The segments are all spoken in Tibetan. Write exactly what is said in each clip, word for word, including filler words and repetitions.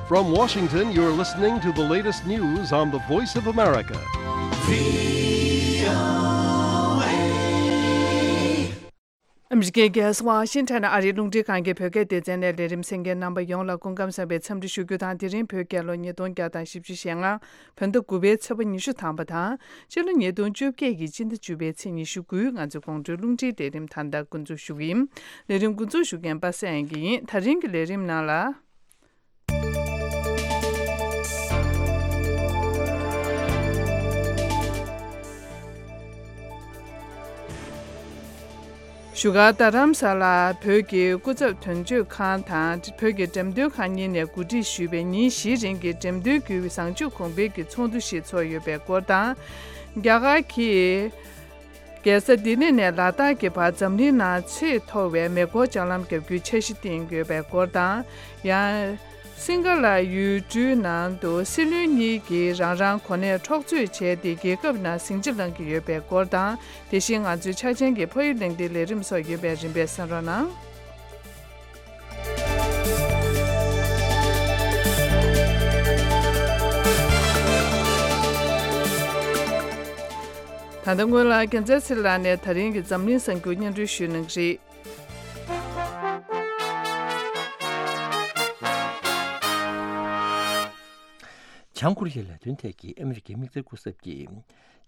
From Washington, you're listening to the latest news on the Voice of America. ཨ་མི་རི་ཀའི་རྒྱལ་ས་ཝ་ཤིང་ཊོན་ཨ་རིའི་རླུང་འཕྲིན་ཁང་གི་བོད་སྐད་སྡེ་ཚན་ནས་ལས་རིམ་གསན་མཁན་རྣམ་པ་ཡོངས་ལ་སྐུ་ཁམས་བཟང་བའི་འཚམས་འདྲི་ཞུ་རྒྱུ་དང་། དེ་རིང་བོད་རྒྱལ་ལོ་ཉིས་སྟོང་བརྒྱ་དང་བཞི་བཅུ་ཞེ་ལྔ། བོད་ཟླ་དགུ་པའི་ཚེས་པ་ཉི་ཤུ་ཐམ་པ་དང་། ཕྱི་ལོ་ཉིས་སྟོང་བཅོ་བརྒྱད་ཀྱི་སྤྱི་ཟླ་བཅུ་པའི་ཚེས་ཉི་ཤུ་དགུ། ང་ཚོའི་དགོང་དྲོའི་རླུང་འཕྲིན་ལས་རིམ་ད་ལྟ་འགོ་འཛུགས་ཞུ་གི་ཡིན། ལས་རིམ་འགོ་འཛུགས་ཞུ་མཁན་པ་སངས་དབྱངས་སྐྱིད་ཡིན། ད་རིང་གི་ལས་རིམ་ནང་ལ། བཞུགས་སྒར་རྡ་རམ་ས་ལར་བོད་ཀྱི་སྐུ་ཚབ་དོན་གཅོད་ཁང་དང་བོད་ཀྱི་འགྲེམས་སྟོན་ཁང་གཉིས་ནས་གོ་སྒྲིག་ཞུས་པའི་ཉིན་བཞིའི་རིང་གི་འགྲེམས་སྟོན་བརྒྱུད་བཟང་སྤྱོད་གོང་འཕེལ་གྱི་ཚོགས་འདུ་ཞིག་ཚོགས་ཡོད་པའི་སྐོར་དང་། རྒྱ་གར་གྱིས་རྒྱལ་ས་ལྡི་ལི་ནས་ལ་དྭགས་ཀྱི་བར་འཛམ་གླིང་ནང་ཆེས་མཐོ་བའི་མེ་འཁོར་ལྕགས་ལམ་བརྒྱབ་རྒྱུའི་འཆར་གཞི་བཏིང་ཡོད་པའི་སྐོར་དང་། ཡང་། སིང་ག་ལ་ཡུལ་གྲུའི་ནང་དུ་སྲིད་བློན་གཉིས་ཀྱིས་རང་རང་གོ་གནས་འཕྲོག་རྩོད་བྱས་ཏེ་རྒྱལ་ཁབ་ནང་ཟིང་ཆ་སློང་གི་ཡོད་པའི་སྐོར་དང་། དེ་བཞིན་ང་ཚོའི་ཆ་ཆེན་གྱི་ཕ་ཡུལ་གླེང་སྟེགས་ལས་རིམ་སོགས་ཡོད་པས་རིམ་པས་གསན་རོགས་གནང་། ད་ལྟ་སྔོན་ལ་རྒྱལ་མཚན་ཚེ་རིང་ལགས་ནས་ད་རིང་གི་འཛམ་གླིང་གསར་འགྱུར་སྙན་སྒྲོན་ཞུ་གནང་གི་རེད། བྱང་ཀོ་རི་ཡའི་ལས་དོན་ཐད་ཀྱི་ཨ་མི་རི་ཀའི་དམིགས་བསལ་སྐུ་ཚབ་ཀྱིས།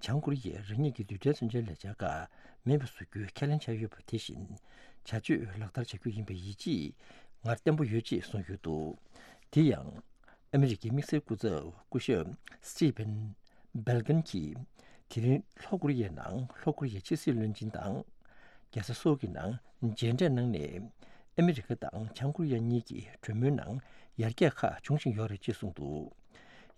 བྱང་ཀོ་རི་ཡས་རང་ཉིད་ཀྱི་རྡུལ་ཕྲན་མཚོན་ཆའི་ལས་འཆར་ཁག་མེད་པ་བཟོ་རྒྱུའི་ཁས་ལེན་བྱས་ཡོད་པ་དེ་བཞིན། བྱ་སྤྱོད་ལག་བསྟར་བྱ་རྒྱུ་ཡིན་པའི་ཡིད་ཆེས་ངར་བརྟན་པོ་ཡོད་ཅེས་གསུངས་ཡོད་འདུག་དེ་ཡང་། ཨ་མི་རི་ཀའི་དམིགས་བསལ་སྐུ་ཚབ་སྐུ་ཞབས་Stephen Biegun་གྱིས། དེ་རིང་ལྷོ་ཀོ་རི་ཡའི་ནང་ལྷོ་ཀོ་རི་ཡའི་ཕྱི་སྲིད་བློན་ཆེན་དང་། རྒྱལ་ས་སོལ་གྱི་ནང་མཇལ་འཕྲད་གནང་ནས། ཨ་མི་རི་ཀ་དང་བྱང་ཀོ་རི་ཡ་གཉིས་ཀྱི་གྲོས་མོལ་ནང་ཡར་རྒྱས་ཁག་འབྱུང་བཞིན་ཡོད་རེད་ཅེས་གསུངས་འདུག་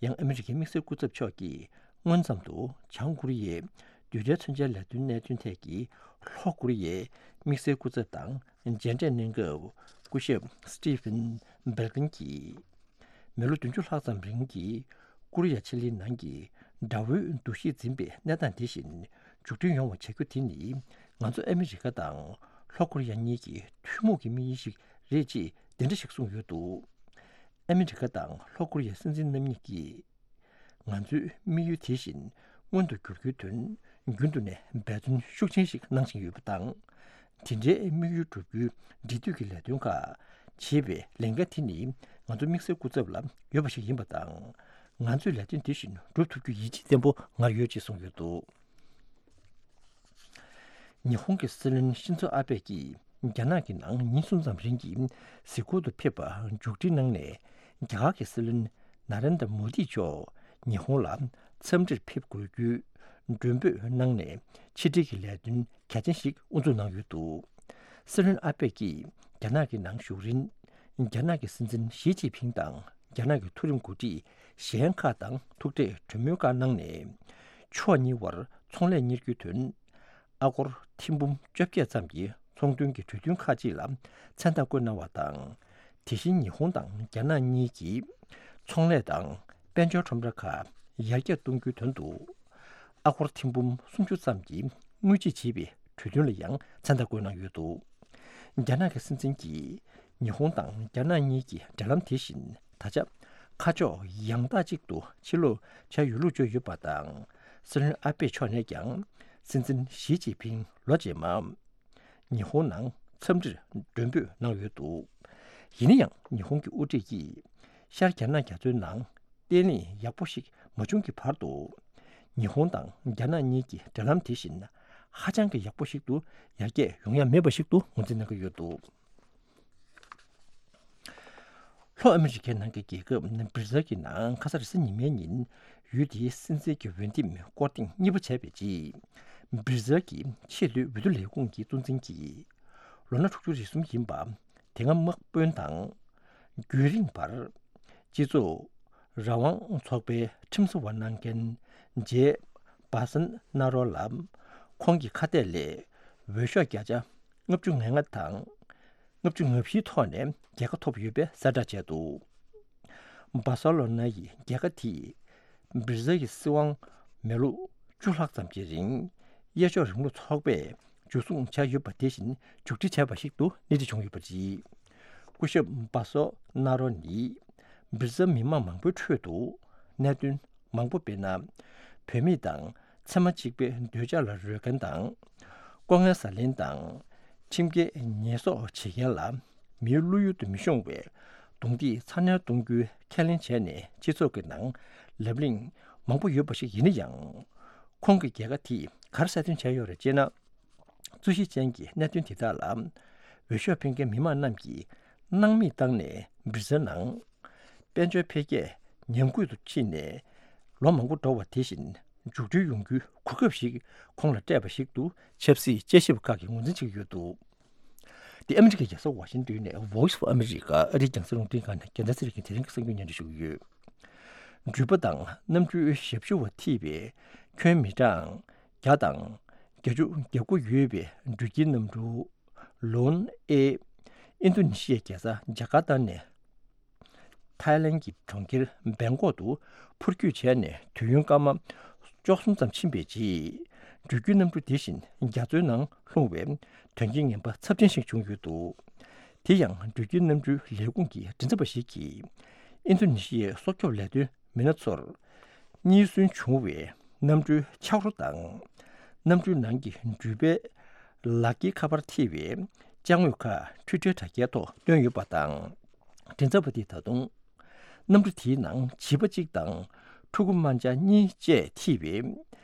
ཡང་ཨ་མི་རི་ཀའི་དམིགས་བསལ་སྐུ་ཚབ་མཆོག་གིས་སྔོན་ཙམ་དུ་བྱང་ཀོ་རི་ཡའི་རྡུལ་ཕྲན་མཚོན་ཆའི་ལས་དོན་གནད་དོན་ཐད་ཀྱི་ལྷོ་ཀོ་རི་ཡའི་དམིགས་བསལ་སྐུ་ཚབ་དང་མཇལ་འཕྲད་གནང་སྐབས། སྐུ་ཞབས་Stephen Biegun་གྱིས། མི་ལོ་བདུན་ཅུ་ལྷག་ཙམ་རིང་གི་ཀོ་རི་ཡ་ཆེ་གླིང་ནང་གི་དགྲ་བོའི་འདུ་ཤེས་འཛིན་པའི་གནས་སྟངས་དེ་བཞིན་མཇུག་སྒྲིལ་ཡོང་བ་བྱ་རྒྱུ་དེ་ནི། ང་ཚོ་ཨ་མི་རི་ཀ་དང་ལྷོ་ཀོ་རི་ཡ་གཉིས་ཀྱི་ཐུན་མོང་གི་དམིགས་ཡུལ་ཞིག་རེད་ཅེས་འདི་འདྲ་ཞིག་གསུངས་ཡོད་འདུག་ཨ་མི་རི་ཀ་དང་ལྷོ་ཀོ་རི་ཡའི་སྲིད་འཛིན་རྣམ་གཉིས་ཀྱིས། ང་ཚོའི་དམིགས་ཡུལ་དེ་བཞིན་མངོན་དུ་འགྱུར་རྒྱུའི་དོན་རྒྱུན་དུ་ནས་འབད་བརྩོན་ཤུགས་ཆེན་ཞིག་གནང་བཞིན་ཡོད་པ་དང་། དེ་འདྲའི་དམིགས་ཡུལ་བསྒྲུབ་རྒྱུའི་འབྲེལ་མཐུད་ཀྱི་ལས་དོན་ཁག་བྱེད་པའི་ལས་འགན་དེ་ནི་ང་ཚོ་དམིགས་བསལ་སྐུ་ཚབ་ལ་ཡོད་པ་ཞིག་ཡིན་པ་དང་། ང་ཚོས་ལས་དོན་དེ་བཞིན་སྒྲུབ་ཐུབ་རྒྱུའི་ཡིད་ཆེས་བརྟན་པོ་ངར་ཡོད་ཅེས་གསུངས་ཡོད་འདུག་ཉི་ཧོང་གི་སྲིད་བློན་ཤིན་ཛོ་ཨ་བྷེ་ཀྱིས་རྒྱ་ནག་གི་ནང་ཉིན་གསུམ་ཙམ་རིང་གི་གཟིགས་སྐོར་དུ་ཕེབས་པར་མཇུག་སྒྲིལ་གནང་ནས། རྒྱ་གར་གྱི་སྲིད་བློན་ན་རེན་དྲ་མོ་དི་མཆོག་ཉི་ཧོང་ལ་འཚམས་འདྲིར་ཕེབས་དགོས་རྒྱུའི་མགྲོན་འབོད་གནང་ནས། ཕྱི་འབྲེལ་གྱི་ལས་དོན་གལ་ཆེན་ཞིག་དབུ་འཛུགས་གནང་ཡོད་འདུག་སྲིད་བློན་ཨ་བྷེ་ཀྱིས་རྒྱ་ནག་གི་ནང་བཞུགས་རིང་། རྒྱ་ནག་གི་སྲིད་འཛིན་ཞི་ཅིན་ཕིང་དང་། རྒྱ་ནག་གི་མཐོ་རིམ་འགོ་ཁྲིད་གཞན་ཁག་དང་ཐུག་འཕྲད་གྲོས་མོལ་ཁག་གནང་ནས། ཕྱོགས་གཉིས་དབར་ཚོང་ལས་གཉེར་རྒྱུའི་དོན། ཨ་སྒོར་ཐེར་འབུམ་བཅོ་བརྒྱད་ཙམ་གྱི་ཚོང་དོན་གྱི་གྲོས་མཐུན་ཁག་ཅིག་ལ་མཚན་རྟགས་བཀོད་གནང་བ་དང་། དེ་བཞིན་ཉི་ཧོང་དང་རྒྱ་ནག་གཉིས་ཀྱིས་ཚོང་ལས་དང་དཔལ་འབྱོར་ཁྲོམ་ར་ཁག་ཡར་རྒྱས་གཏོང་རྒྱུའི་དོན་དུ། ཨ་སྒོར་ཐེར་འབུམ་སུམ་ཅུ་ཙམ་གྱི་དངུལ་བརྗེ་བྱེད་པའི་གྲོས་མཐུན་ལ་ཡང་མཚན་རྟགས་བཀོད་གནང་ཡོད་འདུག་རྒྱ་ནག་གི་སྲིད་འཛིན་གྱིས་ཉི་ཧོང་དང་རྒྱ་ནག་གཉིས་ཀྱི་འབྲེལ་ལམ་དེ་བཞིན་ད་ཆ་ཁ་ཕྱོགས་ཡང་དག་ཅིག་ཏུ་ཕྱིར་ལོག་བྱས་ཡོད་ལུགས་བརྗོད་ཡོད་པ་དང་། སྲིད་བློན་ཨ་པེ་མཆོག་ནས་ཀྱང་སྲིད་འཛིན་ཞི་ཅིན་ཕིང་ལོ་རྗེས་མ་ཉི་ཧོང་ནང་འཚམས་འདྲིར་མགྲོན་འབོད་གནང་ཡོད་འདུག་ཡིན་ན་ཡང་ཉི་ཧོང་གི་དབུ་ཁྲིད་ཀྱིས་ཤར་རྒྱ་ནག་རྒྱ་མཚོའི་ནང་བརྟན་ལྷིང་ཡག་པོ་ཞིག་མ་བྱུང་གི་བར་དུ། ཉི་ཧོང་དང་རྒྱ་ནག་གཉིས་ཀྱི་འབྲེལ་ལམ་དེ་བཞིན་ཧ་ཅང་གི་ཡག་པོ་ཞིག་ཏུ་ཡར་རྒྱས་ཡོང་ཡ་མེད་པ་ཞིག་ཏུ་ངོས་འཛིན་གནང་གི་ཡོད་འདུག་ལྷོ་ཨ་མི་རི་ཀའི་ནང་གི་རྒྱལ་ཁབ་སྦིར་ཛིལ་གྱི་ནང་ཁ་སང་རེས་གཟའ་ཉི་མའི་ཉིན་ཡུལ་དེའི་སྲིད་འཛིན་གྱི་འོས་འདེམས་སྐོར་ཐེངས་གཉིས་པ་བྱས་པའི་རྗེས། སྦིར་ཛིལ་གྱི་ཆེས་མཐོའི་འོས་བསྡུ་ལས་ཁུངས་ཀྱི་གཙོ་འཛིན་གྱིས་ལོ་ན་དྲུག་ཅུ་རེ་གསུམ་ཡིན་པ། དེ་སྔ་དམག་དཔོན་དང་། རྒྱུན་རིང་བར། སྤྱི་ཚོགས་རང་དབང་ཚོགས་པའི་ཁྲིམས་བཟོ་བ་གནང་མཁན་ཇེ་སྦ་སན་ན་རོ་ལ། ཁོང་གི་ཁ་གཏད་ལས་འོས་ཤོག་བརྒྱ་ཆ་ལྔ་བཅུ་ང་ལྔ་དང་། ལྔ་བཅུ་ང་བཞིའི་ཐོག་ནས་རྒྱལ་ཁ་ཐོབ་ཡོད་པའི་གསལ་བསྒྲགས་བྱས་འདུག་སྦ་སེ་ལོ་ན་ཡི་རྒྱལ་ཁ་དེས་སྦིར་ཛིལ་གྱི་སྲིད་དབང་མི་ལོ་བཅུ་ལྷག་ཙམ་གྱི་རིང་གཡས་ཕྱོགས་རིང་ལུགས་ཚོགས་པས་འཇུ་བཟུང་བྱས་ཡོད་པ་དེ་བཞིན་མཇུག་སྒྲིལ་བྱས་པ་ཞིག་ཏུ་སྣེ་ཁྲིད་བྱུང་ཡོད་པ་རེད། སྐུ་ཞབས་སྦ་སེ་ལོ་ན་ནི་ སྦིར་ཛམ་མི་མང་མང་པོའི་ཁྲོད་དུ་གནད་དོན་མང་པོ། དཔེར་ན། བུད་མེད་དང་ཚད་མ་གཅིག་པའི་འདོད་ཆགས་ལ་རོལ་མཁན་དང་། ལྐོག་རྔན་ཟ་ལེན་དང་། ཁྲིམས་འགལ་ཉེས་གསོག་བྱེད་མཁན་ལ་མིའི་བློ་ཡུལ་དུ་མི་ཤོང་བའི་རྡུང་རྡེག་ཚ་ནན་གཏོང་རྒྱུའི་ཁས་ལེན་བྱས་ནས་སྤྱི་ཚོགས་ཀྱི་ནང་ལབ་གླེང་མང་པོ་ཡོད་པ་ཞིག་ཡིན་ན་ཡང་། ཁོང་གི་རྒྱལ་ཁ་དེས་ག་རེ་གསལ་སྟོན་བྱས་ཡོད་རེད་ཅེ་ན། རྩོད་གཞི་ཅན་གྱི་གནད་དོན་དེ་དག་ལ་འོས་ཤོག་འཕེན་མཁན་མི་མང་རྣམས་ཀྱིས་སྣང་མེད་བཏང་ནས་སྦིར་ཛམ་ནང་དཔལ་འབྱོར་འཕེལ་རྒྱས་ཉམས་རྒུད་དུ་ཕྱིན་ནས་ལོ་མང་པོ་འགྲོ་བ་དེ་བཞིན་མཇུག་སྒྲིལ་ཡོང་རྒྱུའི་གོ་སྐབས་ཤིག་ཁོང་ལ་སྤྲད་པ་ཞིག་ཏུ་ཆབ་སྲིད་དཔྱད་ཞིབ་པ་ཁག་གིས་ངོས་འཛིན་བྱེད་ཀྱི་ཡོད་འདུག་འདི་ཨ་མི་རི་ཀའི་རྒྱལ་ས་ཝ་ཤིང་ཏོན་ནས་Voice of America ཨ་རིའི་རྒྱང་སྲིང་རླུང་འཕྲིན་ཁང་ནས་རྒྱལ་མཚན་ཚེ་རིང་དེ་རིང་གི་གསར་འགྱུར་སྙན་སྒྲོན་ཞུ་གི་ཡོད། འགྲུལ་པ་དང་གནམ་གྲུའི་ཞབས་ཞུ་བ་ཐེ་བའི་ཁྱོན་མི་གྲངས་བརྒྱ་དང་བརྒྱད་ཅུ་གྱ་དགུ་ཡོད་པའི་འགྲུལ་སྐྱེལ་གནམ་གྲུ་ལོན་ཨེ་ཨིན་རྡུ་ནི་ཤི་ཡའི་རྒྱལ་ས་ཇ་ཀར་ཏ་ནས་ཐའི་ལན་གྱི་གྲོང་ཁྱེར་བེང་ཀོག་ཏུ་འཕུར་སྐྱོད་བྱས་ནས་དུས་ཡུན་སྐར་མ་བཅུ་གསུམ་ཙམ་ཕྱིན་པའི་རྗེས། འགྲུལ་སྐྱེལ་གནམ་གྲུ་དེ་བཞིན་རྒྱ་མཚོའི་ནང་ལྷུང་བའི་དོན་རྐྱེན་ངན་པ་ཚབས་ཆེན་ཞིག་བྱུང་ཡོད་འདུག་དེ་ཡང་འགྲུལ་སྐྱེལ་གནམ་གྲུའི་ལས་ཁུངས་ཀྱི་མགྲིན་ཚབ་པ་ཞིག་གིས་ཨིན་རྡུ་ནི་ཤི་ཡའི་སྲོག་སྐྱོབ་ལས་དོན་མི་སྣ་ཚོར་རྙེད་སོན་བྱུང་བའི་གནམ་གྲུའི་ཆག་རོ་དང་། གནམ་གྲུའི་ནང་གི་འགྲུལ་པའི་ལག་འཁྱེར་ཁ་པར་ཐེ་བའི་ཅ་དངོས་ཁག་འཕྲུལ་ཁྲལ་དྲ་རྒྱའི་ཐོག་བཏོན་ཡོད་པ་དང་། མགྲིན་ཚབ་པ་དེས་ད་དུང་། གནམ་གྲུ་དེའི་ནང་བྱིས་པ་གཅིག་དང་ཕྲུ་གུ་དམར་འབྱར་གཉིས་བཅས་ཐེ་བའི་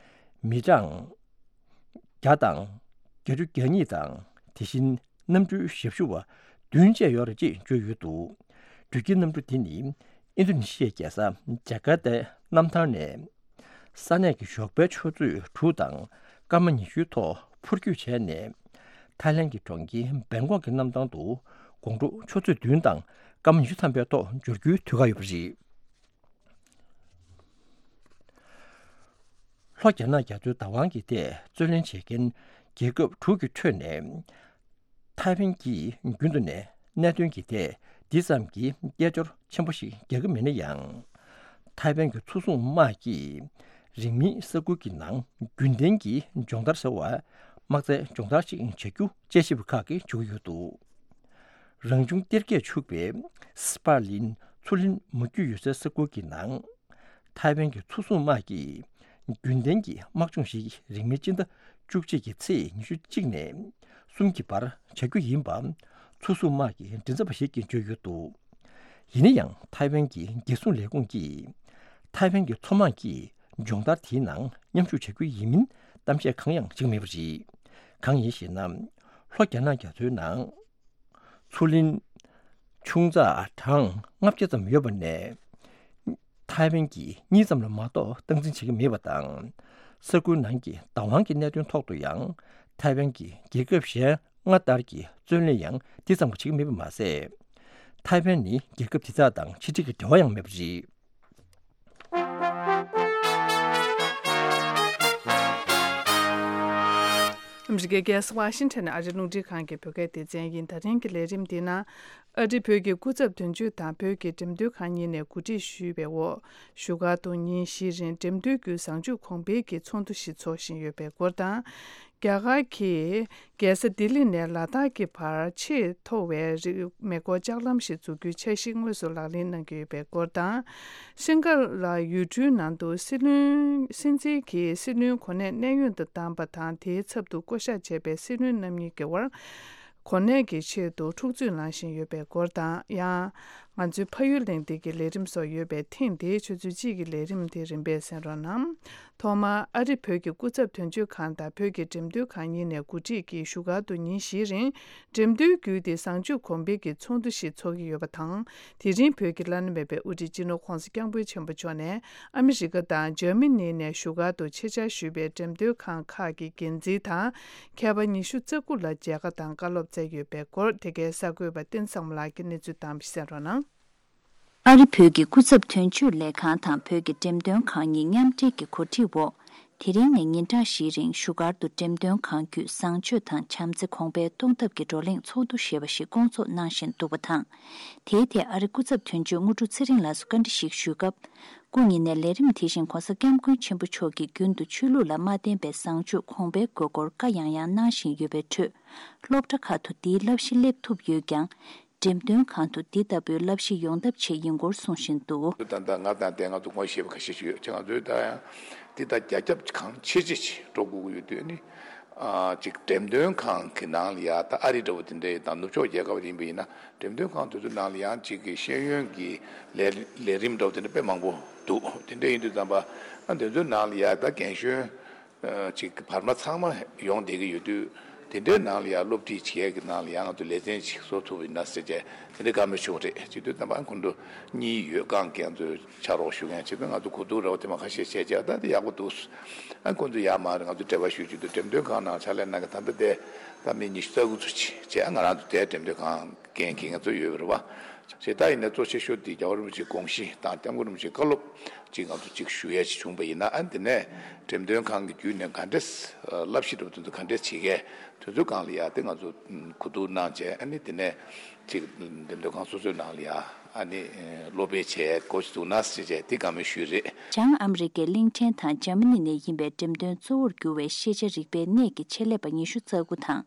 མི་གྲངས་བརྒྱ་དང་བརྒྱད་ཅུ་གྱ་གཉིས་དང་། དེ་བཞིན་གནམ་གྲུའི་ཞབས་ཞུ་བ་བདུན་བཅས་ཡོད་རེད་ཅེས་བརྗོད་ཡོད་འདུག་འགྲུལ་སྐྱེལ་གནམ་གྲུ་དེ་ནི་ཨིན་རྡུ་ནི་ཤི་ཡའི་རྒྱལ་ས་ཇ་ཀར་ཏའི་གནམ་ཐང་ནས། ས་གནས་ཀྱི་ཞོགས་པའི་ཆུ་ཚོད་དྲུག་དང་སྐར་མ་ཉི་ཤུའི་ཐོག་འཕུར་སྐྱོད་བྱས་ནས། ཐའི་ལན་གྱི་གྲོང་ཁྱེར་བེང་ཀོག་གི་གནམ་ཐང་དུ་དགོང་དྲོ་ཆུ་ཚོད་བདུན་དང་སྐར་མ་ཉི་ཤུ་ཐམ་པའི་ཐོག་འབྱོར་རྒྱུའི་དུས་བཀག་ཡོད་པ་རེད། ལྷོ་རྒྱ་ནག་རྒྱ་མཚོའི་བདག་དབང་གི་ཐད་རྩོད་ལེན་བྱེད་མཁན་རྒྱལ་ཁབ་དྲུག་གི་ཁྲོད་ནས། ཐའེ་ཝན་གྱིས་རྒྱུན་དུ་ནས་གནད་དོན་གྱི་ཐད་འདི་ཙམ་གྱི་སྐད་ཅོར་ཆེན་པོ་ཞིག་རྒྱག་གི་མེད་ན་ཡང་། ཐའེ་ཝན་གྱི་མཚོ་སྲུང་དམག་གིས་རིང་མིན་ས་ཁུལ་གྱི་ནང་རྒྱུན་ལྡན་གྱི་སྦྱོང་བརྡར་ཟེར་བ་དམག་རྩལ་སྦྱོང་བརྡར་ཞིག་བྱ་རྒྱུ་དཔྱད་ཞིབ་པ་ཁག་གིས་བརྗོད་ཀྱི་ཡོད་འདུག་རང་བྱུང་གཏེར་རྒྱས་ཕྱུག་པའི་སི་པར་ལིན་མཚོ་ལྷུང་མུ་ཁྱུད་ཡོད་སའི་ས་ཁུལ་གྱི་ནང་། ཐའེ་ཝན་གྱི་མཚོ་སྲུང་དམག་གིས་རྒྱུན་ལྡན་གྱི་དམག་སྦྱོང་ཞིག་རིང་མིན་སྤྱི་ཟླ་བཅུ་གཅིག་གི་ཚེས་ཉི་ཤུ་གཅིག་ནས་གསུམ་གྱི་བར་བྱ་རྒྱུ་ཡིན་པ། མཚོ་སྲུང་དམག་གི་མགྲིན་ཚབ་པ་ཞིག་གིས་བརྗོད་ཡོད་འདུག་ཡིན་ན་ཡང་ཐའེ་ཝན་གྱི་རྒྱལ་སྲུང་ལས་ཁུངས་ཀྱིས། ཐའེ་ཝན་གྱི་མཚོ་དམག་གིས་སྦྱོང་བརྡར་དེའི་ནང་མཉམ་ཞུགས་བྱ་རྒྱུ་ཡིན་མིན་གཏམ་བཤད་གང་ཡང་བྱེད་ཀྱི་མེད་པ་རེད། གང་ཡིན་ཞེ་ན། ལྷོ་རྒྱ་ནག་རྒྱ་མཚོའི་ནང་། མཚོ་གླིང་ཆུང་ཙག་གྲངས་ལྔ་བརྒྱ་ཙམ་ཡོད་པ་ནས། ཐའེ་ཝན་གྱིས་གཉིས་ཙམ་ལ་མ་གཏོགས་སྟངས་འཛིན་བྱེད་ཀྱི་མེད་པ་དང་། ས་ཁུལ་ནང་གི་བདག་དབང་གི་གནད་དོན་ཐོག་ཏུ་ཡང་། ཐའེ་ཝན་གྱིས་རྒྱལ་ཁབ་གཞན་ལྔ་ལྟར་གྱི་རྩོད་ལེན་ཡང་འདི་ཙམ་བྱེད་ཀྱི་མེད་པ་མ་ཟད། ཐའེ་ཝན་ནི་རྒྱལ་ཁབ་དེ་དག་དང་ཕྱི་འབྲེལ་གྱི་འབྲེལ་བ་ཡང་མེད་པ་རེད། ཨ་མི་རི་ཀའི་རྒྱལ་ས་ཝ་ཤིང་ཊོན་ནས་ཨ་རིའི་རླུང་འཕྲིན་ཁང་གི་བོད་སྐད་སྡེ་ཚན་ཡིན། ད་རིང་གི་ལས་རིམ་འདི་ན། ཨ་རི་བོད་ཀྱི་སྐུ་ཚབ་དོན་གཅོད་དང་བོད་ཀྱི་འགྲེམས་སྟོན་ཁང་གཉིས་ནས་གོ་སྒྲིག་ཞུས་པའི་འོག་བཞུགས་སྒར་དུ་ཉིན་བཞི་རིང་འགྲེམས་སྟོན་བརྒྱུད་བཟང་སྤྱོད་གོང་འཕེལ་གྱི་ཚོགས་འདུ་ཞིག་འཚོགས་བཞིན་ཡོད་པའི་སྐོར་དང་། རྒྱ་གར་གྱི་རྒྱལ་ས་ལྡི་ལི་ནས་ལ་དྭགས་ཀྱི་བར་ཆེས་མཐོ་བའི་རི་མེ་འཁོར་ལྕགས་ལམ་ཞིག་འཛུགས་རྒྱུའི་འཆར་གཞི་དངོས་སུ་ལག་ལེན་གནང་གི་ཡོད་པའི་སྐོར་དང་། ཤིང་ཀ་ལ་ཡུལ་གྲུའི་ནང་དུ་སྲིད་བློན་སྲིད་འཛིན་གྱིས་སྲིད་བློན་གོ་གནས་གནས་དབྱུང་དུ་བདམས་པ་དང་། དེའི་ཚབ་ཏུ་བསྐོ་གཞག་བྱས་པའི་སྲིད་བློན་རྣམ་གཉིས་ཀྱི་དབར་གོ་གནས་ཀྱི་ཆེད་དུ་འཁྲུག་རྩོད་གནང་བཞིན་ཡོད་པའི་སྐོར་དང་། ཡང་། ང་ཚོའི་ཕ་ཡུལ་གླེང་སྟེགས་ཀྱི་ལས་རིམ་སོགས་ཡོད་པས། ཐེངས་འདིའི་ཆུ་ཚོད་གཅིག་གི་ལས་རིམ་དེ་རིམ་པས་གསན་རོགས་གནང་། ཐོག་མར་ཨ་རི་བོད་ཀྱི་སྐུ་ཚབ་དོན་གཅོད་ཁང་དང་བོད་ཀྱི་འགྲེམས་སྟོན་ཁང་གཉིས་ནས་གོ་སྒྲིག་གིས་བཞུགས་སྒར་དུ་ཉིན་བཞིའི་རིང་འགྲེམས་སྟོན་བརྒྱུད་དེ་བཟང་སྤྱོད་གོང་འཕེལ་གྱི་ཚོགས་འདུ་ཞིག་འཚོགས་ཀྱི་ཡོད་པ་དང་། དེ་རིང་བོད་ཀྱི་བླ་ན་མེད་པའི་དབུ་ཁྲིད་སྤྱི་ནོར་༧གོང་ས་༧སྐྱབས་མགོན་ཆེན་པོ་མཆོག་ནས་ཨ་མི་རི་ཀ་དང་འཇར་མ་ནི་ནས་བཞུགས་སྒར་དུ་ཆེད་བཅར་ཞུས་པའི་འགྲེམས་སྟོན་ཁང་ཁག་གི་འགན་འཛིན་དང་། མཁས་པ་ཉི་ཤུ་རྩ་དགུ་ལ་མཇལ་ཁ་དང་བཀའ་སློབ་སྩལ་ཡོད་པའི་སྐོར། དེ་གའི་གསར་འགོད་པ་བསྟན་བཟང་མོ་ལགས་ཀྱིས་གནས་ཚུལ་དང་པོ་གསན་རོགས་གནང་། ཨ་རི་བོད་ཀྱི་སྐུ་ཚབ་དོན་གཅོད་ལས་ཁང་དང་བོད་ཀྱི་འགྲེམས་སྟོན་ཁང་གཉིས་མཉམ་འབྲེལ་གྱི་གོ་སྒྲིག་འོག་དེ་རིང་ནས་ཉིན་གྲངས་བཞིའི་རིང་བཞུགས་སྒར་དུ་འགྲེམས་སྟོན་ཁང་བརྒྱུད་བཟང་སྤྱོད་དང་བྱམས་བརྩེ་གོང་འཕེལ་གཏོང་ཐབས་ཀྱི་བགྲོ་གླེང་ཚོགས་འདུ་ཞེས་པ་ཞིག་བསྐོང་ཚོགས་གནང་བཞིན་འདུག་པ་དང་། དེའི་ཐད་ཨ་རིའི་སྐུ་ཚབ་དོན་གཅོད་དངོས་གྲུབ་ཚེ་རིང་ལགས་སུ་བཀའ་འདྲི་ཞིག་ཞུས་སྐབས། སྐུ་ཉིད་ནས་ལས་རིམ་དེ་བཞིན་༧གོང་ས་༧སྐྱབས་མགོན་ཆེན་པོ་མཆོག་གིས་རྒྱུན་དུ་ཆོས་ལུགས་ལ་མ་བརྟེན་པའི་བཟང་སྤྱོད་གོང་འཕེལ་དགོས་སྐོར་བཀའ་ཡང་ཡང་གནང་བཞིན་ཡོད་པའི་ཁྲོད། སློབ་གྲྭ་ཁག་ཏུ་འདིའི་བསླབ་གཞི་སླེབས་ཐུབ་ཡོད་ཀྱང་། འགྲེམས་སྟོན་ཁང་དུ་འདི་ལྟ་བུའི་བསླབ་གཞི་ཡོང་ཐབས་ཆེད་ཡིན་སྐོར་གསུངས་བཞིན་འདུག། ད་ལྟ་ང་དང་དེ་ང་ཚོ་ངོ་ཤེས་པ་ཁ་ཤས་ཤིག་ཡོད་ཅེ། ང་ཚོས་ད་ཡང་འདི་ལྟར་རྒྱ་ཁྱབ་གང་ཆེ་ཆེ་ཞིག་འགྲོ་དགོས་ཀྱི་ཡོད་དུས་ནི། ཨ་ཅིག་འགྲེམས་སྟོན་ཁང་གི་ནང་ལ་ཡ་ད་ཨ་རི་འདྲ་བོ་དེ་འདྲ་དང་ནུབ་ཕྱོགས་རྒྱལ་ཁབ་ཡིན་པ་ཡིན་ན། འགྲེམས་སྟོན་ཁང་དེ་ཚོའི་ནང་ལ་ཡང་ཅིག་གི་ཤེས་ཡོན་གྱི་ལས་ལས་རིམ་འདྲ་བོ་དེ་འདྲ་དཔེ་མང་པོ་འདུག། དེ་འདྲ་ཡིན་དུས་ཙམ་པ་ཨ་དེ་ཚོའི་ནང་ལ་ཡ་ད་རྒན་གཞོན་ཨ་ཅིག་བར་མ་ཚང་མ་ཡོང་བསྡད་ཀྱི་ཡོད་དུས། དེ་འདྲའི་ནང་ལ་ཡང་སློབ་ཁྲིད་བྱེད་ཡས་ཀྱི་ནང་ལ་ཡང་ང་ཚོ་ལེ་ཚན་ཅིག་བཟོ་ཐུབ་ཡིན་ན་ཟེར་བྱས་དེ་འདྲའི་བཀའ་མོལ་ཞུ་བ་རེད། བྱེད་དུས་ཙམ་པ་ཁོང་ཚོ་གཉིས་ཡོད། རྐང་གི་ང་ཚོ་ཕྱག་རོགས་ཞུ་མཁན་བྱེད་དུས་ང་ཚོ་གོ་བསྡུར་རོགས་དེ་མ་ཁ་ཤས་བྱས་བྱས་ད་དེ་ཡག་པོ་འདུག། ཨ་ཁོང་ཚོ་ཡར་མར་ང་ཚོ་འབྲེལ་བ་ཞུ་རྒྱུ་དུ་འགྲེམས་སྟོན་ཁང་ནང་ཕྱག་ལས་གནང་གི་ད་ལྟ་དེ་ད་མི་ཉི་ཤུ་རྩ་དགུ་ཙམ་ཅིག་བྱས། ང་རང་ཚོ་དེ་འགྲེམས་སྟོན་ཁང་འགན་འཁྱེར་མཁན་ཚོ་ཡོད་པ་རེད་བ། བྱས་ད་ཡིན་ན་གཙོ་ཆེ་ཤོས་དེ་རྒྱལ་བ་རིན་པོ་ཆེའི་དགོངས་གཞི་དང་སྐྱབས་མགོན་རིན་པོ་ཆེའི་བཀའ་སློབ་ཅིག་ང་ཚོ་ཅིག་ཞུ་ཡས་ཅིག་བྱུང་པ་ཡིན་ན། ཨ་ནི་དེ་ནས་འགྲེམས་སྟོན་ཁང་གི་བརྒྱུད་ནས་ག་འདྲས་བསླབ་གཞི་འདྲ་བོ་དེ་ཚོ་ག་འདྲས་བྱེད་མཁན་དེ་ཚོའི་སྒང་ལ་ཡ་དེ་ང་ཚོ་གོ་བསྡུར་གནང་བྱས། ཨ་ནི་དེ་ནས་ཅིག་འགྲེམས་སྟོན་ཁང་སོ་སོའི་ནང་ལ་ཡ་ཨ་ནི་སློབ་སྤེལ་བྱས་འགོ་ཅིག་འཛུགས་ན་ཟེར་བྱས་དེ་བཀའ་མོལ་ཞུས་རེད། བྱང་ཨ་མི་རི་ཀའི་གླིང་ཕྲན་དང་འཇར་མ་ནི་ནས་ཡིན་པའི་འགྲེམས་སྟོན་གཙོ་བོར་གྱུར་བའི་ཤེས་བྱ་རིག་པའི་གནས་ཀྱི་ཆེད་ལས་པ་ཉི་ཤུ་རྩ་དགུ་དང་།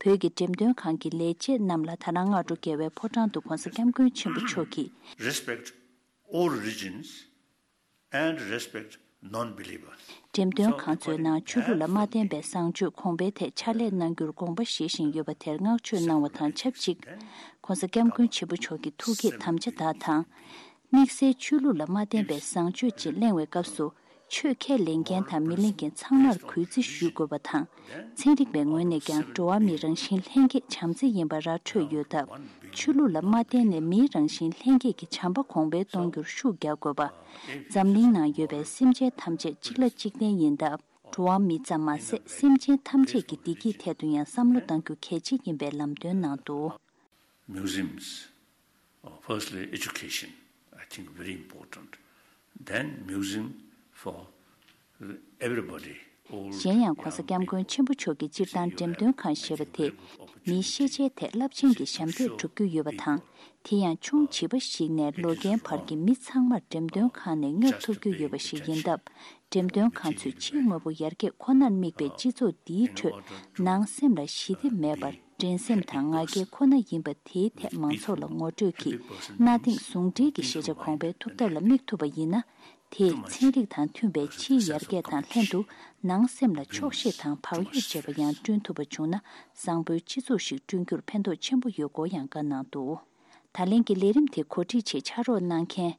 བོད་ཀྱི་འགྲེམས་སྟོན་ཁང་གི་ལས་བྱེད་རྣམས་ལ་ད་རང་སྔ་དྲོ་རྒྱལ་བའི་ཕོ་བྲང་དུ་༧གོང་ས་༧སྐྱབས་མགོན་ཆེན་པོ་མཆོག་གིས། Respect all religions and respect non-believers. འགྲེམས་སྟོན་ཁང་ཚོའི་ནང་ཆོས་ལུགས་ལ་མ་བརྟེན་པའི་བཟང་སྤྱོད་གོང་འཕེལ་ཐད་ཕྱག་ལས་གནང་རྒྱུར་དགོངས་པ་བཞེས་བཞིན་ཡོད་པ་དེར་བསྔགས་བརྗོད་གནང་བ་དང་ཆབས་ཅིག།༧གོང་ས་༧སྐྱབས་མགོན་ཆེན་པོ་མཆོག་གི་ཐུགས་བསྐྱེད་དམ་བཅའ་དག་དང་། དམིགས་བསལ་ཆོས་ལུགས་ལ་མ་བརྟེན་པའི་བཟང་སྤྱོད་ཅིག་གླེང་བའི་སྐབས་སུ། ཆོས་ཁས་ལེན་མཁན་དང་མི་ལེན་མཁན་ཚང་མར་གུས་བརྩི་ཞུ་དགོས་པ་དང་། ཚན་རིག་པའི་ངོས་ནས་ཀྱང་འགྲོ་བ་མིའི་རང་བཞིན་ལྷན་སྐྱེས་བྱམས་བརྩེ་ཡིན་པ་ར་འཕྲོད་ཡོད་སྟབས། ཆོས་ལུགས་ལ་མ་བརྟེན་ནས་མིའི་རང་བཞིན་ལྷན་སྐྱེས་ཀྱི་བྱམས་པ་གོང་འཕེལ་གཏོང་རྒྱུར་ཤུགས་རྒྱག་དགོས་པ། འཛམ་གླིང་ནང་ཡོད་པའི་སེམས་ཅན་ཐམས་ཅད་གཅིག་ལ་གཅིག་བརྟེན་ཡིན་སྟབས། འགྲོ་བ་མི་ཙམ་མ་ཟད་སེམས་ཅན་ཐམས་ཅད་ཀྱི་བདེ་སྐྱིད་ཐད་དུ་ཡང་བསམ་བློ་གཏང་རྒྱུ་གལ་ཆེ་ཡིན་པའི་ལམ་སྟོན་གནང་འདུག། Museums, uh, firstly, education, I think very important. Then museum for everybody, old, གཞན་ཡང་༧གོང་ས་༧སྐྱབས་མགོན་ཆེན་པོ་མཆོག་གིས་སྤྱིར་བཏང་འགྲེམས་སྟོན་ཁང་ཞེས་པ་དེ་མིའི་ཤེས་བྱའི་ཐད་རླབས་ཆེན་གྱི་ཞབས་འདེགས་སྒྲུབ་རྒྱུ་ཡོད་པ་དང་། དེ་ཡང་ཆུང་བྱིས་པ་ཞིག་ནས་ལོ་རྒན་བར་གྱི་མི་ཚང་མར་འགྲེམས་སྟོན་ཁང་ནས་བསྙབ་ཐུབ་རྒྱུ་ཡོད་པ་ཞིག་ཡིན་སྟབས། འགྲེམས་སྟོན་ཁང་ཚོས་ཕྱིའི་དངོས་པོ་ཡར་རྒྱས་ཁོ་ནར་དམིགས་པའི་སྤྱི་ཚོགས་འདིའི་ཁྲོད་ནང་སེམས་ལ་ཞི་བདེ་མེད་པར། འགྲན་སེམས་དང་ང་རྒྱལ་ཁོ་ན་ཡིན་པ་དེའི་ཐད་མང་ཚོགས་ལ་ངོ་སྤྲོད་ཀྱིས་གནའ་དེང་ཟུང་འབྲེལ་གྱི་ཤེས་བྱ་གོང་འཕེལ་ཐུབ་ཐབས་ལ་དམིགས་ཐུབ་པ་ཡིན་ན། དེས་ཚན་རིག་དང་མཐུན་པའི་ཕྱིའི་ཡར་རྒྱས་དང་ལྷན་དུ་ནང་སེམས་ལ་ཆོག་ཤེས་དང་བག་ཡོད་བྱེད་པ་ཡང་བསྐྲུན་ཐུབ་པ་བྱུང་ན། བཟང་པོའི་སྤྱི་ཚོགས་ཤིག་བསྐྲུན་རྒྱུར་ཕན་ཐོགས་ཆེན་པོ་ཡོད་སྐོར་ཡང་བཀའ་གནང་འདུག། ད་ལན་གྱི་ལས་རིམ་དེ་གོ་སྒྲིག་ཆེད་ཕྱག་རོགས་གནང་མཁན།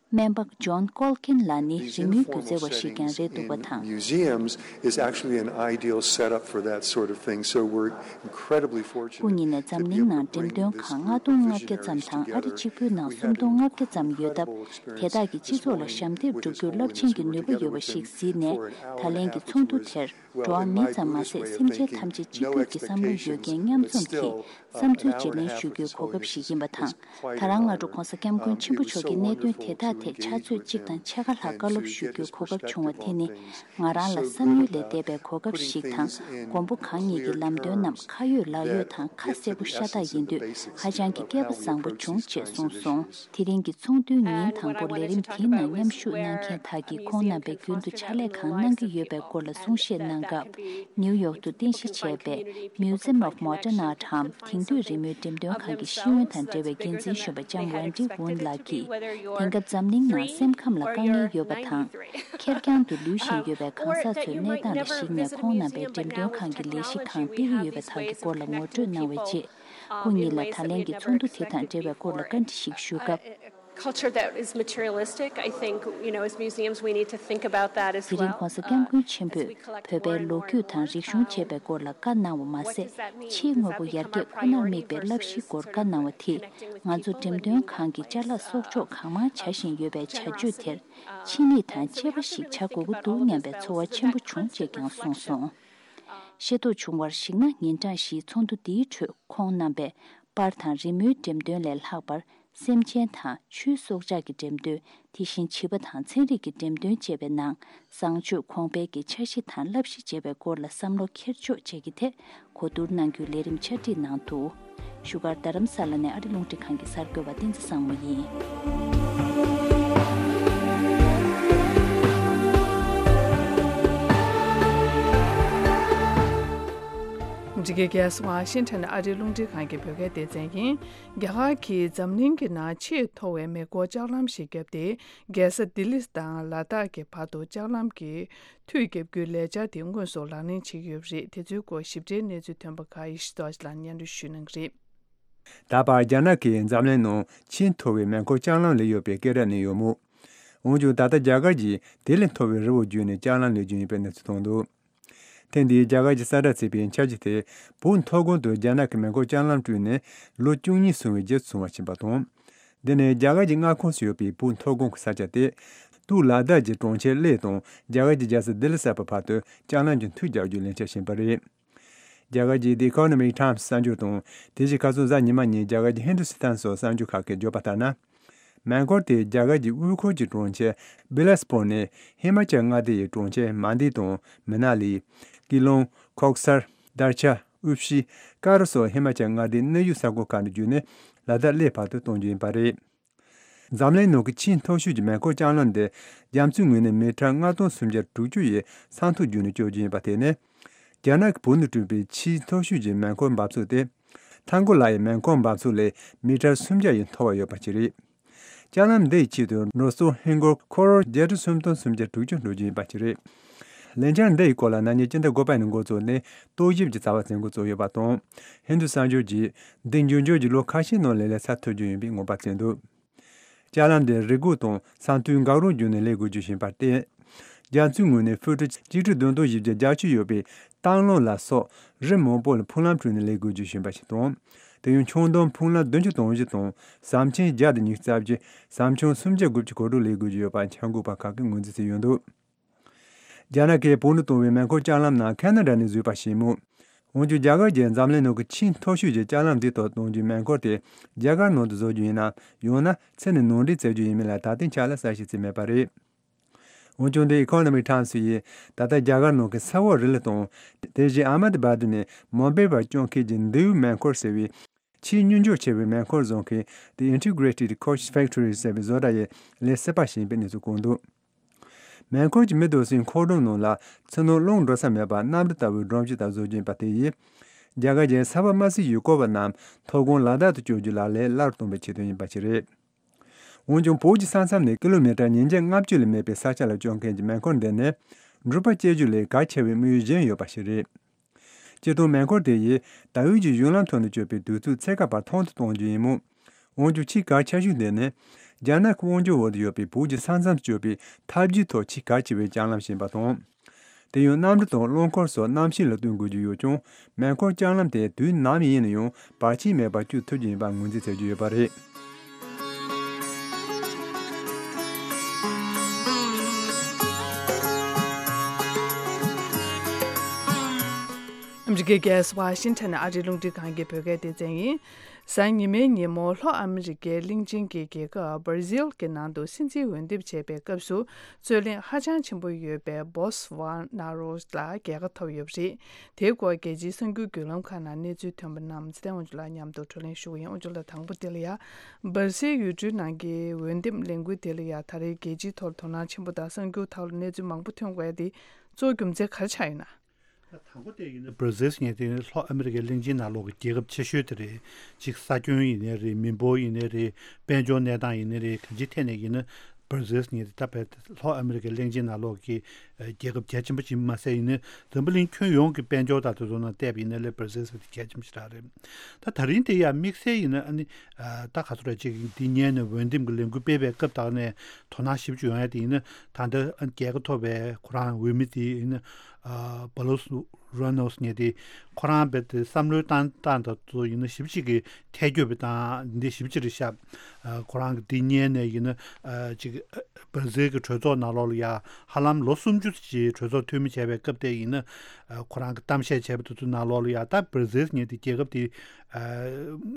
སྨན་པ་ཇོན་ཀོལ་ཀིན་ལགས་ནི་རི་མོའི་སྒྱུ་རྩལ་བ་ཞིག་ཀྱང་རེད་འདུག་པ་དང་། Museums is actually an ideal setup for that sort of thing, so we're incredibly fortunate. སྐུ་ཉིད་ནས་འཛམ་གླིང་ནང་འགྲེམས་སྟོན་ཁང་ལྔ་སྟོང་ལྔ་བརྒྱ་ཙམ་དང་ཨ་རི་གཅིག་པུའི་ནང་སུམ་སྟོང་ལྔ་བརྒྱ་ཙམ་ཡོད་སྟབས། དེ་དག་གིས་སྤྱི་ཚོགས་ལ་ཞབས་འདེགས་སྒྲུབ་རྒྱུར་རླབས་ཆེན་གྱི་ནུས་པ་ཡོད་པ་ཞིག་གཟིགས་ནས། ད་ལན་གྱི་ཚོགས་འདུ་དེར། འགྲོ་བ་མི་ཙམ་མ་ཟད་སེམས་ཅན་ཐམས་ཅད་གཅིག་གྱུར་གྱི་བསམ་བློ་ཡོད་མཁན་མཉམ་འཛོམས་ཀྱིས་བསམ་ཚུལ་བརྗེ་ལེན་ཞུ་རྒྱུའི་གོ་སྐབས་ཤིག་ཡིན་པ་དང་། ད་རང་སྔ་དྲོ་༧གོང་ས་༧སྐྱབས་མགོན་ཆེན་པོ་མཆོག་གིས་གནད་དོན་དེ་དག་ཐད་ཕྱག་ཚོད་གཅིག་དང་ཕྱེད་ཀ་ལྷག་བཀའ་སློབ་ཞུ་རྒྱུའི་གོ་སྐབས་བྱུང་བ་དེ་ནི། ང་རང་ལ་བསམ་ཡུལ་ལས་འདས་པའི་གོ་སྐབས་ཤིག་དང་། མགོན་པོ་གང་ཉིད་ཀྱི་ལམ་སྟོན་རྣམས་ཁ་ཡོད་ལག་ཡོད་དང་ཁ་གསལ་པོ་ཤ་སྟག་ཡིན་དུས་ཧ་ཅང་གི་སྐལ་པ་བཟང་པོ་བྱུང་ཅེས་གསུངས་སོང་། དེ་རིང་གི་ཚོགས་འདུའི་ཉིན་དང་པོ་ལས་རིམ་དེའི་ནང་མཉམ་ཞུགས་གནང་མཁན་དག་གིས་ཁོང་རྣམ་པས་རྒྱུན་དུ་ཕྱག་ལས་གང་གནང་གི་ཡོད་པའི་སྐོར་ལ་གསུང་བཤད་གནང་སྐབས། ནིའུ་ཡོག་ཏུ་རྟེན་གཞི་བྱས་པའི་Museum of Modern Art འམ་དེང་དུས་རི་མོའི་འགྲེམས་སྟོན་ཁང་གི་ཤེས་ཡོན་དང་འབྲེལ་བའི་འགན་འཛིན་གཞོན་པ་ལྕམ་Wendy Won ལགས་ཀྱིས། དེང་སྐབས་འཛམ་གླིང་ནང་སེམས་ཁམས་ལ་དཀའ་ངལ་ཡོད་པ་དང་། ཁེར་རྐྱང་དུ་ལུས་བཞིན་ཡོད་པའི་གང་ཟག་ཚོའི་གནས་སྟངས་ལ་གཞིགས་ནས་ཁོང་རྣམ་པས་འགྲེམས་སྟོན་ཁང་གི་ལས་གཞི་གང་སྤེལ་གྱི་ཡོད་པ་དག་གི་སྐོར་ལ་ངོ་སྤྲོད་གནང་བའི་རྗེས། སྐུ་ཉིད་ལ་ད་ལན་གྱི་ཚོགས་འདུ་དེ་དང་འབྲེལ་བའི་སྐོར་ལ་བཀའ་འདྲི་ཞིག་ཞུས་སྐབས། Culture that is materialistic, I think, you know, as museums, we need to think about that as དེ་རིང་༧གོང་ས་༧སྐྱབས་མགོན་ཆེན་པོས་བོད་པའི་ལོ་རྒྱུས་དང་རིག་གཞུང་བཅས་པའི་སྐོར་ལ་བཀའ་གནང་བ་མ་ཟད། ཕྱིའི་དངོས་པོ་ཡར་རྒྱས་ཁོ་ནར་དམིགས་པའི་བསླབ་གཞིའི་སྐོར་བཀའ་གནང་བ་དེས། ང་ཚོ་འགྲེམས་སྟོན་ཁང་གི་ཅ་ལག་གསོག་འཇོག་གང་མང་བྱ་བཞིན་ཡོད་པའི་བྱ་སྤྱོད་དེར། ཕྱི་མིག་དང་གཅེས་པ་ཞིག་བྱ་དགོས་ཀྱི་འདུག་སྙམ་པའི་ཚོར་བ་ཆེན་པོ་བྱུང་ཅེས་ཀྱང་གསུངས་སོང་། ཤེས་རྟོགས་བྱུང་བར་གཞིགས་ན། ཉིན་གྲངས་བཞིའི་ཚོགས་འདུ་འདིའི་ཁྲོད་ཁོང་རྣམ་པས་པར་དང་རི་མོའི་འགྲེམས་སྟོན་ལས་ལྷག་པར། སེམས་ཅན་དང་ཆུའི་སྲོག་ཆགས་ཀྱི་འགྲེམས་སྟོན། དེ་བཞིན་བྱིས་པ་དང་ཚན་རིག་གི་འགྲེམས་སྟོན་བཅས་པའི་ནང་། བཟང་སྤྱོད་གོང་འཕེལ་གྱི་འཆར་གཞི་དང་བསླབ་གཞི་བཅས་པའི་སྐོར་ལ་བསམ་བློ་འཁྱེར་ཕྱོགས་བཅས་ཀྱི་ཐད་གོ་བསྡུར་གནང་རྒྱུའི་ལས་རིམ་ཕྱག་བྲིས་གནང་འདུག། བཞུགས་སྒར་རྡ་རམ་ས་ལ་ནས་ཨ་རི་རླུང་འཕྲིན་ཁང་གི་གསར་འགོད་པ་བསྟན་འཛིན་བཟང་མོ་ཡིན། འདི་གའི་རྒྱལ་ས་ཝ་ཤིང་ཊོན་ཨ་རིའི་རླུང་འཕྲིན་ཁང་གི་བོད་སྐད་སྡེ་ཚན་ཡིན། རྒྱ་གར་གྱིས་འཛམ་གླིང་གི་ནང་ཆེས་མཐོ་བའི་མེ་འཁོར་ལྕགས་ལམ་ཞིག་བརྒྱབ་སྟེ། རྒྱལ་ས་ལྡི་ལི་དང་ལ་དྭགས་ཀྱི་བར་དུ་ལྕགས་ལམ་གྱི་མཐུད་བརྒྱབ་རྒྱུའི་ལས་འཆར་དེ་དངོས་སུ་ལག་ལེན་བྱེད་ཀྱི་ཡོད་པ་རེད། དེ་ཚོའི་སྐོར་ཞིབ་ཕྲའི་གནས་ཚུལ་ཐོན་པ་ཁག་ཡེ་ཤེས་རྡོ་རྗེ་ལགས་སྙན་སྒྲོན་ཞུ་གནང་གི་རེད། ད་བར་རྒྱ་ནག་གིས་འཛམ་གླིང་ནང་ཆེས་མཐོ་བའི་མེ་འཁོར་ལྕགས་ལམ་ལས་ཡོད་པའི་སྐད་གྲགས་གནས་ཡོད་མོད། འོན་ཀྱང་ད་ལྟ་རྒྱ་གར་གྱིས་དེ་ལས་མཐོ་བའི་རི་བོ་བརྒྱུད་ནས་ལྕགས་ལམ་ལས་རྒྱུ་ཡིན་པའི་གནས་ཚུལ་ཐོན་འདུག་ཐེངས་འདིའི་རྒྱ་གར་གྱི་གསལ་བསྒྲགས་བྱས་པའི་འཆར་གཞི་དེ་བོད་མཐོ་སྒང་དུ་རྒྱ་ནག་གི་མེ་འཁོར་ལྕགས་ལམ་བསྐྲུན་ནས་ལོ་བཅུ་གཉིས་སོང་བའི་རྗེས་སུ་སོང་བ་ཕྱིན་པ་དང་། འདི་ནི་རྒྱ་གར་གྱི་མངའ་ཁོངས་སུ་ཡོད་པའི་བོད་མཐོ་སྒང་གི་ས་ཆ་སྟེ། སྟོད་ལ་དྭགས་ཀྱི་གྲོང་ཁྱེར་གླེ་དང་རྒྱ་གར་གྱི་རྒྱལ་ས་ལྡི་ལི་གསར་པའི་བར་དུ་ལྕགས་ལམ་གྱི་མཐུད་རྒྱག་རྒྱུའི་ལས་འཆར་བཞིན་པ་རེད། རྒྱ་གར་གྱི་The Economic Times གསར་འགྱུར་དང་དེ་བཞིན་ཁ་སང་གཟའ་ཉི་མ་ཉིན་རྒྱ་གར་གྱི་ཧིན་དུ་སི་ཐན་སོགས་གསར་འགྱུར་ཁག་གིས་བརྗོད་པ་ལྟར་ན། མེ་འཁོར་དེས་རྒྱ་གར་གྱི་དབུས་ཁུལ་གྱི་གྲོང་ཁྱེར་བི་ལ་སི་པུར་ནས་ཧི་མ་ཅལ་མངའ་སྡེ་ཡི་གྲོང་ཁྱེར་མན་ཌི་དང་མི་ན་ལི། ཀི་ལོང་། ཁོག་སར། དར་ཆ། ཨུ་ཤི། ཀ་རུ་སོགས་ཧི་མ་ཅལ་མངའ་སྡེའི་གནས་ཡུལ་ས་ཁུལ་ཁག་ནས་བརྒྱུད་ནས་ལ་དྭགས་གླེ་བར་དུ་གཏོང་རྒྱུ་ཡིན་པ་རེད། འཛམ་གླིང་ནང་གི་ཆེས་མཐོ་ཤོས་ཀྱི་མེ་འཁོར་ལྕགས་ལམ་འདི་རྒྱ་མཚོའི་ངོས་ནས་མི་ཊར་ལྔ་སྟོང་སུམ་བརྒྱ་དྲུག་ཅུ་ཡི་ས་མཐོ་བརྒྱུད་ནས་སྐྱོད་རྒྱུ་ཡིན་པ་དེ་ནི། རྒྱ་ནག་གི་བོད་ནང་བསྐྲུན་པའི་ཆེས་མཐོ་ཤོས་ཀྱི་མེ་འཁོར་འབབ་ཚུགས་དེ། ཐང་གོ་ལ་ཡི་མེ་འཁོར་འབབ་ཚུགས་ལས་མི་ཊར་སུམ་བརྒྱ་ཡི་མཐོ་བ་ཡོད་པ་ཞིག་རེད། ལྕགས་ལམ་འདི་ཡི་ཆེད་དུ་ནོར་སྲོལ་ཧིན་སྒོར་ཁོ་རོར་བརྒྱད་ཁྲི་སུམ་སྟོང་སུམ་བརྒྱ་དྲུག་ཅུ་འགྲོ་རྒྱུ་ཡིན་པ་ཞིག་རེད། ལས་འཆར་འདི་ཡི་སྐོར་ལ་ན་ནིང་སྤྱི་ཟླ་དགུ་པ་ནས་འགོ་བཙུགས་ནས་རྟོག་ཞིབ་ཀྱི་རྩ་བ་འཛིན་འགོ་བཙུགས་ཡོད་པ་དང་། ཧིན་རྡུ་གསར་འགྱུར་གྱིས་འདི་འབྱུང་འགྱུར་གྱི་ལོ་ཁ་ཤས་ནང་ལས་ལས་ས་ཐོབ་རྒྱུ་ཡིན་པའི་དགོངས་པ་བཞེས་འདུག་ལྕགས་ལམ་དེ་རི་སྒོ་དང་ས་མཐོའི་འགག་རོགས་བརྒྱུད་ནས་སླེབས་དགོས་རྒྱུ་ཡིན་པར་བརྟེན། རྒྱ་མཚོའི་ངོས་ནས་ཧྥུ་ཊི་ཆིག་ཁྲི་བདུན་སྟོང་བཞི་བརྒྱ་བརྒྱད་ཅུ་ཡོད་པའི་ཏང་ལོང་ལ་སོགས་རི་མང་པོ་ལ་འཕང་ལམ་བསྐྲུན་ནས་སླེབས་དགོས་རྒྱུ་ཡིན་པ་ཞིག་དང་། དེ་ཡང་ཁྱོན་བསྡོམས་འཕང་ལམ་བདུན་ཅུ་དོན་བཞི་དང་ཟམ་ཆེན་བརྒྱ་དང་ཉི་ཤུ་རྩ་བརྒྱད། ཟམ་ཆུང་སུམ་བརྒྱ་དགུ་བཅུ་གོ་དྲུག་སླེབས་དགོས་ཀྱི་ཡོད་པ་འཆར་འགོད་པ་ཁག་གིས་ངོས་འཛིན་བྱས་ཡོད་འདུག་རྒྱ་ནག་གིས་བོད་ནང་གཏོང་བའི་མེ་འཁོར་ལྕགས་ལམ་ནང་ཁ་ན་ཌ་ནས་བཟོས་པ་ཞིག་མོད། འོན་ཀྱང་རྒྱ་གར་གྱིས་འཛམ་གླིང་ནང་གི་ཆེས་མཐོ་ཤོས་ཀྱི་ལྕགས་ལམ་འདིའི་ཐོག་གཏོང་རྒྱུའི་མེ་འཁོར་དེ་རྒྱ་གར་ནང་དུ་བཟོ་རྒྱུ་ཡིན་ནམ། ཡང་ན་ཚུར་ནས་ནང་འདྲེན་བྱ་རྒྱུ་ཡིན་མིན་ལ་ད་ལྟའི་ཆ་ལ་གསལ་བཤད་བྱས་མེད་པ་རེད། འོན་ཀྱང་The Economic Times ཡིས་ད་ལྟ་རྒྱ་གར་ནང་གི་ས་འོག་རི་ལི་དང་། དེ་བཞིན་ཨ་མ་དི་བ་དི་ནས་མོམ་བྷེ་བར་སྐྱོད་མཁན་གྱི་མདེའུ་མེ་འཁོར་ཟེར་བའི་ཆེས་སྙུང་འཇུག་ཆེ་བའི་མེ་འཁོར་བཟོ་མཁན་The Integrated Coach Factory ཟེར་བའི་བཟོ་གྲྭ་ཡི་ལས་བྱེད་པ་ཞིག་ཡིན་པའི་གནས་ཚུལ་བཀོད་འདུག་མེ་འཁོར་གྱི་མི་འདུག་སའི་འཁོར་སྒྲོམ་ནང་ལ་ཚུར་ནང་རླུང་འགྲོ་ས་མེད་པར་གནམ་གྲུ་ལྟ་བུའི་སྒྲོམ་གཞི་དག་བཟོ་རྒྱུ་ཡིན་པ་དེ་ཡིས། རྒྱ་གར་གྱི་ས་བབ་དམའ་སའི་ཡུལ་སྐོར་བ་རྣམས་མཐོ་སྒང་ལ་དྭགས་དུ་བསྐྱོད་རྒྱུ་ལ་ལས་སླ་རུ་གཏོང་བའི་ཆེད་དོན་ཡིན་པ་ཞིག་རེད། འོན་ཀྱང་བོད་ཀྱི་ས་མཚམས་ནས་ཀི་ལོ་མི་ཊར་ཉིས་བརྒྱ་ལྔ་བཅུ་ལས་མེད་པའི་ས་ཆ་ལ་སྐྱོད་མཁན་གྱི་མེ་འཁོར་འདི་ནི་འགྲུལ་པ་སྐྱེལ་རྒྱུ་ལས་གལ་ཆེ་བའི་དམིགས་ཡུལ་གཞན་ཡོད་པ་ཞིག་རེད། སྤྱིར་བཏང་མེ་འཁོར་དེ་ཡིས་ད་ཡོད་ཀྱི་གཞུང་ལམ་ཐོག་ནས་སྐྱོད་པའི་དུས་ཚོད་ཚད་བཀག་བར་ཐུང་དུ་གཏོང་རྒྱུ་ཡིན་མོད། འོན་ཀྱང་ཆེས་གལ་ཆེ་ཤོས་དེ་ནི། རྒྱ་ནག་གི་དབང་སྒྱུར་འོག་ཏུ་ཡོད་པའི་བོད་ཀྱི་ས་མཚམས་སུ་སྐྱོད་པའི་ཐབས་ཇུས་ཐོག་ཆེས་གལ་ཆེ་བའི་ལྕགས་ལམ་ཞིག་ཡིན་པ་དང་། དེ་ཡང་གནམ་གྲུ་དང་རླངས་འཁོར་སོགས་གནམ་གཤིས་ལ་བསྟུན་དགོས་རྒྱུ་ཡོད་ཀྱང་། མེ་འཁོར་ལྕགས་ལམ་དེ་དུས་ནམ་ཡིན་ན་ཡང་བར་ཆད་མེད་པར་སྐྱོད་ཐུབ་རྒྱུ་ཡིན་པར་ངོས་འཛིན་བྱ་རྒྱུ་ཡོད་པ་རེད། ཨ་མི་རི་ཀའི་རྒྱལ་ས་ཝ་ཤིང་ཊོན་ཨ་རིའི་རླུང་འཕྲིན་ཁང་གི་བོད་སྐད་སྡེ་ཚན་ཡིན། གཟའ་ཉི་མའི་ཉིན་མོ་ལྷོ་ཨ་མི་རི་ཀའི་གླིང་ཆེན་གྱི་རྒྱལ་ཁབ་སྦར་ཟིལ་གྱི་ནང་དུ་སྲིད་འཛིན་འོས་འདེམས་བྱས་པའི་སྐབས་སུ་རྩོད་གླེང་ཧ་ཅང་ཆེན་པོ་ཡོད་པའི་བོལ་སོ་ནཱ་རོ་ལ་རྒྱལ་ཁ་ཐོབ་ཡོད་པ་རེད། དེའི་སྐོར་རྒྱལ་སྤྱིའི་གསར་འགྱུར་བརྒྱུད་ལམ་ཁག་ནང་གནས་ཚུལ་ཐོན་པ་རྣམས་ཚེ་བརྟན་དབང་ཕྱུག་ལགས་མཉམ་དུ་བགྲོ་གླེང་ཞུ་གི་ཡིན། དབང་ཕྱུག་ལགས། དང་པོ་དེ་ལ་ཡ། སྦར་ཟིལ་ཡུལ་གྲུའི་ནང་གི་འོས་འདེམས་ལས་འགུལ་དེ་ལ་ཡ་ད་རེས་རྒྱལ་སྤྱིའི་ཐོག་ལ་དོ་སྣང་ཆེན་པོ་དང་གསར་འགྱུར་ཐོག་ལ་གནས་ཚུལ་མང་པོ་ཐོན་དགོས་ཡ་དེ་གཙོ་བོ་རྒྱུ་མཚན་ག་རེ་ཆགས་ཡོད་ན། དང་པོ་དེ་ཡིན་ན་སྦར་ཟིལ་ཟེར་མཁན་དེ་ལྷོ་ཨ་མི་རི་ཀའི་གླིང་ཆེན་ནང་ལོགས་ཀྱི་རྒྱལ་ཁབ་ཆེ་ཤོས་དེ་རེད། གཅིག་ས་ཁྱོན་ཡིན་ནའི་རེད། མི་འབོར་ཡིན་ནའི་རེད། དཔལ་འབྱོར་གནས་སྟངས་ཡིན་ནའི་རེད། གང་ཅིའི་ཐད་ནས་ཡིན་ན་སྦར་ཟིལ་ཟེར་མཁན་དེ་ད་བལ་ལྷོ་ཨ་མི་རི་ཀའི་གླིང་ཆེན་ནང་ལོགས་ཀྱི་རྒྱལ་ཁབ་གལ་ཆེན་པོ་ཅིག་མ་ཟད་ཡིན་ན་འཛམ་བུ་གླིང་ཁྱོན་ཡོངས་ཀྱི་དཔལ་འབྱོར་དང་དེ་ཚོ་ནང་བལྟས་པ་ཡིན་ན་ལས་སྦར་ཟིལ་ཟེར་དེ་གལ་ཆེན་པོ་ཞེ་དྲག་རེད། ད་ད་རིང་དེ་ཡང་དམིགས་བསལ་ཡིན་ན་ཨ་ནི་ད་ག་ཚོད་རེད། ཅིག་འདི་སྔོན་ནས་འོས་འདེམས་ཀྱི་ལས་འགུལ་སྤེལ་བའི་སྐབས་དག་ནས་དོ་སྣང་ཞེ་པོ་ཅིག་ཡོང་ཡ་དེ་ཡིན་ན་ད་ལྟ་རྒྱལ་ཁ་ཐོབ་པའི་ཁོ་རང་འོས་མི་དེ་ཡིན་ན། ཨ་བྷ་ལོ་སི་རོ་ནོ་སི་ངེས་དེ་ཁོ་རང་རྦད་དེ་བསམ་བློའི་བཏང་སྟངས་དང་དུ་ཡིན་ན་ཞེ་པོ་ཅིག་གི་ཐལ་འགྱུར་བའི་སྟངས་འདི་ཞེ་པོ་ཅིག་རེད་ཤག་ཨ་ཁོ་རང་གི་འདི་སྔོན་ནས་ཡིན་ན་ཨ་ཅིག་སྦར་ཟིལ་གྱི་གྲོས་ཚོགས་ནང་ལོགས་ལ་ཡ་ཧ་ལམ་ལོ་སུམ་ཅུ་ཅིག་གྲོས་ཚོགས་འཐུས་མི་བྱས་པའི་སྐབས་དེ་ཡིན་ན་ཨ་ཁོ་རང་གི་གཏམ་བཤད་བྱས་པ་དེ་ཚོ་ནང་ལོགས་ལ་ཡ་ད་སྦར་ཟིལ་ངེས་དེ་རྒྱལ་ཁབ་དེ་ཨ་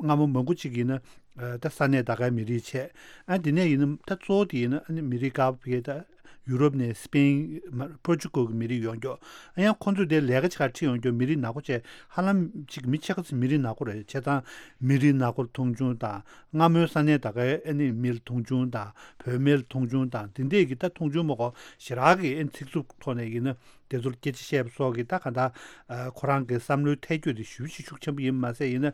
སྔ་མོ་མང་པོ་ཅིག་ཡིན་ན། ཨ་ད་ས་གནས་ད་གའི་མི་རིགས་བྱས། ཨ་དེ་ནས་ཡིན་ན་ད་གཙོ་བོ་དེ་ཡིན་ན་ཨ་ནི་མི་རིགས་དཀར་པོ་ཕ་གིའི་ད་ ཡུ་རོབ་ནས་སི་པེན། པོར་ཅུ་གལ་གྱི་མི་རིགས་ཡོང་རྒྱུ། ཨ་ཡང་ཁོང་ཚོས་དེ་ལས་ཀ་ཆེ་ཁག་ཁྲིད་ཡོང་རྒྱུ་མི་རིགས་ནག་པོ་བྱས། ཧ་ལམ་ཅིག་མི་ཕྱེད་ཀ་ཙམ་མི་རིགས་ནག་པོ་རེད། བྱས་ཙང་མི་རིགས་ནག་པོ་མཐོང་ཆུང་དང་། སྔ་མོའི་ས་གནས་ད་གའི་ཨ་ནི་མི་ལ་མཐོང་ཆུང་དང་། བོད་མི་ལ་མཐོང་ཆུང་དང་། དེ་འདྲས་ཀྱི་ད་མཐོང་ཆུང་མ་གོ་ཞེ་དྲག་གི་ཨ་ནི་ཚིག་རྩུབ་ཐོག་ནས་ཡིན་ན། དེ་ཚོར་སྐད་ཆ་བཤད་པ་སོགས་ཀྱིས་ད་ག་འདྲ། ཨ། ཁོ་རང་གི་བསམ་བློའི་ཐལ་འགྱུར་དེ་ཞེ་པོ་ཅིག་ཤུགས་ཆེན་པོ་ཡིན་མ་ཟད། ཡིན་ན་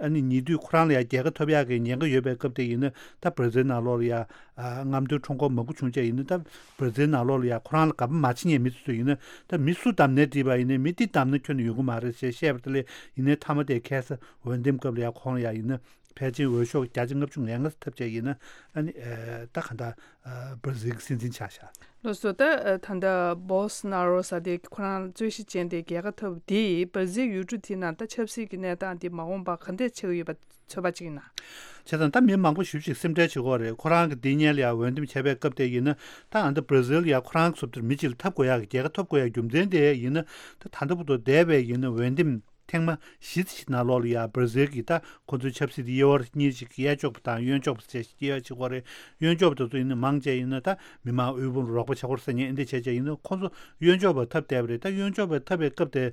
ཨ་ནི་ཉེ་དུས་ཁོ་རང་ལ་ཡང་རྒྱལ་ཁ་ཐོབ་ཡག་གི་ཉེན་ཁ་ཡོད་པའི་སྐབས་དེ་ཡིན་ན། ད་བར་ཛིལ་ནང་ལོགས་ལ་ཡང་། ཨ། རྔམ་སྟོན་ཁྲོམ་སྐོར་མང་པོ་བྱུང་བྱས། ཡིན་ན་ད་བར་ཛིལ་ནང་ལོགས་ལ་ཡང་ཁོ་རང་ལ་དགའ་པོ་མ་བྱེད་མཁན་མི་ཚོ་ཚོས་ཡིན་ན། ད་མི་སུ་བདམས་ནའི་འགྲིག་པ་ཡིན་ནའི་མི་འདི་བདམས་ན་ཁྱོན་ནས་ཡོང་གི་མ་རེད་ཅེས་བཤད་པ་དེ་ལས། ཡིན་ནའི་མཐའ་མ་དེ་ཁ་སང་འོས་འདེམས་སྐབས་ལ་ཡང་ཁོང་ལ་ཡང་ཡིན་ན། ཕལ་ཆེར་འོས་ཤོག་བརྒྱ་ཆ་ལྔ་བཅུ་ང་ལྔ་ཐོབ་བྱས། ཡིན་ན་ཨ་ནི། ཨ། ད་ག་འདྲ། ཨ། བར་ཛིལ་གྱི་སྲིད་འཛིན་ཆགས་ཤག་ལགས་སོ། ད་ད་ལྟ་བོལ་སོ་ནཱ་རོ་ཟེར་དེ་ཁོ་རང་རྩོད་གཞི་ཅན་དེ་རྒྱལ་ཁ་ཐོབ་དེས་བར་ཛིལ་ཡུལ་གྲུ་དེ་ནང་ད་ཆབ་སྲིད་ཀྱི་གནས་སྟངས་དེ་མ་འོངས་པར་ག་འདྲས་ཆགས་ཀྱི་ཡོད་པ་ཚོད་དཔག་བྱེད་ཀྱི་ཡིན་ན། བྱས་ཙང་ད་མི་མང་པོ་ཞེ་པོ་ཅིག་སེམས་ཁྲལ་བྱེད་ཀྱི་ཡོད་རེད། ཁོ་རང་གི་འདི་སྔོན་ལ་ཡང་འོས་འདེམས་བྱས་པའི་སྐབས་དེ་ཡིན་ན། ད་ཨ་ད་བར་ཛིལ་ལ་ཡང་ཁོ་རང་ཚོ་དེར་མི་གཅིག་ལ་འཐབ་དགོས་ཡག་གི། རྒྱལ་ཁ་ཐོབ་དགོས་ཡག་རྒྱུ་མཚན་དེ་ཡིན་ན། ད་ད་ལྟ་བར་དུ་འདས་པའི་ཡིན་ན་འོས་འདེམས་ཐེངས་མ་བཞི་ཙམ་ཞིག་ནང་ལོགས་ལ་ཡང་བར་ཛིལ་གྱི་ད་ཁོ་ཚོའི་ཆབ་སྲིད་དེ་གཡས་བར་གཉིས་ཤིག་གཡས་ཕྱོགས་པ་དང་གཡོན་ཕྱོགས་པ་བཅས་ཤིག་དབྱེ་བ་ཕྱེ་གི་ཡོད་རེད། གཡོན་ཕྱོགས་པ་དེ་ཚོ་ཡིན་ན་མང་ཆེ་ཡིན་ན་ད་མི་མང་དབུལ་ཕོངས་རོགས་པ་བྱེད་དགོས་རེད་ཟེར་མཁན་འདི་བྱས་བྱས་ཡིན་ན། ཁོ་ཚོ་གཡོན་ཕྱོགས་པ་འཐབ་བསྡད་པ་རེད། ད་གཡོན་ཕྱོགས་པ་འཐབ་པའི་སྐབས་དེ་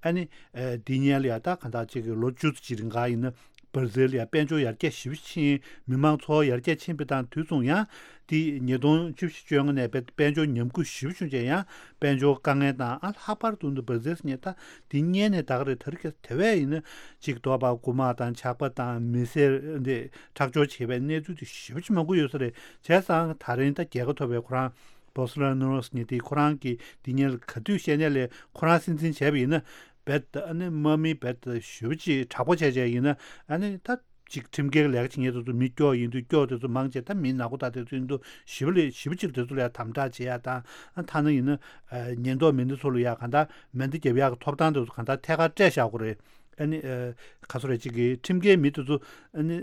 ཨ་ནི། ཨ། འདི་སྔོན་ལ་ཡང་ད་ག་འདྲ་ཅིག་གི་ལོ་བཅུ་ཙམ་ཅིག་རིང་ག་ཡིན་ན། བར་ཛིལ་ལ་ཡང་དཔལ་འབྱོར་ཡར་རྒྱས་ཞེ་པོ་ཕྱིན། མི་མང་འཚོ་བ་ཡར་རྒྱས་ཕྱིན་པ་དང་དུས་མཚུངས་ཡང་། དེ་ཉིས་སྟོང་བཅུ་བཞི་བཅོ་ལྔ་ནས་དཔལ་དཔལ་འབྱོར་ཉམས་རྒུད་ཞེ་པོ་བྱུང་རྗེས་ཡང་དཔལ་འབྱོར་དཀའ་ངལ་དང་། ཨ། ལྷག་པར་དུ་འདི་བར་ཛིལ་ཟེར་མཁན་ད་དེ་སྔོན་ནས་ད་ག་རེ་ད་རེས་ཀྱི་དེ་བས་ཡིན་ན་ཅིག་འདོད་པ་རྐུ་མ་དང་ཇག་པ་དང་མི་སེར་འདི་ཁྲག་སྦྱོར་བྱེད་པའི་གནས་ཚུལ་དེ་ཞེ་པོ་ཅིག་མང་པོ་ཡོད་ས་རེད། བྱས་ཙང་ད་རིང་ད་རྒྱལ་ཁ་ཐོབ་པའི་ཁོ་རང་བོལ་སོ་ནཱ་རོ་ཟེར་མཁན་དེ་ཁོ་རང་གིས་དེ་སྔོན་ལ་ག་དུས་བཤད་ནའི་ལས་ཁོ་རང་སྲིད་འཛིན་བྱས་པ་ཡིན་ན། རྦད་དེ་ཨ་ནི་དམག་མི་རྦད་དེ་ཞེ་པོ་ཅིག་དྲག་པོ་བྱས་བྱས་ཡིན་ན། ཨ་ནི་ད་ཅིག་ཁྲིམས་འགལ་ལས་ཀ་བྱེད་མཁན་དེ་ཚོ་མི་སྐྱོ་ཡིན་དུས་སྐྱོ་དེ་ཚོ་མང་ཆེ་ད་མི་ནག་པོ་དང་དེ་ཚོ་ཡིན་དུས་ཞེ་པོ་ལས་ཞེ་པོ་ཅིག་དེ་ཚོ་ལ་ཡང་དམ་དྲག་བྱེད་ཡག་དང་། ཨ། ཐ་ན་ཡིན་ན། ཨ། ཉེན་རྟོག་མི་སྣ་ཚོ་ལ་ཡང་གང་ལྟར་མེ་མདའ་རྒྱབ་ཡག་གི་ཐོབ་ཐང་དེ་ཚོ་གང་ལྟར་ཐད་ཀར་སྤྲད་བཞག་དགོས་རེད། ཨ་ནི། ཨ། ག་ཚོད་རེད། ཅིག་གི་ཁྲིམས་འགལ་མི་དེ་ཚོ། ཨ་ནི།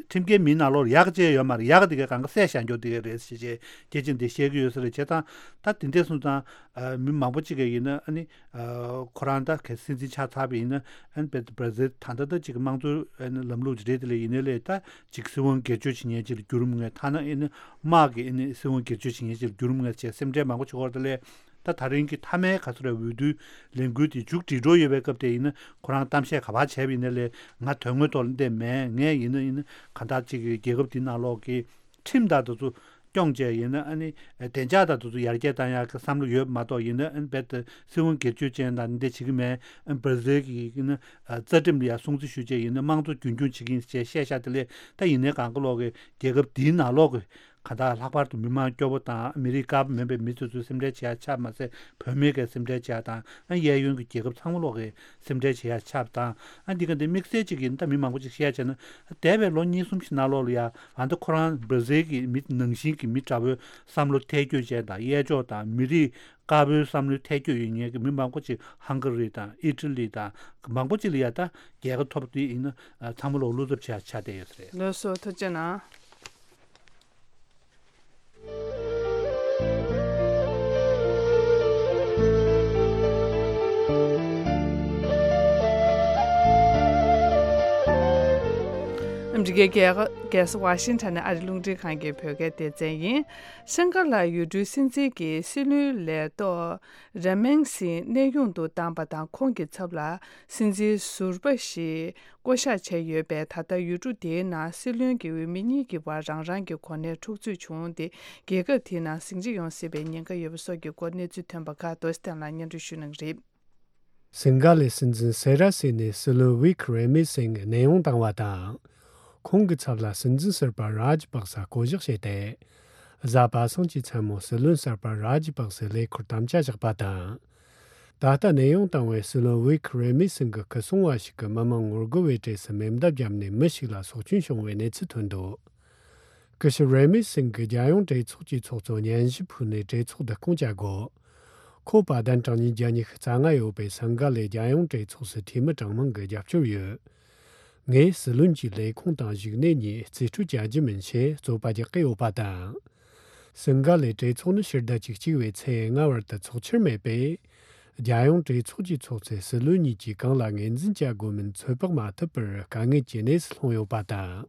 ཁྲིམས་འགལ་མིའི་ནང་ལོགས་ལ་ཡག་ཅིག་ཡོད་མ་རེད། ཡག་དེ་གས་གང་ག་བསད་བཞག་རྒྱུ་དེ་གས་རེད་ཟེར་བྱས་སྐད་ཆ་འདི་བཤད་ཀྱི་ཡོད་ས་རེད། བྱས་ཙང་ད་དེ་འདྲས་སོང་ཙང་། ཨ། མི་མང་པོ་ཅིག་གིས་ཡིན་ན། ཨ་ནི། ཨ། ཁོ་རང་ད་གལ་སྲིད་འཛིན་ཆགས་ཚར་བ་ཡིན་ན། ཨ་ནི་བར་ཛིལ་ད་ལྟ་ད་ཅིག་དམངས་གཙོའི། ཨ་ནི། ལམ་ལུགས་ཅིག་རེད། དེ་ལས་ཡིན་ནའི་ལས་ད་ཅིག་སྲིད་དབང་སྒེར་གཅོད་བྱེད་མཁན་ཅིག་ལ་འགྱུར་རུང་ངེས། ཐ་ན་ཨ་ནི་དམག་གི་ཨ་ནི་སྲིད་དབང་སྒེར་གཅོད་བྱེད་མཁན་ཅིག་ལ་འགྱུར་རུང་ངེས་བྱས་སེམས་ཁྲལ་མང་པོ་བྱེད་ཀྱི་ཡོད་རེད། དེ་ལས་ད་ད་རིང་གི་མཐའ་མའི་ག་ཚོད་རེད། འོས་བསྡུའི་ལས་འགུལ་དེ་མཇུག་སྒྲིལ་འགྲོ་ཡོད་པའི་སྐབས་དེ་ཡིན་ན། ཁོ་རང་གཏམ་བཤད་ག་པར་བྱས་པ་ཡིན་ནའི་ལས་ང་དོན་དངོས་ཐོག་ལ་འདི་མེད། ངས་ཡིན་ན་ཡིན་ན་གང་ལྟར་ཅིག་གི་རྒྱལ་ཁབ་འདི་ནང་ལོགས་ཀྱི་ཁྲིམས་དང་དེ་ཚོ་སྐྱོང་བྱས་ཡིན་ན། ཨ་ནི་བདེ་འཇགས་དང་དེ་ཚོ་ཡར་རྒྱས་བཏང་ཡག་གི་བསམ་བློ་ཡོད་མ་གཏོགས། ཡིན་ན་ཨ་ནི་རྦད་དེ་སྲིད་དབང་སྒེར་གཅོད་ཅན་དང་འདི་འདྲ་བྱེད་ཀྱི་མེད། ཨ་ནི་བར་ཛིལ་གྱི་ཡིན་ན། ཨ། རྩ་ཁྲིམས་ལ་ཡང་སྲུང་བརྩི་ཞུ་བྱས་ཡིན་ན་དམངས་གཙོ་རྒྱུན་འཁྱོངས་བྱེད་ཀྱི་ཡིན་ཅེས་བཤད་བཞག་དེ་ལས་ད་ཡིན་ནའི་གང་ག་ལོག་གི་རྒྱལ་ཁབ་འདིའི་ནང་ལོག་གི་གང་ལྟར་ལྷག་པར་དུ་མི་མང་སྐྱོ་པོ་དང་མི་རིགས་དཀར་པོ་མིན་པའི་མི་དེ་ཚོས་སེམས་ཁྲལ་བྱེད་ཡ་ཆགས་མ་ཟད། བོད་མི་གིས་སེམས་ཁྲལ་བྱེད་ཡ་དང་། ཨ། གཡས་གཡོན་གྱི་རྒྱལ་ཁབ་ཚང་མ་ལོག་གིས་སེམས་ཁྲལ་བྱེད་ཡ་ཆགས་པ་དང་། ཨ། འདི་ག་འདི་དམིགས་བསལ་གཅིག་ཡིན་ན་ད་མི་མང་པོ་ཅིག་བཤད་བྱས་ན། འདས་པའི་ལོ་གཉིས་གསུམ་ཞིག་ནང་ལོགས་ལ་ཡ། ཨ། ད་ཁོ་རང་བར་ཛིལ་གྱི་མི་ནང་བཞིན་གྱི་མི་དྲག་པོའི་བསམ་བློ་ཐལ་འགྱུར་ཅན་དང་། གཡས་ཕྱོགས་དང་མི་རིགས་དཀར་པོའི་བསམ་བློའི་ཐལ་འགྱུར་ཡོད་མཁན་གྱི་མི་མང་པོ་ཅིག་ཧང་ག་རི་དང་ཨི་ཊ་ལི་དང་མང་པོ་ཅིག་ལ་ཡ་ད་རྒྱལ་ཁ་ཐོབ་དུས་ཡིན་ན། ཨ། ཚང་མ་ལོག་བློ་འཚབ་བྱེད་ཡ་ཆགས་བསྡད་ཡོད་ས་རེད། ལགས་སོ། ཐུགས་རྗེ་གནང་། ཨ་མི་རི་ཀའི་རྒྱལ་ས་ཝ་ཤིང་ཊོན་ནས་ཨ་རི་རླུང་འཕྲིན་ཁང་གི་བོད་སྐད་སྡེ་ཚན་ཡིན། ཤང་ཀ་ལ་ཡུལ་གྲུའི་སྲིད་འཛིན་གྱིས་སྲིད་བློན་ལས་ཐོག་ར་མེན་སིང་གནས་དབྱུང་དུ་བཏང་པ་དང་། ཁོང་གི་ཚབ་ལ་སྲིད་འཛིན་ཟུར་པ་ཞིག་བསྐོ་གཞག་བྱས་ཡོད་པས། ད་ལྟ་ཡུལ་གྲུ་དེའི་ནང་སྲིད་བློན་གྱི་འོས་མི་གཉིས་ཀྱི་བར་རང་རང་གི་གོ་གནས་འཁྲུག་རྩོད་བྱུང་སྟེ། རྒྱལ་ཁབ་དེའི་ནང་ཟིང་ཆ་ཡོང་སྲིད་པའི་ཉེན་ཁ་ཡོད་པ་སོགས་ཀྱི་སྐོར་གནས་ཚུལ་ཐོན་པ་ཁག་རྡོ་རྗེ་བསྟན་ལགས་སྙན་སྒྲོན་ཞུ་གནང་གི་རེད། སིང་ག་ལའི་སྲིད་འཛིན་སེ་ར་སེ་ནས་སྲིད་བློན་ཝིག་རེ་མི་སིང་གནས་དབྱུང་བཏང་བ་དང་། ཁོང་གི་ཚབ་ལ་སྲིད་འཛིན་ཟུར་པ་རཱ་ཇི་པག་སེ་བསྐོ་གཞག་བྱས་ཏེ། གཟའ་པ་སངས་ཀྱི་མཚན་མོ་སྲིད་བློན་གསར་པ་རཱ་ཇི་པག་སེ་ལས་འཁུར་དམ་བཅའ་བཞག་པ་དང་། ད་ལྟ་གནས་དབྱུང་བཏང་བའི་སྲིད་བློན་ཝིག་རེ་མི་སིང་གི་སྐུ་སྲུང་བ་ཞིག་གིས་མི་མང་ངོ་རྒོལ་བའི་གྲས་སུ་མེ་མདའ་བརྒྱབ་ནས་མི་ཞིག་ལ་སྲོག་སྐྱོན་བྱུང་བའི་གནས་ཚུལ་ཐོན་འདུག། སྐུ་ཞབས་རེ་མི་སིང་གིས་རྒྱལ་ཡོངས་གྲོས་ཚོགས་ཀྱི་ཚོགས་གཙོ་སྙན་ཞུ་ཕུལ་ནས་གྲོས་ཚོགས་བསྡུ་སྐོང་བྱ་དགོས། ཁོ་པ་གདན་དྲངས་ཉིན་རྒྱ་ཉི་ཤུ་རྩ་ལྔ་ཡོད་པའི་སིང་ག་ལའི་རྒྱལ་ཡོངས་གྲོས་ཚོགས་སུ་འཐུས་མི་གྲངས་མང་གིས་རྒྱབ་སྐྱོར་ཡོད། ངས་སྲིད་བློན་གྱི་ལས་ཁུངས་དང་བཞུགས་གནས་གཉིས་རྩིས་སྤྲོད་བྱ་རྒྱུ་མིན་ཞེས་རྩོད་པ་རྒྱག་གི་ཡོད་པ་དང་། སིང་ག་ལའི་གྲོས་ཚོགས་ནི་ཕྱི་ཟླ་བཅུ་གཅིག་པའི་ཚེས་ལྔ་བར་དུ་ཚོགས་འཆར་མེད་པས། རྒྱལ་ཡོངས་གྲོས་ཚོགས་ཀྱི་ཚོགས་གཙོས་སྲིད་བློན་གཉིས་ཀྱིས་གང་ལ་ངོས་འཛིན་བྱ་དགོས་མིན་ཚོད་དཔག་མ་ཐུབ་པར་དཀའ་ངལ་གྱི་གནས་སུ་ལྷུང་ཡོད་པ་དང་།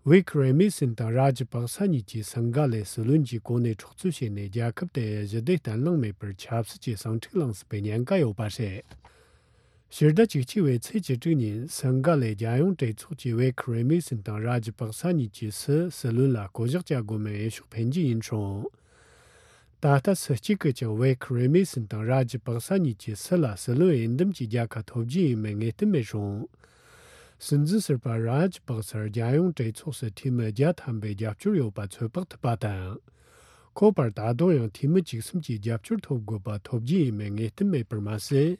ཝིག་རེ་མི་སིན་དང་རཱ་ཇི་པག་ས་གཉིས་ཀྱིས་སིང་ག་ལའི་སྲིད་བློན་གྱི་གོ་གནས་འཕྲོག་རྩོད་བྱས་ནས། རྒྱལ་ཁབ་དེ་ཞི་བདེ་གཏན་ལངས་མེད་པར་ཆབ་སྲིད་ཀྱི་ཟིང་འཁྲུག་ལངས་སྲིད་པའི་ཉེན་ཁ་ཡོད་པ་རེད། ཕྱི་ཟླ་བཅུ་གཅིག་པའི་ཚེས་བཅུ་དྲུག་ཉིན་སིང་ག་ལའི་རྒྱལ་ཡོངས་གྲོས་ཚོགས་ཀྱིས་ཝེ་ཁི་རེ་མི་སིན་དང་རཱ་ཇི་པག་ས་གཉིས་ཀྱི་སྲིད་སྲིད་བློན་ལ་བསྐོ་གཞག་བྱ་དགོས་མིན་འོས་ཤོག་འཕེན་རྒྱུ་ཡིན་སོང་། ད་ལྟ་སུ་གཅིག་གིས་ཀྱང་ཝེ་ཁི་རེ་མི་སིན་དང་རཱ་ཇི་པག་ས་གཉིས་ཀྱི་སྲིད་ལ་སྲིད་བློན་འོས་འདེམས་ཀྱི་རྒྱལ་ཁ་ཐོབ་རྒྱུ་ཡིན་མིན་ངེས་གཏན་མེད་སོང་། སྲིད་འཛིན་ཟུར་པ་རཱ་ཇི་པག་སར་རྒྱལ་ཡོངས་གྲོས་ཚོགས་སུ་འཐུས་མི་བརྒྱ་ཐམ་པའི་རྒྱབ་སྐྱོར་ཡོད་པ་ཚོད་དཔག་ཐུབ་པ་དང་། ཁོ་བར་ད་དུང་ཡང་འཐུས་མི་བཅུ་གསུམ་གྱི་རྒྱབ་སྐྱོར་ཐོབ་དགོས་པ་ཐོབ་རྒྱུ་ཡིན་མིན་ངེས་གཏན་མེད་པར་མ་ཟད།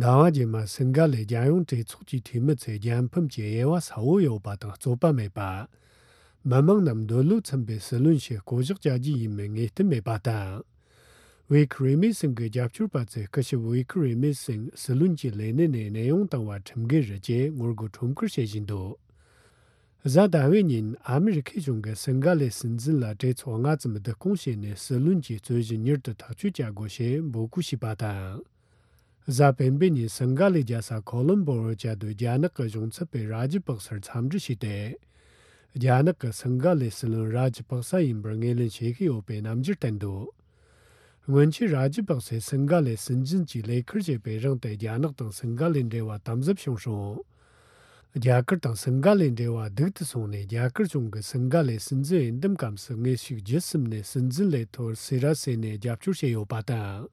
ཟླ་བ་རྗེས་མ་སིང་ག་ལའི་རྒྱལ་ཡོངས་གྲོས་ཚོགས་ཀྱི་འཐུས་མི་ཚོས་རྒྱལ་ཕམ་གྱི་དབྱེ་བ་གསལ་བོ་ཡོད་པ་དང་རྩོད་པ་མེད་པ། མི་མང་རྣམས་འདོད་བློ་འཚམ་པའི་སྲིད་བློན་ཞིག་བསྐོ་གཞག་བྱ་རྒྱུ་ཡིན་མིན་ངེས་གཏན་མེད་པ་དང་། ཝེ་ཁི་རེ་མི་སིང་གི་རྒྱབ་སྐྱོར་པ་ཚོས་སྐུ་ཞབས་ཝེ་ཁི་རེ་མི་སིང་སྲིད་བློན་གྱི་ལས་གནས་ནས་གནས་དབྱུང་བཏང་བ་ཁྲིམས་འགལ་རེད་ཅེས་ངོ་རྒོལ་ཁྲོམ་སྐོར་བྱེད་བཞིན་འདུག་གཟའ་ཟླ་བའི་ཉིན་ཨ་མི་རི་ཁའི་གཞུང་གིས་སིང་ག་ལའི་སྲིད་འཛིན་ལ་གྲོས་ཚོགས་སྔ་ཙམ་བསྡུ་སྐོང་བྱས་ནས་སྲིད་བློན་གྱི་རྩོད་གཞི་མྱུར་དུ་ཐག་གཅོད་བྱ་དགོས་ཞེས་འབོད་སྐུལ་བྱས་པ་དང་། གཟའ་སྤེན་པའི་ཉིན་སིང་ག་ལའི་རྒྱལ་ས་ཁོ་ལོམ་པོར་བཅའ་སྡོད་རྒྱ་ནག་གི་གཞུང་ཚབ་པས་རཱ་ཇི་པག་སར་འཚམས་འདྲི་བྱས་ཏེ། རྒྱ་ནག་གིས་སིང་ག་ལའི་སྲིད་བློན་རཱ་ཇི་པག་ས་ཡིན་པར་ངོས་ལེན་བྱེད་ཀྱི་ཡོད་པའི་རྣམ་འགྱུར་བསྟན་འདུག་སྔོན་ཆད་རཱ་ཇི་པག་སས་སིང་ག་ལའི་སྲིད་འཛིན་གྱི་ལས་ཁུར་བཞེས་པའི་རིང་དུ་རྒྱ་ནག་དང་སིང་ག་ལའི་འབྲེལ་བ་དམ་ཟབ་བྱུང་སོང་། རྒྱ་གར་དང་སིང་ག་ལའི་འབྲེལ་བ་སྡུག་ཏུ་སོང་ནས། རྒྱ་གར་གཞུང་གིས་སིང་ག་ལའི་སྲིད་འཛིན་འོས་འདེམས་སྐབས་སུ་དངོས་ཤུགས་བརྒྱུད་གསུམ་ནས་སྲིད་འཛིན་ལས་ཐོག་སི་ར་སེ་ནས་རྒྱབ་སྐྱོར་བྱས་ཡོད་པ་དང་།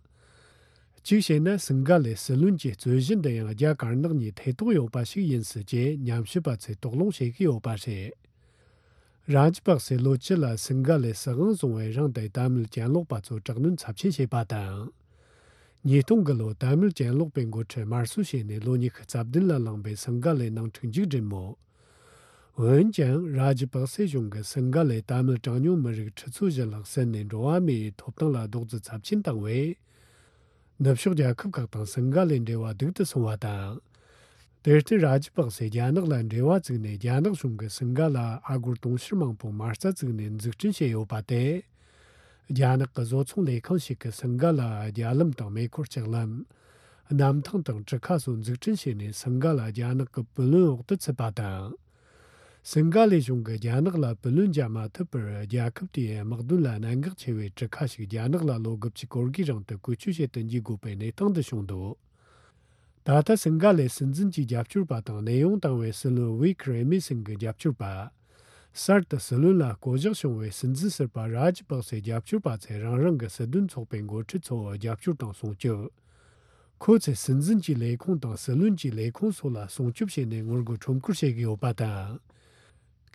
གཅིག་བྱས་ན་སིང་ག་ལའི་སྲིད་བློན་གྱི་རྩོད་གཞི་འདི་ཡང་རྒྱ་དཀར་ནག་གཉིས་ཐེ་གཏོགས་ཡོད་པ་ཞིག་ཡིན་སྲིད་ཅེས་ཉམས་ཞིབ་པ་ཚོས་དོགས་སློང་བྱེད་ཀྱི་ཡོད་པ་རེད། རཱ་ཇི་པག་སེ་ལོ་བཅུ་ལ་སིང་ག་ལའི་སྲིད་དབང་བཟུང་བའི་རིང་དུ་དད་མོས་གྱེན་ལོག་པ་ཚོ་དྲག་གནོན་ཚབས་ཆེན་བྱས་པ་དང་། ཉིས་སྟོང་གི་ལོ་དད་མོས་གྱེན་ལོག་པའི་འགོ་ཁྲིད་དམར་གསོད་བྱས་ནས་ལོ་ཉི་ཤུ་རྩ་བདུན་ལ་ལངས་པའི་སིང་ག་ལའི་ནང་འཁྲུག་མཇུག་བསྒྲིལ་མོད། འོན་ཀྱང་རཱ་ཇི་པག་སེ་གཞུང་གིས་སིང་ག་ལའི་དད་མོས་གྲངས་ཉུང་མི་རིགས་ཁྲི་ཚོ་བཞི་ལྷག་བསད་ནས་འགྲོ་བ་མིའི་ཐོབ་ཐང་ལ་རྡོག་རྫིས་ཚབས་ཆེན་བཏང་བས། ནུབ་ཕྱོགས་རྒྱལ་ཁབ་ཁག་དང་སིང་ག་ལའི་འབྲེལ་བ་སྡུག་ཏུ་སོང་བ་དང་། དེར་བརྟེན་རཱ་ཇི་པག་སེ་རྒྱ་ནག་ལ་འབྲེལ་བ་བཙུགས་ནས། རྒྱ་ནག་གཞུང་གིས་སིང་ག་ལ་ཨ་སྒོར་དུང་ཕྱུར་མང་པོ་མ་རྩ་བཙུགས་ནས་འཛུགས་སྐྲུན་བྱས་ཡོད་པ་དེ། རྒྱ་ནག་གི་བཟོ་ཚོང་ལས་ཁང་ཞིག་གིས་སིང་ག་ལ་རྒྱ་ལམ་དང་མེ་འཁོར་ལྕགས་ལམ། གནམ་ཐང་དང་གྲུ་ཁ་སོགས་འཛུགས་སྐྲུན་བྱས་ནས། སིང་ག་ལ་རྒྱ་ནག་གི་བུ་ལོན་འོག་ཏུ་ཚུད་པ་དང་། སིང་ག་ལའི་གཞུང་གིས་རྒྱ་ནག་ལ་བུ་ལོན་འཇལ་མ་ཐུབ་པར། རྒྱལ་ཁབ་དེའི་དམག་དོན་ལ་གནད་འགག་ཆེ་བའི་གྲུ་ཁ་ཞིག་རྒྱ་ནག་ལ་ལོ་དགུ་བཅུ་གོ་དགུའི་རིང་དུ་བཀོལ་སྤྱོད་བྱེད་དུ་འཇུག་དགོས་པའི་གནས་སྟངས་དུ་བྱུང་འདུག་ད་ལྟ་སིང་ག་ལའི་སྲིད་འཛིན་གྱི་རྒྱབ་སྐྱོར་པ་དང་གནས་དབྱུང་བཏང་བའི་སྲིད་བློན་ཝི་ཁི་རེ་མི་སིང་གི་རྒྱབ་སྐྱོར་པ། གསར་དུ་སྲིད་བློན་ལ་བསྐོ་གཞག་བྱུང་བའི་སྲིད་འཛིན་ཟུར་པ་རཱ་ཇི་པག་སེའི་རྒྱབ་སྐྱོར་པ་ཚོས་རང་རང་གི་སྲིད་དོན་ཚོགས་པའི་འགོ་ཁྲིད་ཚོར་རྒྱབ་སྐྱོར་དང་སྲུང་སྐྱོབ། ཁོ་ཚོས་སྲིད་འཛིན་གྱི་ལས་ཁུངས་དང་སྲིད་བློན་གྱི་ལས་ཁུངས་སོགས་ལ་སྲུང་སྐྱོབ་བྱས་ནས་ངོ་རྒོལ་ཁྲོམ་སྐོར་བྱེད་ཀྱི་ཡོད་པ་དང་།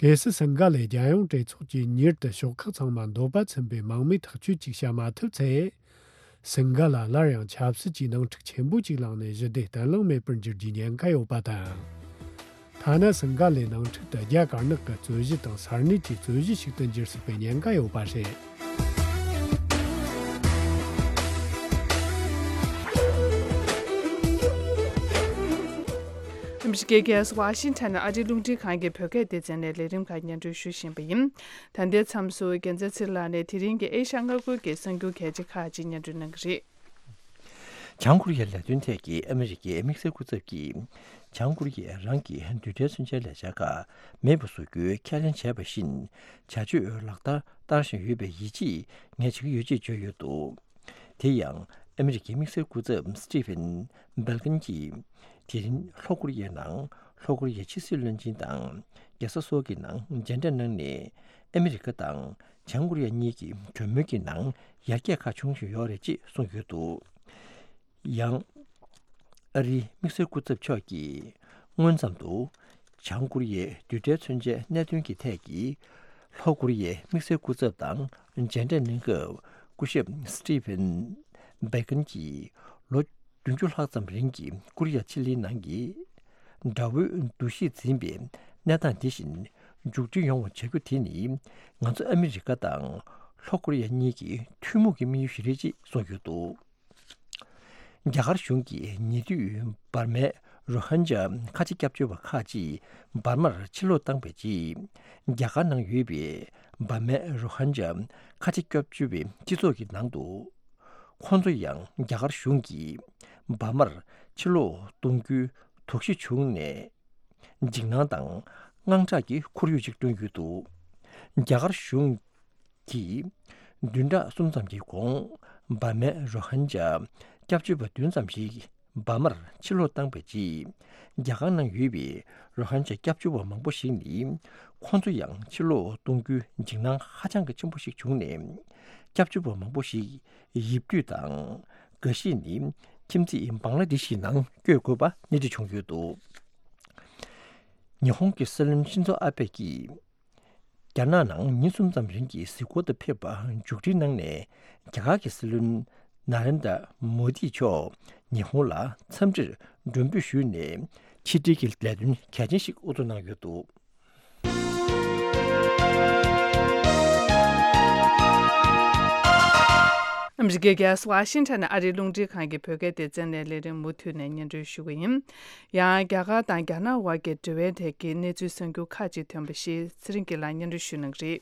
གལ་སྲིད་སིང་ག་ལའི་རྒྱལ་ཡོངས་གྲོས་ཚོགས་ཀྱིས་མྱུར་དུ་ཕྱོགས་ཁག་ཚང་མ་འདོད་པ་ཚིམ་པའི་དམག་མིའི་ཐག་གཅོད་ཅིག་བྱ་མ་ཐུབ་ཚེ། སིང་ག་ལ་སླར་ཡང་ཆབ་སྲིད་ཀྱི་ནང་འཁྲུག་ཆེན་པོ་ཅིག་ལངས་ནས་ཞི་བདེ་གཏན་ལངས་མེད་པར་འགྱུར་རྒྱུའི་ཉེན་ཁ་ཡོད་པ་དང་། ཐ་ན་སིང་ག་ལའི་ནང་འཁྲུག་དེ་རྒྱ་དཀར་ནག་གི་རྩོད་གཞི་དང་ས་གནས་ཀྱི་རྩོད་གཞི་ཞིག་ཏུ་འགྱུར་སྲིད་པའི་ཉེན་ཁ་ཡོད་པ་རེད། ཨ་མི་རི་ཀའི་རྒྱལ་ས་ཝ་ཤིང་ཊོན་ནས་ཨ་རིའི་རླུང་འཕྲིན་ཁང་གི་བོད་སྐད་སྡེ་ཚན་ནས་ལས་རིམ་ཁག་སྙན་སྒྲོན་ཞུ་བཞིན་པ་ཡིན། ད་ལྟའི་མཚམས་སུ་རྒྱལ་མཚན་ཚེ་རིང་ལགས་ནས་དེ་རིང་གི་ཨེ་ཤ་ཡ་མངའ་ཁུལ་གྱི་གསར་འགྱུར་གལ་ཆེ་ཁག་ཅིག་སྙན་སྒྲོན་གནང་གི་རེད། བྱང་ཀོ་རི་ཡའི་ལས་དོན་ཐད་ཀྱི་ཨ་མི་རི་ཀའི་དམིགས་བསལ་སྐུ་ཚབ་ཀྱིས། བྱང་ཀོ་རི་ཡས་རང་གི་རྡུལ་ཕྲན་མཚོན་ཆའི་ལས་འཆར་ཁག་མེད་པར་བཟོ་རྒྱུའི་ཁས་ལེན་བྱས་པ་བཞིན། བྱ་སྤྱོད་ལག་བསྟར་བསྟར་བཞིན་ཡོད་པའི་ཡིད་ཆེས་ངས་བྱེད་ཀྱི་ཡོད་ཅེས་བརྗོད་ཡོད་འདུག་དེ་ཡང་ཨ་མི་རི་ཀའི་དམིགས་བསལ་སྐུ་ཚབ་སི་ཏི་ཕིན་བྷེལ་ཀིན་གྱིས། དེ་རིང་ལྷོ་ཀོ་རི་ཡའི་ནང་ལྷོ་ཀོ་རི་ཡའི་ཕྱི་སྲིད་བློན་ཆེན་དང་རྒྱལ་ས་སོལ་གྱི་ནང་མཇལ་འཕྲད་གནང་ནས། ཨ་མི་རི་ཀ་དང་བྱང་ཀོ་རི་ཡ་གཉིས་ཀྱི་གྲོས་མོལ་གྱི་ནང་ཡར་རྒྱས་ཁག་བྱུང་བཞིན་ཡོད་རེད་ཅེས་གསུངས་ཡོད་འདུག་ཡང་། ཨ་རིའི་དམིགས་བསལ་སྐུ་ཚབ་མཆོག་གིས་སྔོན་ཙམ་དུ། བྱང་ཀོ་རི་ཡའི་རྡུལ་ཕྲན་མཚོན་ཆའི་གནད་དོན་གྱི་ཐད་ཀྱི་ལྷོ་ཀོ་རི་ཡའི་དམིགས་བསལ་སྐུ་ཚབ་དང་མཇལ་འཕྲད་གནང་སྐབས། སྐུ་ཞབས་སི་ཏི་ཕིན་བྷེ་ཀིན་གྱིས་ལོ་བདུན་ཅུ་ལྷག་ཙམ་རིང་གི་ཀོ་རི་ཡ་ཕྱེད་ཀྱི་ནང་གི་དགྲ་བོའི་འདུ་ཤེས་འཛིན་པའི་གནས་སྟངས་འདི་བཞིན་མཇུག་སྒྲིལ་ཡོང་བ་བྱ་རྒྱུ་དེ་ནི། ང་ཚོ་ཨ་མི་རི་ཀ་དང་ལྷོ་ཀོ་རི་ཡ་གཉིས་ཀྱི་ཐུན་མོང་གི་དམིགས་ཡུལ་ཞིག་རེད་ཅེས་གསུངས་ཡོད་འདུག་རྒྱ་གར་གཞུང་གིས་ཉེ་དུས་འབར་མའི་རོ་ཧིན་ཇཱ་ཁ་ཆེ་སྐྱབས་བཅོལ་བ་ཁག་ཅིག་འབར་མར་ཕྱིར་ལོག་བཏང་བའི་རྗེས། རྒྱ་གར་ནང་ཡོད་པའི་འབར་མའི་རོ་ཧིན་ཇཱ་ཁ་ཆེ་སྐྱབས་བཅོལ་བའི་སྤྱི་ཚོགས་ཀྱི་ནང་དུ། ཁོང་ཚོ་ཡང་རྒྱ་གར་གཞུང་གིས་འབར་མར་ཕྱིར་ལོག་གཏོང་རྒྱུའི་དོགས་གཞི་བྱུང་ནས། འཇིགས་སྣང་དང་ དངངས་སྐྲག་གི་ཁོར་ཡུག་ཅིག་བསྐྲུན་ཡོད་འདུག། རྒྱ་གར་གཞུང་གིས་བདུན་ཕྲག་གསུམ་ཙམ་གྱི་གོང་འབར་མའི་རོ་ཧིན་ཇཱ་སྐྱབས་བཅོལ་བ་བདུན་ཙམ་ཞིག་འབར་མར་ཕྱིར་ལོག་བཏང་བའི་རྗེས། རྒྱ་གར་ནང་ཡོད་པའི་རོ་ཧིན་ཇཱ་སྐྱབས་བཅོལ་བ་མང་པོ་ཞིག་ནི། ཁོང་ཚོ་ཡང་ཕྱིར་ལོག་གཏོང་རྒྱུའི་འཇིགས་སྣང་ཧ་ཅང་གི་ཆེན་པོ་ཞིག་བྱུང་ནས། སྐྱབས་བཅོལ་བ་མང་པོ་ཞིག་ཡིབ་དུས་དང་། འགའ་ཤས་ནི་ཁྱིམ་མཚེས་བང་ལ་དེ་ཤི་ནང་བསྐྱོད་དགོས་པ་སྣེ་ཁྲིད་བྱུང་ཡོད་འདུག། ཉི་ཧོང་གི་སྲིད་བློན་ཤིན་ཛོ་ཨ་བྷེ་ཀྱིས། རྒྱ་ནག་ནང་ཉིན་གསུམ་ཙམ་རིང་གི་གཟིགས་སྐོར་དུ་ཕེབས་པ་མཇུག་སྒྲིལ་གནང་ནས། རྒྱ་གར་གྱི་སྲིད་བློན་ན་རེན་དྲ་མོ་དི་མཆོག་ཉི་ཧོང་ལ་འཚམས་འདྲིར་མགྲོན་འབོད་ཞུས་ནས། ཕྱི་འབྲེལ་གྱི་ལས་དོན་གལ་ཆེན་ཞིག་དབུ་འཛུགས་གནང་ཡོད་འདུག། ཨ་མི་རི་ཀའི་རྒྱལ་ས་ཝ་ཤིང་ཊོན་ནས་ཨ་རིའི་རླུང་འཕྲིན་ཁང་གི་བོད་སྐད་སྡེ་ཚན་ནས་ལས་རིམ་མུ་མཐུད་ནས་སྙན་སྒྲོན་ཞུ་གི་ཡིན། ཡང་རྒྱ་གར་དང་རྒྱ་ནག་དབར་གྱི་འབྲེལ་བའི་ཐད་ཀྱི་གནས་ཚུལ་གསར་འགྱུར་ཁག་ཅིག་ཐོན་པ་ཞིག་ཚེ་རིང་སྐྱིད་ལགས་སྙན་སྒྲོན་ཞུ་གནང་གི་རེད།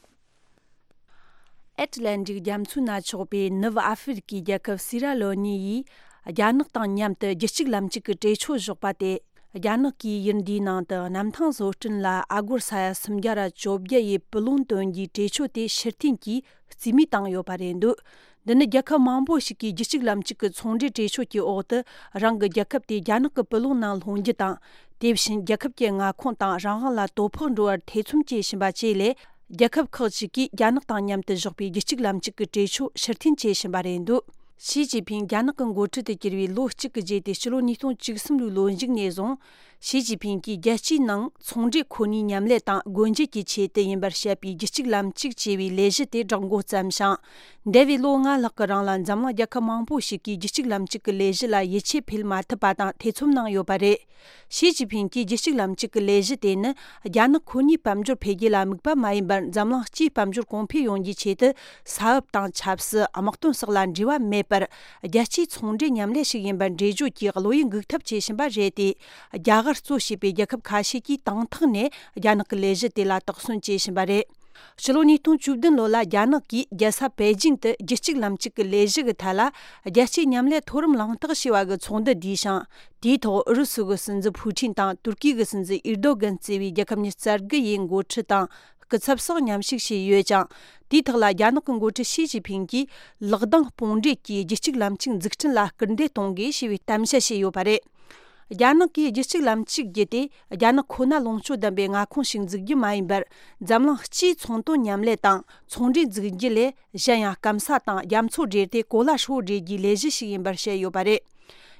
ཨེཊ་ལན་ཊིག་རྒྱ་མཚོའི་ནང་ཆགས་པའི་ནུབ་ཨ་ཧྥེ་རི་ཀའི་རྒྱལ་ཁབ་སི་ར་ལོ་ནི་ཡིས་རྒྱ་ནག་དང་མཉམ་དུ་རྒྱུད་གཅིག་ལམ་གཅིག་གི་གྲོས་ཆོད་བཞག་པ་དེ། རྒྱ་ནག་གིས་ཡུལ་འདིའི་ནང་དུ་གནམ་ཐང་བཟོ་སྐྲུན་ལ་ཨ་སྒོར་ས་ཡ་སུམ་བརྒྱ་ར་བཅོ་བརྒྱད་ཡི་སྤུ་ལོང་བཏོན་རྒྱུའི་གྲོས་ཆོད་དེ་ཕྱིར་འཐེན་གྱིས་རྩིས་མེད་བཏང་ཡོད་པ་རེད་འདུག། འདི་ནི་རྒྱལ་ཁབ་མང་པོ་ཞིག་གིས་རྒྱུད་གཅིག་ལམ་གཅིག་གི་ཚོང་འབྲེལ་གྲོས་ཆོད་ཀྱི་འོག་ཏུ་རང་གི་རྒྱལ་ཁབ་དེ་རྒྱ་ནག་གི་སྤུ་ལོང་ནང་ལྷུང་རྒྱུ་དང་། དེ་བཞིན་རྒྱལ་ཁབ་ཀྱི་མངའ་ཁོངས་དང་རང་དབང་ལ་དོ་ཕོག་འགྲོ་བར་ཐེ་ཚོམ་སྐྱེ་བཞིན་པ་བཅས་ལས། རྒྱལ་ཁབ་ཁག་ཅིག་གིས་རྒྱ་ནག་དང་མཉམ་དུ་བཞག་པའི་རྒྱུད་གཅིག་ལམ་གཅིག་གི་གྲོས་ཆོད་ཕྱིར་འཐེན་བྱེད་བཞིན་པ་རེད་འདུག། ཞི་ཅིན་ཕིང་རྒྱ་ནག་གི་འགོ་ཁྲིད་དུ་གྱུར་བའི་ལོ་གཅིག་གི་རྗེས་ཏེ་ཕྱི་ལོ་ཉིས་སྟོང་བཅུ་གསུམ་ལོའི་ལོ་མཇུག་ནས་བཟུང་། ཞི་ཅིན་ཕིང་གིས་རྒྱལ་སྤྱིའི་ནང་ཚོང་འབྲེལ་ཁོ་ནའི་མཉམ་ལས་དང་སྒོ་འབྱེད་ཀྱི་ཆེད་དུ་ཡིན་པར་བཤད་པའི་རྒྱུད་གཅིག་ལམ་གཅིག་ཅེས་པའི་ལས་གཞི་དེ་བསྒྲགས་འགོ་བརྩམས་ཤིང་། འདས་པའི་ལོ་ལྔ་ལྷག་གི་རིང་ལ་འཛམ་གླིང་རྒྱལ་ཁབ་མང་པོ་ཞིག་གིས་རྒྱུད་གཅིག་ལམ་གཅིག་གི་ལས་གཞི་ལ་ཡིད་ཆེས་འཕེལ་མ་ཐུབ་པ་དང་ཐེ་ཚོམ་གནང་ཡོད་པ་རེད། ཞི་ཅིན་ཕིང་གིས་རྒྱུད་གཅིག་ལམ་གཅིག་གི་ལས་གཞི་དེ་ནི་རྒྱ་ནག་ཁོ་ནའི་དཔལ་འབྱོར་འཕེལ་རྒྱས་ལ་དམིགས་པ་མ་ཡིན་པར་འཛམ་གླིང་སྤྱིའི་དཔལ་འབྱོར་གོང་འཕེལ་ཡོང་རྒྱུའི་ཆེད་དུ། ས་བབ་དང་ཆབ་སྲིད། དམག་དོན་སོགས་ལ་འབྲེལ་བ་མེད་པར། རྒྱལ་སྤྱིའི་ཚོང་འབྲེལ་མཉམ་ལས་ཤིག་ཡིན་པར་འགྲེལ་བརྗོད་ཀྱིས་བློ་ཡིད་འགུག་ཐབས་བྱེད་བཞིན་པ་རེད་དེ། རྒྱ་གར་གཙོ་བྱས་པའི་རྒྱལ་ཁབ་ཁ་ཤས་ཀྱིས་དང་ཐོག་ནས་རྒྱ་ནག་གི་ལས་གཞི་དེ་ལ་དོགས་ཟོན་བྱེད་བཞིན་པ་རེད། ཕྱི་ལོ་ཉིས་སྟོང་བཅུ་བདུན་ལོ་ལ་རྒྱ་ནག་གིས་རྒྱལ་ས་པེ་ཅིང་དུ་རྒྱུད་གཅིག་ལམ་གཅིག་གི་ལས་གཞི་གི་ཐད་ལ། རྒྱལ་སྤྱིའི་མཉམ་ལས་མཐོ་རིམ་གླེང་སྟེགས་ཞེས་པ་གི་ཚོགས་འདུ་བསྡུས་ཤིང་། དེའི་ཐོག་ཨུ་རུ་སུ་གི་སྲིད་འཛིན་ཕུའུ་ཁྲིན་དང་ཏུར་ཀི་གི་སྲིད་འཛིན་ཨེར་དོ་གན་གཙོས་པའི་རྒྱལ་ཁབ་ཉི་ཤུ་རྩ་དགུ་ཡི་འགོ་ཁྲིད་དང་སྐུ་ཚབ་སོགས་མཉམ་ཞུགས་བྱས་ཡོད་ཅིང་། དེའི་ཐོག་ལ་རྒྱ་ནག་གི་འགོ་ཁྲིད་ཞི་ཅིན་ཕིང་གིས་ལག་གདང་དཔུང་སྦྲེལ་གྱིས་རྒྱུད་གཅིག་ལམ་གཅིག་འཛུགས་སྐྲུན་ལ་སྐུལ་འདེད་གཏོང་དགོས་ཞེས་པའི་གཏམ་བཤད་བྱས་ཡོད་པ་རེད། རྒྱ་ནག་གིས་རྒྱུད་གཅིག་ལམ་གཅིག་བརྒྱུད་དེ་རྒྱ་ནག་ཁོ་ན་ལོངས་སྤྱོད་ལྡན་པའི་མངའ་ཁོངས་ཤིག་འཛུགས་རྒྱུ་མ་ཡིན་པར། འཛམ་གླིང་སྤྱིའི་ཚོང་དོན་མཉམ་ལས་དང་ཚོང་འབྲེལ་འཛུགས་རྒྱུ་ལས། གཞན་ཡང་སྐམ་ས་དང་རྒྱ་མཚོ་འབྲེལ་ཏེ་གོ་ལ་ཧྲིལ་བོ་འབྲེལ་རྒྱུའི་ལས་གཞི་ཞིག་ཡིན་པར་བཤད་ཡོད་པ་རེད།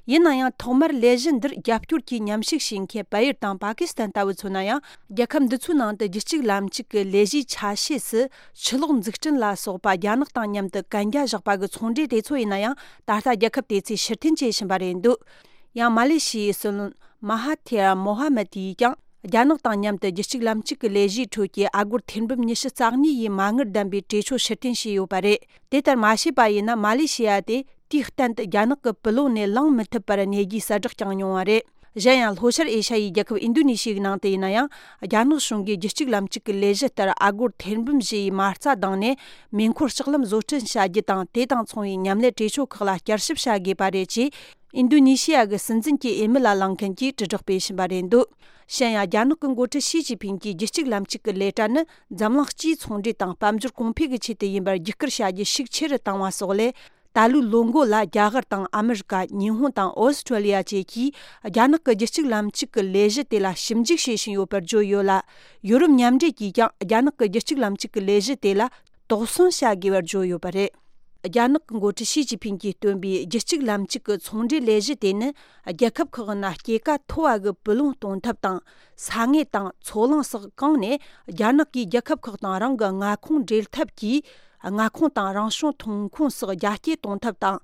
ཡིན་ན་ཡང་ཐོག་མར་ལས་གཞི་འདིར་རྒྱབ་སྐྱོར་གྱིས་མཉམ་ཞུགས་བྱེད་མཁན་བལ་ཡུལ་དང་པ་ཀི་སི་ཐན་ལྟ་བུ་མཚོན་ན་ཡང་། རྒྱལ་ཁབ་འདི་ཚོའི་ནང་དུ་རྒྱུད་གཅིག་ལམ་གཅིག་གི་ལས་གཞིའི་ཆ་ཤས་སུ་ཆུ་གློག་འཛུགས་སྐྲུན་ལ་སོགས་པ་རྒྱ་ནག་དང་མཉམ་དུ་གན་རྒྱ་བཞག་པ་གི་ཚོང་འབྲེལ་དེ་ཚོ་ཡིན་ན་ཡང་ད་ལྟ་རྒྱལ་ཁབ་དེ་ཚོས་ཕྱིར་འཐེན་བྱེད་བཞིན་པ་རེད་འདུག། ཡང་མ་ལེ་ཤི་ཡའི་སྲིད་བློན་མ་ཧ་ཐེར་མོ་ཧ་མད་ཡིས་ཀྱང་། རྒྱ་ནག་དང་མཉམ་དུ་རྒྱུད་གཅིག་ལམ་གཅིག་གི་ལས་གཞིའི་ཁྲོད་ཀྱི་ཨ་སྒོར་ཐེར་འབུམ་ཉི་ཤུ་རྩ་གཉིས་ཡི་མ་དངུལ་ལྡན་པའི་གྲོས་ཆོད་ཕྱིར་འཐེན་བྱས་ཡོད་པ་རེད། དེ་ལྟར་མ་བྱས་པ་ཡིན་ན་མ་ལེ་ཤི་ཡ་དེ་དུས་གཏན་དུ་རྒྱ་ནག་གི་སྤུ་ལོང་ནས་ལངས་མི་ཐུབ་པར་གནས་རྒྱུའི་གསལ་བསྒྲགས་ཀྱང་མྱོང་བ་རེད། གཞན་ཡང་ལྷོ་ཤར་ཨེ་ཤ་ཡའི་རྒྱལ་ཁབ་ཨིན་དོ་ནེ་ཤི་ཡའི་ནང་དུ་ཡིན་ན་ཡང་། རྒྱ་ནག་གཞུང་གིས་རྒྱུད་གཅིག་ལམ་གཅིག་གི་ལས་གཞི་ལྟར་ཨ་སྒོར་ཐེར་འབུམ་བཞི་ཡི་མ་རྩ་བཏང་ནས་མེ་འཁོར་ལྕགས་ལམ་བཟོ་སྐྲུན་བྱ་རྒྱུ་དང་དེ་དང་མཚུངས་པའི་མཉམ་ལས་གྲོས་ཆོད་ཁག་ལ་བསྐྱར་ཞིབ་བྱ་དགོས་པ་རེད་ཅེས། ཨིན་དོ་ནེ་ཤི་ཡ་གི་སྲིད་འཛིན་གྱི་འོས་མི་ལ་ལངས་མཁན་གྱིས་དྲིལ་བསྒྲགས་སྤེལ་བཞིན་པ་རེད་འདུག། གཞན་ཡང་རྒྱ་ནག་གི་འགོ་ཁྲིད་ཞི་ཅིན་ཕིང་གིས་རྒྱུད་གཅིག་ལམ་གཅིག་གི་ལས་གྲྭ་ནི་འཛམ་གླིང་སྤྱིའི་ཚོང་འབྲེལ་དང་དཔལ་འབྱོར་གོང་འཕེལ་གྱི་ཆེད་དུ་ཡིན་པར་བརྒྱུད་བསྐུར་བྱ་རྒྱུ་ཤུགས་ཆེ་རུ་བཏང་བ་སོགས་ལས། ད་ལོའི་ལོ་མགོ་ལ་རྒྱ་གར་དང་ཨ་མི་རི་ཀ། ཉི་ཧོང་དང་ཨོ་སི་ཁྲོ་ལི་ཡ་བཅས་ཀྱིས་རྒྱ་ནག་གི་རྒྱུད་གཅིག་ལམ་གཅིག་གི་ལས་གཞི་དེ་ལ་ཞིབ་འཇུག་བྱེད་བཞིན་ཡོད་པར་བརྗོད་ཡོད་ལ། ཡོ་རོབ་མཉམ་འབྲེལ་གྱིས་ཀྱང་རྒྱ་ནག་གི་རྒྱུད་གཅིག་ལམ་གཅིག་གི་ལས་གཞི་དེ་ལ། དོགས་ཟོན་བྱ་དགོས་པར་བརྗོད་ཡོད་པ་རེད། རྒྱ་ནག་གི་འགོ་ཁྲིད་ཞི་ཅིན་ཕིང་གིས་བཏོན་པའི་རྒྱུད་གཅིག་ལམ་གཅིག་གི་ཚོང་འབྲེལ་ལས་གཞི་དེ་ནི་རྒྱལ་ཁབ་ཁག་ནང་སྐྱེད་ཀ་མཐོ་བ་གི་སྤུ་ལོང་གཏོང་ཐབས་དང་ས་ངོས་དང་མཚོ་གླང་སོགས་གང་ནས་རྒྱ་ནག་གིས་རྒྱལ་ཁབ་ཁག་དང་རང་གི་མངའ་ཁོངས་འབྲེལ་ཐབས་ཀྱིས་མངའ་ཁོངས་དང་རང་བྱུང་ཐོན་ཁུངས་སོགས་རྒྱ་སྐྱེད་གཏོང་ཐབས་དང་།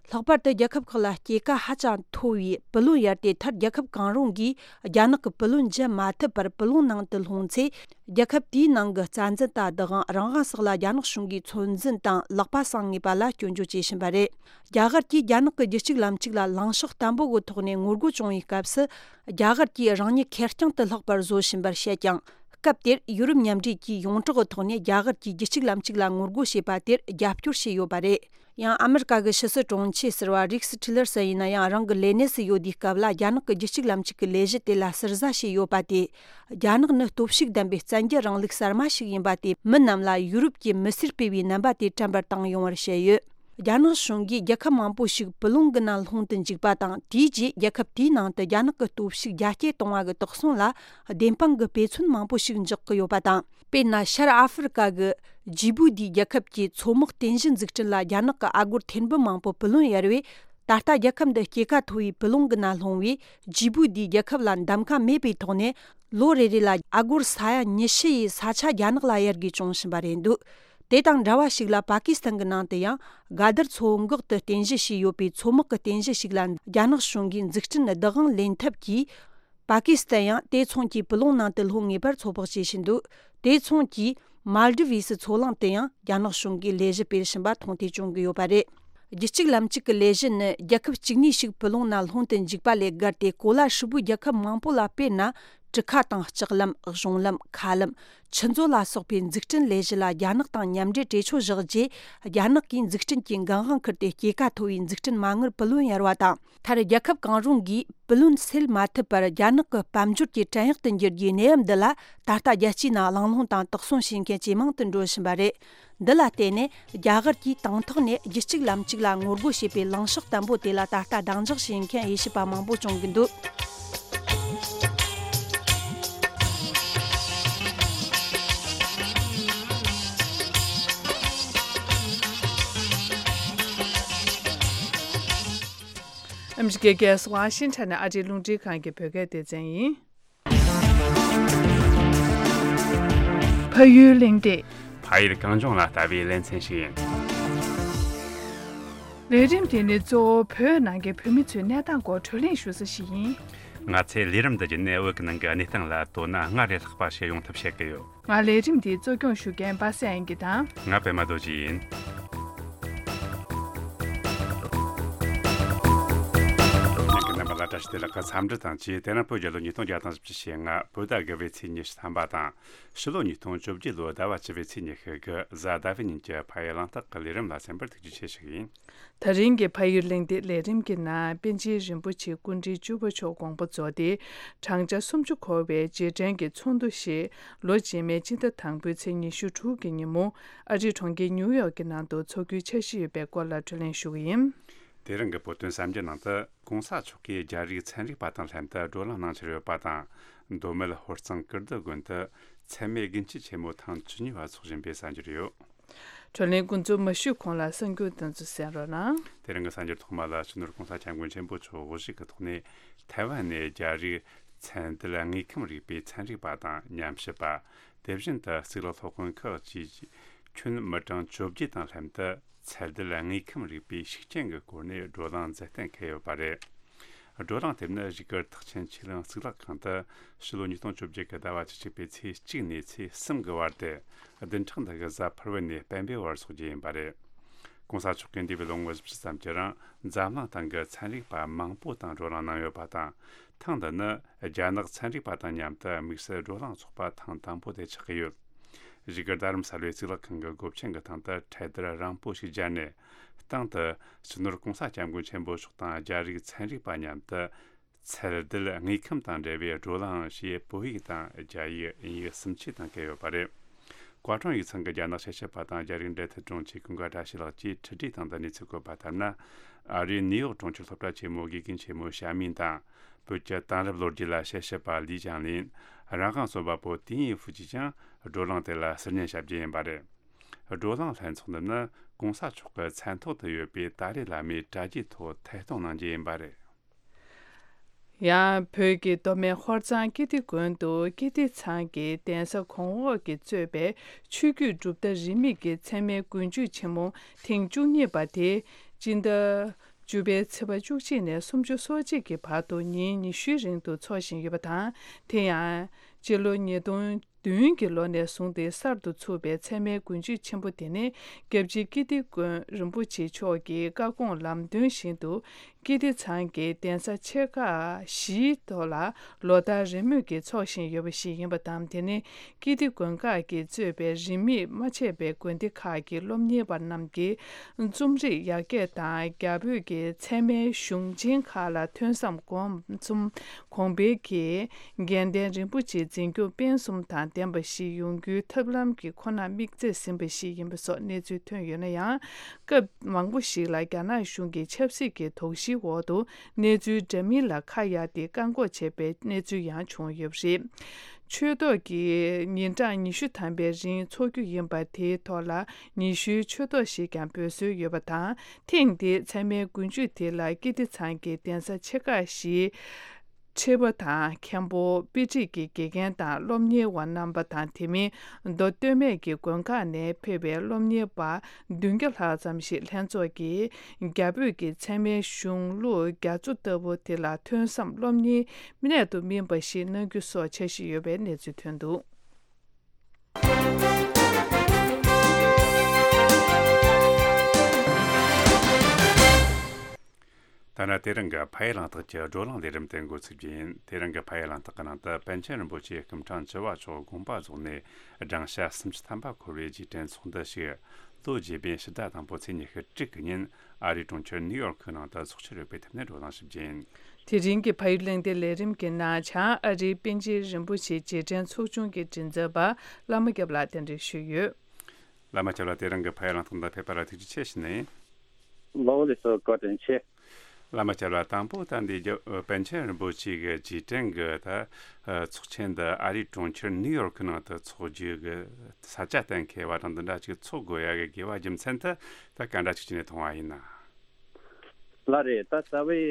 ལྷག་པར་དུ་རྒྱལ་ཁབ་ཁག་ལ་སྐྱེད་ཀ་ཧ་ཅང་མཐོ་བའི་སྤུ་ལོང་ཡར་དེ་མཐར་རྒྱལ་ཁབ་གང་རུང་གིས་རྒྱ་ནག་གི་སྤུ་ལོང་འཇལ་མ་ཐུབ་པར་སྤུ་ལོང་ནང་དུ་ལྷུང་ཚེ། རྒྱལ་ཁབ་དེའི་ནང་གི་རྩ་འཛིན་དང་བདག་དབང་རང་དབང་སོགས་ལ་རྒྱ་ནག་གཞུང་གིས་ཚོད་འཛིན་དང་ལག་པ་བསྲིང་ངེས་པ་ལ་སྐྱོན་བརྗོད་བྱེད་བཞིན་པ་རེད། རྒྱ་གར་གྱིས་རྒྱ་ནག་གི་རྒྱུད་གཅིག་ལམ་གཅིག་ལ་ལངས་ཕྱོགས་བརྟན་པོ་གི་ཐོག་ནས་ངོ་རྒོལ་བྱུང་བའི་སྐབས་སུ། རྒྱ་གར་གྱིས་རང་ཉིད་ཁེར་རྐྱང་དུ་ལྷག་པར་བཟོ་བཞིན་པར་བཤད་ཀྱང་། སྐབས་དེར་ཡུ་རོབ་མཉམ་འབྲེལ་གྱིས་ཡོངས་གྲགས་ཀྱི་ཐོག་ནས་རྒྱ་གར་གྱིས་རྒྱུད་གཅིག་ལམ་གཅིག་ལ་ངོ་རྒོལ་བྱས་པ་དེར་རྒྱབ་སྐྱོར་བྱས་ཡོད་པ་རེད། ཡང་ཨ་མི་རི་ཀ་གི་ཕྱི་སྲིད་དྲུང་ཆེ་ཟུར་པ་རིགས་ཊི་ལར་སན་ཡིན་ན་ཡང་། རང་གི་ལས་གནས་སུ་ཡོད་དུས་སྐབས་ལ་རྒྱ་ནག་གི་རྒྱལ་གཅེས་ལམ་ཕྱུག་གི་ལས་གཞི་དེ་ལ་ཟུར་ཟ་བྱས་ཡོད་པ་དེས། རྒྱ་ནག་ནི་སྟོབས་ཤུགས་ལྡན་པའི་བཙན་རྒྱལ་རིང་ལུགས་གསར་མ་ཞིག་ཡིན་པ་དེས། མི་རྣམས་ལ་ཡུ་རོབ་ཀྱི་མི་སེར་སྤེལ་བའི་རྣམ་པ་དེ་དྲན་པར་བཏང་ཡོང་བར་བཤད་ཡོད། རྒྱ་ནག་གཞུང་གིས་རྒྱལ་ཁབ་མང་པོ་ཞིག་སྤུ་ལུང་གི་ནང་ལྷུང་དུ་འཇུག་པ་དང་། དེའི་རྗེས་རྒྱལ་ཁབ་དེའི་ནང་དུ་རྒྱ་ནག་གི་སྟོབས་ཤུགས་རྒྱ་སྐྱེད་གཏོང་བ་གི་དོགས་ཟོན་ལ་བདེན་དཔང་གི་དཔེ་མཚོན་མང་པོ་ཞིག་འཇོག་གི་ཡོད་པ་དང་། དཔེར་ན། ཤར་ཨ་ཧྥེ་རི་ཀ་གི་ཇི་བུ་ཏི་རྒྱལ་ཁབ་ཀྱི་མཚོ་དམག་རྟེན་གཞི་འཛུགས་སྐྲུན་ལ་རྒྱ་ནག་གི་ཨ་སྒོར་ཐེར་འབུམ་མང་པོ་སྤུ་ལོན་གཡར་བས། ད་ལྟ་རྒྱལ་ཁབ་འདི་སྐྱེད་ཀ་མཐོ་བའི་སྤུ་ལོང་གི་ནང་ལྷུང་བས། ཇི་བུ་ཏི་རྒྱལ་ཁབ་ལ་འདམ་ཀ་མེད་པའི་ཐོག་ནས། ལོ་རེ་རེ་ལ་ཨ་སྒོར་ས་ཡ་ཉི་ཤུ་ཡི་ས་ཆ་རྒྱ་ནག་ལ་གཡར་དགོས་བྱུང་བཞིན་པ་རེད་འདུག་དེ་དང་འདྲ་བ་ཞིག་ལ། པ་ཀི་སི་ཐན་གྱི་ནང་དུ་ཡང་། ག་དར་མཚོ་འགག་ཏུ་རྟེན་གཞི་བྱས་ཡོད་པའི་མཚོ་དམག་གི་རྟེན་གཞི་ཞིག་ལ། རྒྱ་ནག་གཞུང་གིས་འཛུགས་སྐྲུན་བདག་དབང་ལེན་ཐབས་ཀྱིས། པ་ཀི་སི་ཐན་ཡང་དེ་མཚུངས་ཀྱི་སྤུ་ལོང་ནང་དུ་ལྷུང་ངེས་པར་ཚོད་དཔག་བྱེད་བཞིན་འདུག་དེ་མཚུངས་ཀྱིས། མཱལ་ཌི་བིས་མཚོ་གླིང་དུ་ཡང་རྒྱ་ནག་གཞུང་གིས་ལས་གཞི་སྤེལ་བཞིན་པ་མཐོང་ཐོས་བྱུང་གི་ཡོད་པ་རེད། རྒྱལ་གཅེས་ལམ་ཕྱུག་གི་ལས་གཞི་ནི། རྒྱལ་ཁབ་གཅིག་ནས་ཞིག་སྤུ་ལོང་ནང་ལྷུང་དུ་འཇུག་པ་ལས་བརྒལ་ཏེ། གོ་ལ་ཧྲིལ་པོའི་རྒྱལ་ཁབ་མང་པོ་ལ། དཔེར་ན། གྲུ་ཁ་དང་ལྕགས་ལམ། གཞུང་ལམ། མཁའ་ལམ། ཆུ་མཛོད་ལ་སོགས་པའི་འཛུགས་སྐྲུན་ལས་གཞི་ལ་རྒྱ་ནག་དང་མཉམ་འབྲེལ་གྲོས་ཆོད་བཞག་རྗེས། རྒྱ་ནག་གིས་འཛུགས་སྐྲུན་གྱི་འགན་དབང་འཁུར་ཏེ། སྐྱེད་ཀ་མཐོ་བའི་འཛུགས་སྐྲུན་མ་དངུལ་སྤུ་ལོན་གཡར་བ་དང་། མཐར། རྒྱལ་ཁབ་གང་རུང་གིས་སྤུ་ལོན་སེལ་མ་ཐུབ་པར། རྒྱ་ནག་གི་དཔལ་འབྱོར་གྱི་བྲན་གཡོག་ཏུ་འགྱུར་རྒྱུའི་གནས་བབ་འདི་ལ། ད་ལྟ་རྒྱལ་སྤྱིའི་ནང་གླེང་སློང་དང་དོགས་ཟོན་བྱེད་མཁན་ཇེ་མང་དུ་འགྲོ་བཞིན་པ་རེད། འདི་ལ་བརྟེན་ནས། རྒྱ་གར་གྱིས་དང་ཐོག་ནས་རྒྱལ་གཅེས་ལམ་ཕྱུག་ལ་ངོ་རྒོལ་བྱེད་པའི་ལངས་ཕྱོགས་བརྟན་པོ་དེ་ལ། ད་ལྟ་སྡང་ཇག་བྱེད་མཁན་དབྱེ་ཞིབ་པ་མང་པོ་བྱུང་གི་འདུག་ཨ་མི་རི་ཀའི་རྒྱལ་ས་ཝ་ཤིང་ཊོན་ནས་ཨ་རིའི་རླུང་འཕྲིན་ཁང་གི་བོད་སྐད་སྡེ་ཚན་ཡིན། ཕ་ཡུལ་གླེང་སྟེགས། ཕ་ཡུལ་གངས་ལྗོངས་ལ་ལྟ་བའི་ལེ་ཚན་ཞིག་ཡིན། ལས་རིམ་དེ་ནི་གཙོ་བོ་བོད་ནང་གི་བོད་མི་ཚོའི་གནས་སྟངས་སྐོར་བགྲོ་གླེང་ཞུ་ས་ཞིག་ཡིན། ང་ཚོས་ལས་རིམ་འདི་བརྒྱུད་ནས་བོད་ཀྱི་ནང་གི་གནས་སྟངས་ལ་དོ་སྣང་སྔར་ལས་ལྷག་པ་ཞིག་ཡོང་ཐབས་བྱེད་ཀྱི་ཡོད། ང་ལས་རིམ་འདིའི་གཙོ་སྐྱོང་ཞུ་མཁན་པ་སངས་དབྱངས་སྐྱིད་དང་། ང་པད་མ་རྡོ་རྗེ་ཡིན། ཉན་མཁན་རྣམ་པ་ལ་བཀྲ་ཤིས་བདེ་ལེགས། འཚམས་འདྲི་དང་བཅས། དེ་རིང་བོད་རྒྱལ་ལོ་ཉིས་སྟོང་བརྒྱ་དང་བཞི་བཅུ་ཞེ་ལྔ། བོད་ཟླ་དགུ་པའི་ཚེས་ཉི་ཤུ་ཐམ་པ་དང་། ཕྱི་ལོ་ཉིས་སྟོང་བཅོ་བརྒྱད་ལོའི་ཟླ་བ་བཅུ་པའི་ཚེས་ཉི་ཤུ་དགུ། གཟའ་ཟླ་བའི་ཉིན་གྱི་ཕ་ཡུལ་གླེང་སྟེགས་ཀྱི་ལས་རིམ་ལ་གསན་པར་ཐུགས་རྗེ་ཆེ་ཞུ་གི་ཡིན། ད་རིང་གི་ཕ་ཡུལ་གླེང་སྟེགས་ལས་རིམ་གྱི་ནང་། པཎ་ཆེན་རིན་པོ་ཆེ་སྐུ་ཕྲེང་བཅུ་པ་མཆོག་དགོངས་པ་རྫོགས་ཏེ། བགྲང་བྱ་སུམ་ཅུ་འཁོར་བའི་རྗེས་དྲན་གྱི་ཚོགས་འདུ་ཞེས་ལོ་རྗེས་མའི་སྤྱི་ཟླ་དང་པོའི་ཚེས་ཉི་ཤུ་དྲུག་གི་ཉིན་མོ། ཨ་རིའི་གྲོང་ཁྱེར་ཉིའུ་ཡོག་གི་ནང་དུ་འཚོགས་རྒྱུའི་འཆར་གཞི་ཡོད་པའི་སྐོར་ལ་བགྲོ་གླེང་ཞུ་གི་ཡིན། དེ་རིང་གི་བོད་དོན་གསར་འགྱུར་ནང་དུ། གོང་ས་མཆོག་གིས་རྒྱ་རིགས་ཚན་རིག་པ་དང་ལྷན་དུ་བགྲོ་གླེང་གནང་འཆར་ཡོད་པ་དང་། མདོ་སྨད་ཧོར་གཙང་ཀིརྟི་དགོན་དུ་ཚད་མེད་དགུན་སྐྱིད་ཆེན་མོ་ཐེངས་བཅུ་གཉིས་པ་འཚོགས་བཞིན་པའི་གསར་འགྱུར་ཡོད། བགྲོ་གླེང་འགོ་འཛུགས་མ་ཞུས་གོང་ལ་གསར་འགྱུར་དེ་ཚོ་གསན་རོགས་གནང་། དེ་རིང་གི་གསར་འགྱུར་ཐོག་མ་ལ། སྤྱི་ནོར་གོང་ས་སྐྱབས་མགོན་ཆེན་པོ་མཆོག་དབུ་བཞུགས་ཀྱི་ཐོག་ནས། ཐའེ་ཝན་ནས་རྒྱ་རིགས་ཚན་རྡུལ་དངོས་ཁམས་རིག་པའི་ཚན་རིག་པ་དང་ཉམས་ཞིབ་པ། དེ་བཞིན་དུ་གཙུག་ལག་སློབ་དཔོན་ཁག་ཅིག་ཁྱོན་མི་གྲངས་བཅོ་བརྒྱད་དང་ལྷན་དུ་ཚན་རྡུལ་དངོས་ཁམས་རིག་པའི་ཤུགས་རྐྱེན་གྱི་སྐོར་ནས་བགྲོ་གླེང་མཛད་གཏན་འཁེལ་ཡོད་པ་རེད། བགྲོ་གླེང་དེ་ནི་བཞུགས་སྒར་ཐེག་ཆེན་ཆོས་གླིང་གཙུག་ལག་ཁང་དུ་ཕྱི་ལོ་ཉིས་སྟོང་བཅོ་བརྒྱད་ཀྱི་ཟླ་བ་བཅུ་གཅིག་པའི་ཚེས་གཅིག་ནས་ཚེས་གསུམ་གྱི་བར་ཏེ། བདུན་ཕྲག་འདི་གི་གཟའ་ཕུར་བུ་ནས་སྤེན་པའི་བར་འཚོགས་རྒྱུ་ཡིན་པ་རེད། གོང་ས་མཆོག་གིས་འདས་པའི་ལོ་ངོ་བཞི་བཅུ་ཙམ་གྱི་རིང་འཛམ་གླིང་སྟེང་གི་ཚན་རིག་པ་མང་པོ་དང་བགྲོ་གླེང་གནང་ཡོད་པ་དང་། ཐེངས་འདི་ནི་རྒྱ་ནག་ཚན་རིག་པ་དང་མཉམ་དུ་དམིགས་བསལ་བགྲོ་གླེང་ཚོགས་པ་ཐེངས་དང་པོ་དེ་ཆགས་ཀྱི་ཡོད། བཞུགས་སྒར་རྡ་རམ་ས་ལའི་གཙུག་ལག་ཁང་གི་སྒོ་ཆེན་གྱི་སྟེང་དུ་འཕྲེད་དར་རིང་པོ་ཞིག་སྦྱར་ནས། སྟེང་དུ་སྤྱི་ནོར་གོང་ས་སྐྱབས་མགོན་ཆེན་པོ་མཆོག་དང་རྒྱ་རིགས་ཚན་རིག་པ་མཉམ་དུ་ཚན་རྡུལ་དངོས་ཁམས་དང་འབྲེལ་བའི་བགྲོ་གླེང་ཞེས་བོད་ཡིག་དང་རྒྱ་ཡིག་དབྱིན་ཡིག་གསུམ་ཆའི་སྟེང་བཀོད་ཡོད་པ་རེད། བཀའ་དྲུང་ཡིག་ཚང་གི་རྒྱ་ནག་དཔྱད་ཞིབ་པ་དང་རྒྱ་རིགས་འབྲེལ་མཐུད་དྲུང་ཆེ་ཀུན་དགའ་བཀྲ་ཤིས་ལགས་ཀྱིས་འཕྲུལ་བྲིས་སྟེང་དུ་གནས་ཚུལ་བཀོད་པ་ལྟར་ན། ཨ་རིའི་ནིའུ་ཡོག་གྲོང་ཁྱེར་སློབ་གྲྭ་ཆེན་མོའི་དགེ་རྒན་ཆེན་མོ་ཞ་མིན་དང་། བོད་ཀྱི་དེང་རབས་ལོ་རྒྱུས་ལ་དཔྱད་ཞིབ་པ་ལི་ཅང་ལིན། རང་དབང་རྩོམ་པ་པོ་ཏིན་ཡི་ཧྥུ་བཅས་ཀྱང་བགྲོ་གླེང་དེ་ལ་ཟུར་ཉན་བྱ་རྒྱུ་ཡིན་པ་རེད། བགྲོ་གླེང་ལྷན་ཚོགས་འདི་ནི་གོང་ས་མཆོག་གི་མཚན་ཐོག་ཏུ་ཡོད་པའི་ཏཱ་ལའི་བླ་མའི་གྲྭ་རྒྱའི་ཐོག་ཐད་གཏོང་གནང་རྒྱུ་ཡིན་པ་རེད། ཡང་བོད་ཀྱི་མདོ་སྨད་ཧོར་གཙང་ཀིརྟི་དགོན་དུ་ཀིརྟི་ཚང་གི་གདན་ས་གོང་འོག་གིས་གཙོས་པའི་ཆོས་བརྒྱུད་གྲུབ་མཐའ་རིས་མེད་ཀྱི་མཚན་སྨད་དགུན་ཆོས་ཆེན་མོ་ཐེངས་བཅུ་གཉིས་པ་དེ་སྤྱི་ཟླ་བཅུ་པའི་ཚེས་པ་བཅུ་གཅིག་ནས་སུམ་ཅུ་སོ་གཅིག་གི་བར་དུ་ཉིན་ཉི་ཤུའི་རིང་དུ་འཚོགས་བཞིན་ཡོད་པ་དང་། དེ་ཡང་སྤྱི་ལོ་ཉིས་སྟོང་ བདུན་གྱི་ལོ་ནས་བཟུང་སྟེ་གསར་དུ་ཚུགས་པའི་ཚད་མའི་དགུན་ཆོས་ཆེན་པོ་དེ་ནི། སྐྱབས་རྗེ་ཀིརྟི་དགོན་རིན་པོ་ཆེ་མཆོག་གི་བཀའ་དགོངས་ལམ་སྟོན་བཞིན་དུ། ཀིརྟི་ཚང་གི་གདན་ས་ཆེ་ཁག་བཞིའི་ཐོག་ལ་ལོ་ལྟར་རེས་མོས་ཀྱིས་འཚོགས་བཞིན་ཡོད་པ་ཞིག་ཡིན་པ་དང་། དེ་ནི་ཀིརྟི་དགོན་ཁག་གིས་གཙོས་པའི་རིས་མེད་མ་ཆད་པའི་དགོན་སྡེ་ཁག་གི་སློབ་གཉེར་བ་རྣམས་ཀྱིས་རྩོམ་རིག་ཡར་རྒྱས་དང་། རྒྱ་བོད་ཀྱི་ཚད་མའི་གཞུང་ཆེན་ཁག་ལ་ཐོན་བསམ་སྒོམ་གསུམ། གོང་འཕེལ་གྱི་དགེ་ལྡན་རིན་པོ་ཆེའི་འཛིན་སྐྱོང་སྤེལ་གསུམ་དང་ལྡན་པ་ཞིག་ཡོང་རྒྱུའི་ཐབས་ལམ་གྱི་ཁོ་ན་དམིགས་ཚད་ཟིན་པ་ཞིག་ཡིན་པ་སོགས་གནས་ཚུལ་ཐོན་ཡོད་ན་ཡང་། སྐབས་མང་པོ་ཞིག་ལ་རྒྱ་ནག་གཞུང་གི་ཆབ་སྲིད་ཀྱི་དོགས་གཞིའི་འོག་ཏུ་གནས་ཚུལ་འདྲ་མིན་ལ་ཁ་གཡར་ཏེ་བཀག་འགོག་བྱས་པའི་གནས་ཚུལ་ཡང་བྱུང་ཡོད་པ་རེད། ཆོས་ཐོག་གི་ཉིན་གྲངས་ཉི་ཤུ་ཐམ་པའི་རིང་འཚོགས་རྒྱུ་ཡིན་པ་དེའི་ཐོག་ལ་ཉི་ཤུའི་ཆོས་ཐོག་ཞིག་ཀྱང་འབུལ་སྲོལ་ཡོད་པ་དང་། ཐེངས་འདིའི་ཚད་མའི་དགུན་ཆོས་དེ་ལ་ཀིརྟི་ཚང་གི་གདན་ས་ཆེ་ཁག་བཞིའི་ཁྲི་པ་དང་། མཁན་པོ། དཔེ་ཁྲིད་ཀྱི་དགེ་རྒན་དང་སློབ་གཉེར་བ་རྣམ་པ་དང་། དེ་མིན་མདོ་སྟོད་སྨད་ཀྱི་དགོན་ཁག་ནས་ཕེབས་པའི་སློབ་གཉེར་བ་བདུན་བརྒྱ་ལྷག་ཙམ་ཞིག་ལྷན་ཚོགས་ཀྱིས་རྒྱ་བོད་ཀྱི་ཚད་མའི་གཞུང་ལུགས་རྒྱ་མཚོ་ལྟ་བུ་དེ་ལ་ཐོན་བསམ་སློབ་གཉེར་གནད་དུ་སྨིན་པ་ཞིག་གནང་རྒྱུ་སོགས་འཆར་གཞི་ཡོད་པའི་གནས་ཚུལ་ཐོན་འདུག། ད་ནི་དེ་རིང་གི་ཕ་ཡུལ་གླེང་སྟེགས་ཀྱི་བགྲོ་གླེང་ལས་རིམ་དེ་འགོ་ཚུགས་རྒྱུ་ཡིན། དེ་རིང་གི་ཕ་ཡུལ་གླེང་སྟེགས་ཀྱི་ནང་དུ་པཎ་ཆེན་རིན་པོ་ཆེ་སྐུ་ཕྲེང་བཅུ་བ་མཆོག་དགོངས་པ་རྫོགས་ནས་བགྲང་བྱ་སུམ་ཅུ་ཐམ་པ་འཁོར་བའི་རྗེས་དྲན་ཚོགས་འདུ་ཞིག་ལོ་རྗེས་དཔོན་ཕྱི་ཟླ་དང་པོ་ཚེས་ཉི་ཤུ་དྲུག་གི་ཉིན་ཨ་རིའི་གྲོང་ཁྱེར་ནིའུ་ཡོག་ཁུལ་ནང་དུ་འཚོགས་ཆེད་རོགས་པའི་ཐད་ནས་བགྲོ་གླེང་ཞིབ་རྒྱས་ཡིན། དེ་རིང་གི་ཕ་ཡུལ་གླེང་སྟེགས་ལས་རིམ་གྱི་ནང་བྱང་ཨ་རིའི་པཎ་ཆེན་རིན་པོ་ཆེ་རྗེས་དྲན་ཚོགས་ཆུང་གི་མགྲིན་ཚབ་པ་བླ་མ་སྐྱབས་ལགས་གདན་འདྲེན་ཞུས་ཡོད། བླ་མ་སྐྱབས་ལགས་དེ་རིང་གི་ཕ་ཡུལ་གླེང་སྟེགས་ནང་ཕེབས་པ་ལ་ཐུགས་རྗེ་ཆེ་ཞུ་ནས། ལོ་ལེགས་སོ། བཀའ་དྲིན་ཆེ། བླ་མ་སྐྱབས་ལགས་དང་པོ་ད་འདི་རྒྱ་པཎ་ཆེན་རིན་པོ་ཆེ་གི་རྗེས་དྲན་གྱི་ད་ཚོགས་ཆེན་འདི་ཨ་རིའི་གྲོང་ཁྱེར་ནིའུ་ཡོག་ཁུལ་ནང་དུ་འཚོགས་རྒྱུ་གི་ས་ཆ་གཏན་འཁེལ་བ་དང་། འདི་འདྲ་ཅིག་འཚོགས་དགོས་ཡ་གི་དགོས་པ་རྒྱུ་མཚན་དེ་ད་ག་འདྲ་ཅིག་བྱས་ནས་མཐོང་བ་ཡིན་ན། ལགས་རེད། ད་རྩ་བའི་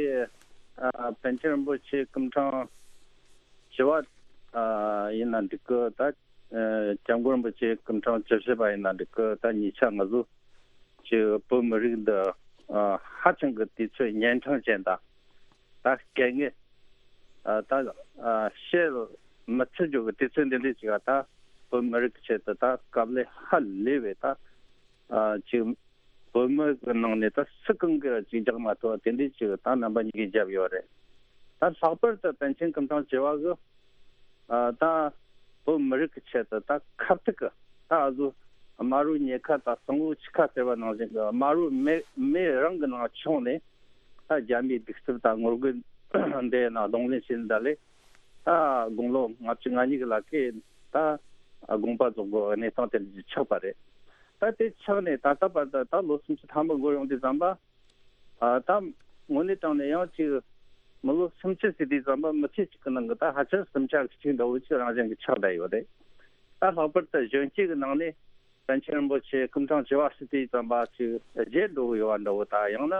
ཨ་པཎ་ཆེན་རིན་པོ་ཆེ་སྐུ་ཕྲེང་བཅུ་བ་ཨ་ཡིན་ན་འགྲིག་གི། ད་ཨ་སྐྱབས་མགོན་རིན་པོ་ཆེ་སྐུ་ཕྲེང་བཅུ་བཞི་པ་ཡིན་ན་འགྲིག་གི། ད་གཉིས་ཆ་ང་ཚོ་ཅིག་བོད་མི་རིགས་འདི་ཨ་ཧ་ཅང་གི་དུས་ཚོད་གཉན་འཕྲང་ཅན་དང་། ད་དཀའ་ངལ་ཨ་ད་ཨ་བཤད་མི་ཚུད་རྒྱུ་གི་དུས་ཚོད་འདི་འདྲ་ཅིག་ཨ་ད་བོད་མི་རིགས་ཀྱི་ཆེད་དུ་ད་དཀའ་ལས་ཧ་ལས་པའི་ད་ཨ་ཅིག་བོད་མི་གི་ནང་ནས་ད་སུ་གང་གིས་ཅིག་རྒྱག་མ་ཐུབ་པ་དེ་འདྲའི་ཅིག་ད་རྣམ་པ་གཉིས་ཀས་བརྒྱབ་ཡོད་རེད། ད་ལྷག་པར་དུ་པཎ་ཆེན་སྐུ་ཕྲེང་བཅུ་བ་གིས་ཨ་ད་བོད་མི་རིགས་ཀྱི་ཆེད་དུ་ད་ཁ་ཐུག་གི་ད་ཨ་ཟུ་དམར་པོའི་ཉེན་ཁ་དང་གཙང་པོའི་འཆི་ཁ་ཟེར་བ་ནང་བཞིན་གི་དམར་པོའི་མེ་མེ་རང་གི་ནང་མཆོངས་ནས་ད་རྒྱ་མིའི་གདུག་རྩུབ་དང་ངོ་རྒོལ་འདི་ནང་གདོང་ལེན་བྱས་ནས་ད་ལས། ད་དགུང་ལོ་ལྔ་བཅུ་ང་གཉིས་ཀྱི་ལག་གིས་ད་དགོངས་པ་རྫོགས་པའི་གནས་སྟངས་དེ་འདྲ་ཆགས་པ་རེད། ད་དེ་ཆགས་ནས་ད་ལྟ་བར་དུ་ད་ལོ་སུམ་ཅུ་ཐམ་པ་འགོར་ཡོང་དུས་ཙམ་པ། ཨ་ད་དངོས་གནས་དྲང་གནས་ཡང་ཅིག་མི་ལོ་སུམ་ཅུ་ཟེར་དུས་ཙམ་པ་མི་ཚེ་གཅིག་གི་ནང་གི་ད་ཧ་ཅང་སུམ་ཆ་གཅིག་འདྲ་བོ་ཅིག་རང་བཞིན་གྱི་ཆགས་བསྡད་ཡོད་རེད། ད་ལྷག་པར་དུ་གཞོན་སྐྱེས་ཀྱི་ནང་ནས་པཎ་ཆེན་རིན་པོ་ཆེ་སྐུ་ཕྲེང་བཅུ་བ་ཟེར་དུས་ཙམ་པ་ཅིག་བརྗེད་འགྲོ་གི་ཡོད་པ་འདྲ་བོ་དང་། ཡང་ན་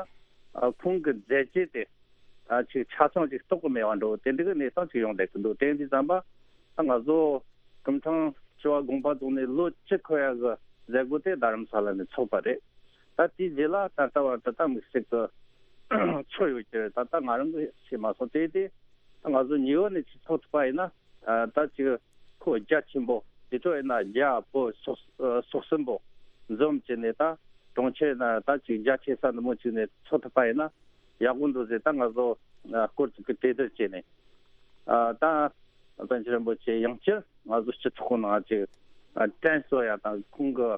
ཨ་ཁོང་གི་མཛད་རྗེས་དེ། ཨ་ཅིག་ཆ་ཚང་ཅིག་རྟོགས་གི་མེད་པ་འདྲ་བོ་དེ་འདྲ་གི་གནས་སྟངས་ཅིག་ཡོང་བསྡད་ཀྱི་འདུག། དེ་ཡིན་དུས་ཙམ་པ་ད་ང་ཚོ་སྐུ་ཕྲེང་བཅུ་བ་དགོངས་པ་རྫོགས་ནས་ལོ་བཅུ་འཁོར་ཡ་གི་མཛད་སྒོ་དེ་རྡ་རམ་ས་ལ་ནས་ཚོགས་པ་རེད། ད་དེའི་རྗེས་ལ་ད་ལྟ་བར་དུ་ད་དམིགས་བསལ་གྱི་ཚོགས་ཡོད་ཀྱི་རེད། ད་ལྟ་ང་རང་གིས་ཤེས་མ་སོང་། དེ་དེ་ད་ང་ཚོ་ཉེ་བོ་ནས་ཅིག་ཚོགས་ཐུབ་པ་ཡིན་ན། ཨ་ད་ཅིག་ཁོ་རྒྱ་ཆེན་པོ་དེ་ཚོ་ཡིན་ན་རྒྱ་བོད་སོག་སོག་གསུམ་པོ་འཛོམས་བྱས་ནས་ད་གྲོང་ཁྱེར་ན་ད་ཅིག་རྒྱ་ཆེ་ས་འདི་མོ་ཅིག་ནས་ཚོགས་ཐུབ་པ་ཡིན་ན་ཡག་པོ་འདུག་ཟེར། ད་ང་ཚོ་ཨ་སྐོར་ཅིག་གི་གྲོས་བསྡུར་བྱས་ནས། ཨ་ད་པཎ་ཆེན་རིན་པོ་ཆེ་ཡང་བསྐྱར་ང་ཚོ་སྤྱི་ཚོགས་ནང་ཅིག་ཨ་དྲན་གསོ་ཡ་དང་། ཁོང་གི་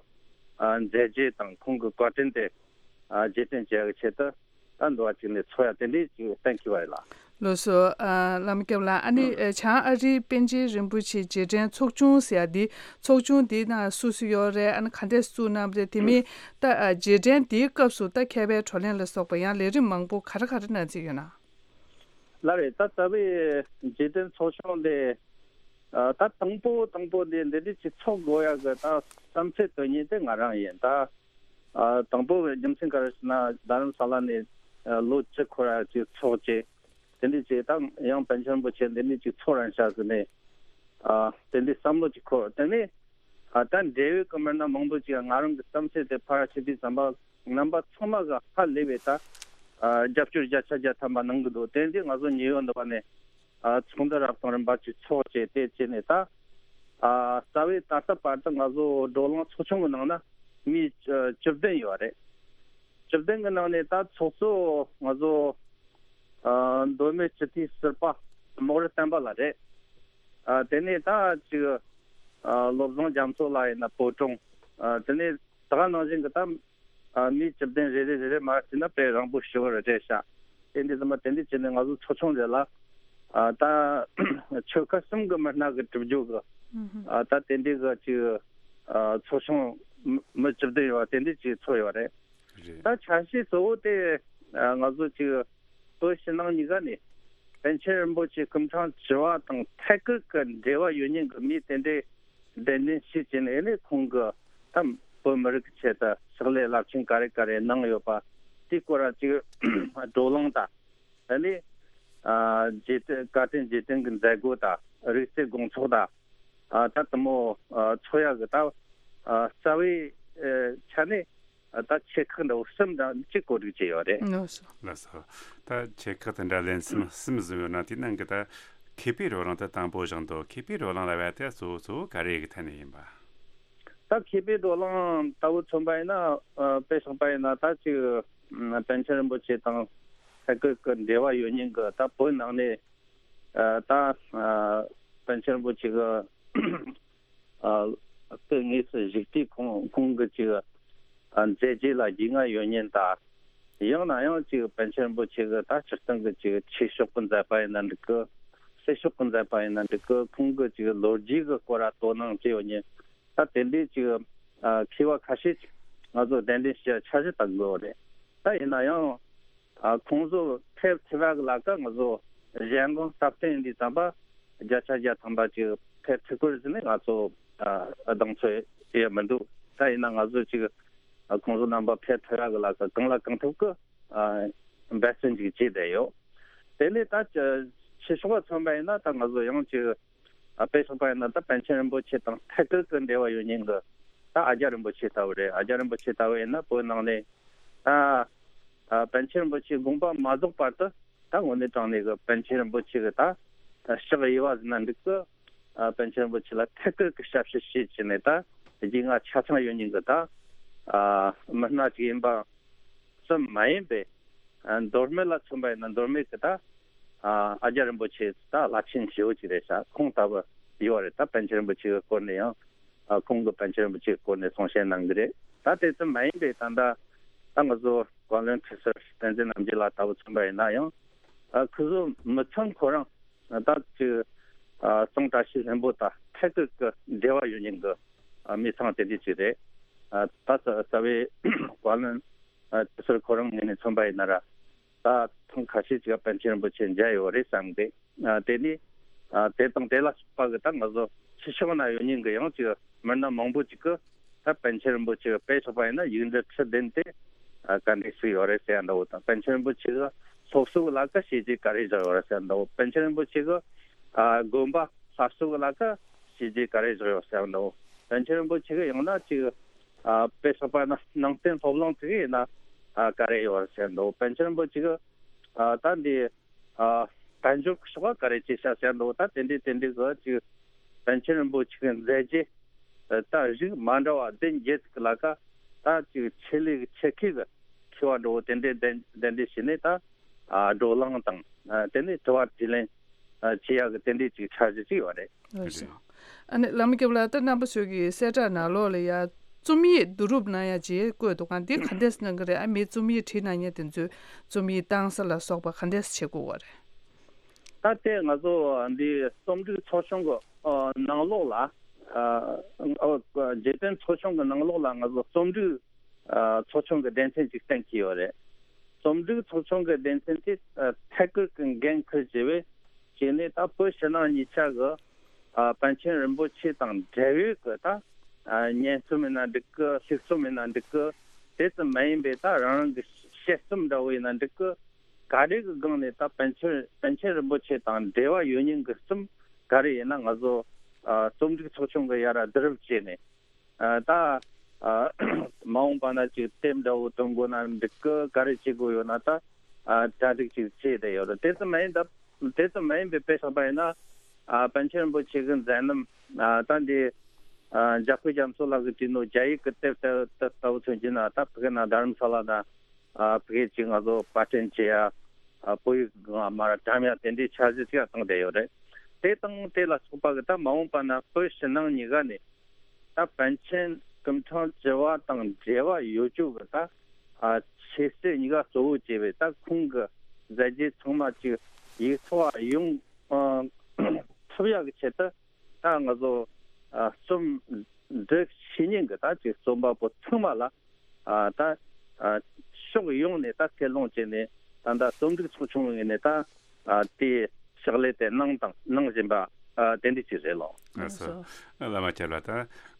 ཨ་མཛད་རྗེས་དང་ཁོང་གི་བཀའ་དྲིན་དེ་ཨ་རྗེས་དྲན་བྱེད་ཡ་གི་ཆེད་དུ། ད་འདུ་བ་གཅིག་ནས་ཚོགས་ཡ་དེ་འདྲའི་ཅིག་གཏན་འཁེལ་བ་ཡིན་ལགས། ལགས་སོ། ཨ་བླ་མ་སྐྱབས་ལགས། ཨ་ནི་ཨ་བྱང་ཨ་རིའི་པཎ་ཆེན་རིན་པོ་ཆེ་རྗེས་དྲན་ཚོགས་ཆུང་ཟེར་ཡ་འདི་ཚོགས་ཆུང་འདི་ནང་སུ་སུ་ཡོད་རེད། ཨ་ནི་ག་འདྲས་བཙུགས་གནང་བ་རེད། དེ་མིན་ད་ཨ་རྗེས་དྲན་འདིའི་སྐབས་སུ་ད་མཁས་པའི་བགྲོ་གླེང་ལ་སོགས་པ་ཡང་ལས་རིམ་མང་པོ་ག་རེ་ག་རེ་གནང་རྩིས་ཡོད་ན། ལགས་རེད། ད་རྩ་བའི་རྗེས་དྲན་ཚོགས་ཆུང་འདི་ཨ་ད་དང་པོ་དང་པོ་འདི་འདི་འདྲ་ཅིག་ཚོགས་དགོས་ཡ་གི་ད་བསམ་ཚུལ་བཏོན་མཁན་དེ་ང་རང་ཡིན། ད། ཨ་དང་པོ་རྒྱུ་མཚན་ག་རེ་ཟེར་ན། རྡ་རམ་ས་ལ་ནས་ཨ་ལོ་བཅུ་འཁོར་ཡ་ཅིག་ཚོགས་བྱས། དེ་འདྲ་བྱས་ད་ཡང་པཎ་ཆེན་རིན་པོ་ཆེ་འདི་འདྲ་ཅིག་ཚོགས་རན་ཤག་ཟེར་ནས། ཨ་དེ་འདྲའི་བསམ་བློ་ཅིག་འཁོར། དེ་ནས་ཨ་ད་འབྲེལ་ཡོད་ཀྱི་མི་སྣ་མང་པོ་ཅིག་ང་རང་གི་བསམ་ཚུལ་དེ་ཕར་ཞུ་དུས་ཙམ་པ་རྣམ་པ་ཚང་མ་གི་ཧ་ལས་པའི་ད་ཨ་རྒྱབ་སྐྱོར་བརྒྱ་ཆ་བརྒྱ་ཐམ་པ་གནང་གི་འདུག། དེ་འདྲ་ང་ཚོ་ཉེ་བའི་འདི་པ་ནས་ཨ་ཚོགས་འདུ་རབ་དང་རིམ་པ་ཅིག་ཚོགས་བྱས། དེ་བྱས་ནས་ད་ ཨ་རྩ་བའི་ད་ལྟ་བར་དུ་ང་ཚོ་བགྲོ་གླེང་ཚོགས་ཆུང་གི་ནང་ན་མི་བཅུ་བདུན་ཡོད་རེད། བཅུ་བདུན་གི་ནང་ནས་ད་ཚོགས་གཙོ་ང་ཚོ་ཨ་མདོ་སྨད་སྤྱི་འཐུས་ཟུར་པ་རྨོག་རུ་བསྟན་པ་ལགས་རེད། ཨ་དེ་ནས་ད་ཅིག་ཨ་བློ་བཟང་རྒྱ་མཚོ་ལགས་ཡིན་ན་བོད་དྲུང་། ཨ་དེ་ནས་ད་ག་ནང་བཞིན་གི་ད་ཨ་མི་བཅུ་བདུན་རེ་རེ་རེ་རེ་མར་བྱས་ན་དཔེ་རིང་པོ་ཞེ་པོ་རེད་ཤག་དེ་འདི་ཚང་མ་དེ་འདྲ་བྱས་ནས་ང་ཚོ་ཚོགས་ཆུང་རེད་ལ། ཨ་ད་ཆོལ་ཁ་གསུམ་གི་མི་སྣ་གི་གྲུབ་རྒྱུ་གི་ཨ་ད་དེ་འདྲའི་གི་ཅིག་ཨ་ཚོགས་ཆུང་མི་མི་བཅུ་བདུན་ཡོད་པ་དེ་འདྲ་ཅིག་ཚོགས་ཡོད་རེད། རེད། ད་ཆ་ཤས་གཙོ་བོ་དེ་ཨ་ང་ཚོ་ཅིག་བོད་ཕྱི་ནང་གཉིས་ཀ་ནས་པཎ་ཆེན་རིན་པོ་ཆེ་སྐུ་ཕྲེང་བཅུ་བ་དང་ཐད་ཀར་གི་འབྲེལ་བ་ཡོད་མཁན་གི་མི་དེ་འདྲའི་གདན་འདྲེན་ཞུས་བྱས་ནས་ཨ་ནི་ཁོང་གི་ད་བོད་མི་རིགས་ཀྱི་ཆེད་དུ་ཕྱག་ལས་རླབས་ཆེན་ག་རེ་ག་རེ་གནང་ཡོད་པ་དེའི་སྐོར་ལ་ཅིག་བགྲོ་གླེང་དང་། ཨ་ནི་ཨ་རྗེས་དྲན་བཀའ་དྲིན་རྗེས་དྲན་གྱི་མཛད་སྒོ་དང་རིག་རྩལ་དགོང་ཚོགས་དང་། ཨ་ད་དེ་མོ་ཨ་ཚོགས་ཡག་གི་ད་ཨ་རྩ་བའི་ཨ་ཆ་ནས་ཨ་ད་ཆེ་ཁག་འདྲ་བོ་གསུམ་འདྲ་གཅིག་གོ་སྒྲིག་བྱས་ཡོད་རེད། ལགས་སོ། ལགས་སོ། ད་ཆེ་ཁག་དེ་འདྲ་ལན་གསུམ་གསུམ་བཟོས་ཡོད་ན་དེའི་ནང་གི་ད་མཁས་པའི་བགྲོ་གླེང་དེ་དང་པོ་བཞག་འདུག་མཁས་པའི་བགྲོ་གླེང་ལབ་ཡ་དེ་གཙོ་བོ་གཙོ་བོ་ག་རེ་ཡི་གི་ཐད་ནས་ཡིན་པ། ད་མཁས་པའི་བགྲོ་གླེང་ལྟ་བུ་མཚོན་པ་ཡིན་ན་ཨ་དཔེ་བཞག་པ་ཡིན་ན་ད་ཅིག་ཨ་པཎ་ཆེན་རིན་པོ་ཆེ་དང་ཐད་ཀར་གྱི་འབྲེལ་བ་ཡོད་མཁན་གྱི་ད་བོད་ནང་ནས་ཨ་ད་ཨ་པཎ་ཆེན་རིན་པོ་ཆེ་གི་ཨ་སྐུ་དངོས་སུ་བཞུགས་དུས་ཁོང་ཁོང་གི་ཅིག་ཨ་མཛད་རྗེས་ལ་རྒྱུས་མངའ་ཡོད་མཁན་དང་། ཡང་ན་ཡང་ཅིག་པཎ་ཆེན་རིན་པོ་ཆེ་གི་ད་སྤྱིར་བཏང་གི་ཅིག་ཆོས་ཕྱོགས་ཀྱི་མཛད་པ་ཡིན་ན་འགྲིག་གི། སྲིད་ཕྱོགས་ཀྱི་མཛད་པ་ཡིན་ན་འགྲིག་གི། ཁོང་གི་ཅིག་ལོ་རྒྱུས་ཀྱི་སྐོར་ལ་དོ་སྣང་བྱས་ཡོད་མཁན། ད་དེ་འདྲའི་ཅིག་ཨ་མཁས་པ་ཁ་ཤས་ཅིག་ང་ཚོ་གདན་འདྲེན་ཞུ་འཆར་གཞི་བཏང་དགོས་པ་རེད། ད་ཡིན་ན་ཡང་ཨ་ཁོང་ཚོ་ཕེབས་ཐུབ་པ་གི་ལ་ཀ་ང་ཚོ་གཞན་དགོངས་སྟབས་བསྟུན་འདི་ཙམ་པ་བརྒྱ་ཆ་བརྒྱ་ཐམ་པ་ཅིག་ཕེབས་ཐུབ་ཀྱི་རེད་ཟེར་ནས་ང་ཚོ་ཨ་གདེང་ཚོད་ཡོད་མི་འདུག་ད་ཡིན་ན་ང་ཚོ་ཅིག་ཨ་ཁོང་ཚོ་རྣམ་པ་ཕེབས་ཐུབ་ཡག་གི་ལ་ཀ་གང་ལ་གང་ཐུབ་ཀྱི་ཨ་འབད་བརྩོན་ཅིག་བྱས་བསྡད་ཡོད། དེ་ནས་ད་ཆོས་ཕྱོགས་ལ་མཚོན་པ་ཡིན་ན་ད་ང་ཚོ་ཡང་ཅིག་ཨ་དཔེ་བཞག་པ་ཡིན་ན་ད་པཎ་ཆེན་རིན་པོ་ཆེ་དང་ཐད་ཀར་གྱི་འབྲེལ་བ་ཡོད་མཁན་གྱི་ད་ཨ་ཙརྱ་རིན་པོ་ཆེ་ལྟ་བུ་རེད། ཨ་ཙརྱ་རིན་པོ་ཆེ་ལྟ་བུ་ཡིན་ན་བོད་ནང་ནས་ད་ཨ་པཎ་ཆེན་རིན་པོ་ཆེའི་དགོངས་པ་མ་རྫོགས་བར་དུ་ད་དངོས་གནས་དྲང་གནས་ཀྱི་པཎ་ཆེན་རིན་པོ་ཆེ་གི་ད་ཕྱག་གཡས་པ་ཟེར་ན་འགྲིག་གི། ཨ་པཎ་ཆེན་རིན་པོ་ཆེ་ལ་ཐད་ཀར་གྱི་ཞབས་ཕྱི་བྱེད་བྱས་ནས་ད་རྒྱུས་མངའ་ཆ་ཚང་ཡོད་མཁན་གྱི་ད་ཨ་མི་སྣ་ཅིག་ཡིན་པ་ཙམ་མ་ཡིན་པའི། ཨ་མདོ་སྨད་ལ་མཚོན་པ་ཡིན་ན་མདོ་སྨད་ཀྱི་ད་ཨ་ཨ་ཙརྱ་རིན་པོ་ཆེ་ད་བླ་ཆེན་ཞེ་པོ་ཅིག་རེད་ཤག་ཁོང་ལྟ་བུ་ཡོད་རེད། ད་པཎ་ཆེན་རིན་པོ་ཆེ་གི་སྐོར་ནས་ཡང་ཨ་ཁོང་གི་པཎ་ཆེན་རིན་པོ་ཆེ་གི་སྐོར་ནས་གསུང་བཤད་གནང་གི་རེད། ད་དེ་ཙམ་མ་ཡིན་པའི་ད་ད་ད་ང་ཚོ་བཀའ་བློན་ཁྲི་ཟུར་བསྟན་འཛིན་རྣམ་རྒྱལ་ལགས་ལྟ་བུ་མཚོན་པ་ཡིན་ན་ཡང་ཨ་ཁོ་ཚོ་མི་ཚང་ཁོ་རང་ད་ཅིག་ཨ་གཙང་བཀྲ་ཤིས་ལྷུན་པོ་དང་ཐད་ཀར་གྱི་འབྲེལ་བ་ཡོད་མཁན་གྱི་ཨ་མི་ཚང་དེ་འདྲ་ཅིག་རེད། ཨ་ད་རྩ་རྩ་བའི་བཀའ་བློན་ཨ་ཁྲི་ཟུར་ཁོ་རང་ངོས་ནས་མཚོན་པ་ཡིན་ན་ར། ད་ཐེངས་ཁ་ཤས་ཅིག་པཎ་ཆེན་རིན་པོ་ཆེ་མཇལ་ཡོད་རེད་བསམ་གི། ཨ་དེ་ནི་ཨ་དེ་དང་དེ་ལ་སོགས་པ་གི་ད་ང་ཚོ་ཕྱི་ཕྱོགས་ན་ཡོད་མཁན་གི་ཡང་ཅིག་མི་སྣ་མང་པོ་ཅིག་གི་ད་པཎ་ཆེན་རིན་པོ་ཆེ་གི་དཔེ་བཞག་པ་ཡིན་ན་ཡིག་འབྲུ་ཁྲི་བདུན་དེ་ཨ་ག་འདྲས་ཞིག་ཡོད་རེད་ཟེར་ཡ་འདྲ་བོ་དང་། པཎ་ཆེན་རིན་པོ་ཆེ་གི་སློབ་གསོ་གི་ལ་ཀ་བྱས་རྗེས་ག་རེ་བཞག་ཡོད་རེད་ཟེར་ཡ་འདྲ་བོ། པཎ་ཆེན་རིན་པོ་ཆེ་གི་ཨ་དགོན་པ་གསར་གསོ་གི་ལ་ཀ་བྱས་རྗེས་ག་རེ་བཞག་ཡོད་ཟེར་ཡ་འདྲ་བོ། པཎ་ཆེན་རིན་པོ་ཆེ་གི་ཡང་ན་ཅིག་ཨ་དཔེ་བཞག་པ་ན་ནང་བསྟན་སློབ་གླིང་དེ་གི་ཡིན་ན་ཨ་ག་རེ་ཡོད་རེད་ཟེར་ཡ་འདྲ་བོ། པཎ་ཆེན་རིན་པོ་ཆེ་གི་ཨ་ད་འདི་ཨ་དཔལ་འབྱོར་གྱི་ཕྱོགས་ལ་ག་རེ་བྱས་ཤག་ཟེར་འདུག་ད་དེ་འདྲའི་དེ་འདྲའི་གི་ཅིག་པཎ་ཆེན་རིན་པོ་ཆེ་གི་མཛད་རྗེས་ད་རིགས་མ་འདྲ་བ་བདུན་བརྒྱད་ཅིག་ལ་ཀ་ད་ཅིག་ཆེད་ལས་ཀྱི་ཆེད་མཁས་ཀྱི་མཁས་པ་འདྲ་བོ་དེ་འདྲའི་གདན་གདན་འདྲེན་བྱས་ནས་ད་ཨ་བགྲོ་གླེང་དང་ཨ་དེ་ནས་དྲི་བ་དྲིས་ལན་ཨ་བྱེད་ཡག་གི་དེ་འདྲའི་ཅིག་འཆར་གཞི་ཅིག་ཡོད་རེད། རེད། ཨ་ནི་བླ་མ་སྐྱབས་ལགས། ད་རྣམ་པ་ཚོས་ཀྱི་གསལ་བསྒྲགས་ནང་ལོགས་ལ་ཡ་རྩོམ་ཡིག་བསྡུ་རུབ་གནང་ཡ་ཅིག་བཀོད་འདུག་ག་འདི་ག་འདྲས་གནང་གི་རེད། ཨ་མི་རྩོམ་ཡིག་བྲིས་གནང་མཁན་དེ་ཚོས་རྩོམ་ཡིག་བཏང་ས་ལ་སོགས་པ་ག་འདྲས་བྱེད་དགོས་པ་རེད། ད་ལྟའི་ང་ཚོ་འདི་རྩོམ་སྒྲིག་ཚོགས་ཆུང་གི་ཨ་ནང་ལོགས་ལ་ཨ་ཨ་རྗེས་དྲན་ཚོགས་ཆུང་གི་ནང་ལོགས་ལ་ང་ཚོ་རྩོམ་སྒྲིག་ཨ་ཚོགས་ཆུང་གི་སྡེ་ཚན་ཅིག་གཏན་འཁེལ་ཡོད་རེད། རྩོམ་སྒྲིག་ཚོགས་ཆུང་གི་སྡེ་ཚན་དེ་ཨ་ཐད་ཀར་གྱི་འགན་འཁུར་བྱས་པའི་བྱས་ནས་ད་བོད་ཕྱི་ནང་གཉིས་ཆ་གི་ཨ་པཎ་ཆེན་རིན་པོ་ཆེ་དང་འབྲེལ་ཡོད་ཀྱི་ད་ཨ་སྙན་རྩོམ་ཡིན་ན་འགྲིག་གི། ལྷུག་རྩོམ་ཡིན་ན་འགྲིག་གི། དེ་ཙམ་མ་ཡིན་པའི་ད་རང་རང་གི་དཔྱད་རྩོམ་འདྲ་བོ་ཡིན་ན་འགྲིག་གི། ག་རེ་གི་སྒང་ནས་ད་པཎ་ཆེན་པཎ་ཆེན་རིན་པོ་ཆེ་དང་འབྲེལ་བ་ཡོད་མཁན་གྱི་རྩོམ་ག་རེ་ཡིན་ན་ང་ཚོ་ཨ་རྩོམ་སྒྲིག་ཚོགས་ཆུང་གི་ཡ་ར་བསྡུ་རུབ་བྱས་ནས། ཨ་ད་ཨ་མ་འོངས་པ་ན་ཅིག་དེབ་འདྲ་བོ་འདོན་དགོས་ན་འགྲིག་གི། ག་རེ་བྱེད་དགོས་ཡོད་ན་ད་ཨ་གྲ་སྒྲིག་ཅིག་བྱས་བསྡད་ཡོད་རེད། དེ་ཙམ་མ་ཡིན་ད་དེ་ཙམ་མ་ཡིན་པའི་དཔེ་བཞག་པ་ཡིན་ན་ཨ་པཎ་ཆེན་རིན་པོ་ཆེ་གི་མཛད་རྣམ་ ད་འདི་འཇམ་དཔལ་རྒྱ་མཚོ་ལགས་ཀྱིས་བྲིས་ནོ་རྒྱ་ཡིག་གི་དེབ་ལྟ་བུ་མཚོན་གྱི་ན། ད་ཕ་གི་ན་དྷ་རམ་ས་ལ་ན་ཕ་གི་ཅིག་ང་ཚོ་པར་སྐྲུན་བྱེད་ཡ་བོད་ཡིག་སྒང་མར་བཀྲམ་ཡ་དེ་འདྲའི་འཆར་གཞི་ཅིག་བཏང་བསྡད་ཡོད་རེད། དེ་དང་དེ་ལ་སོགས་པ་གི་ད་མ་འོངས་པ་ན་བོད་ཕྱི་ནང་གཉིས་ཀ་ནས་ད་པཎ་ཆེན་སྐུ་ཕྲེང་བཅུ་བ་དང་འབྲེལ་བ་ཡོད་རྒྱུ་གི་ད་ཆོས་སྲིད་གཉིས་ཀ་གཙོ་བོ་བྱས་པའི་ད་ཁོང་གི་མཛད་རྗེས་ཚང་མ་ཅིག་ཡིག་ཐོག་ཡོང་ཐུབ་ཡ་གི་ཆེད་དུ། ད་ང་ཚོ་རྩོམ་སྒྲིག་བྱེད་མཁན་གྱི་ད་ཅིག་རྩོམ་པ་པོ་ཚང་མ་ལ་ད་ཕྱོགས་ཡོངས་ནས་ད་སྐུལ་སློང་བྱས་ནས། ད་ད་རྩོམ་སྒྲིག་ཚོགས་ཆུང་ངོས་ནས་ད་དེའི་ཕྱག་ལས་དེ་གནང་དང་གནང་བཞིན་པ་དེ་འདྲ་ཅིག་རེད་ལགས། ལགས་སོ། བླ་མ་ཁྱེད་ལ་ད་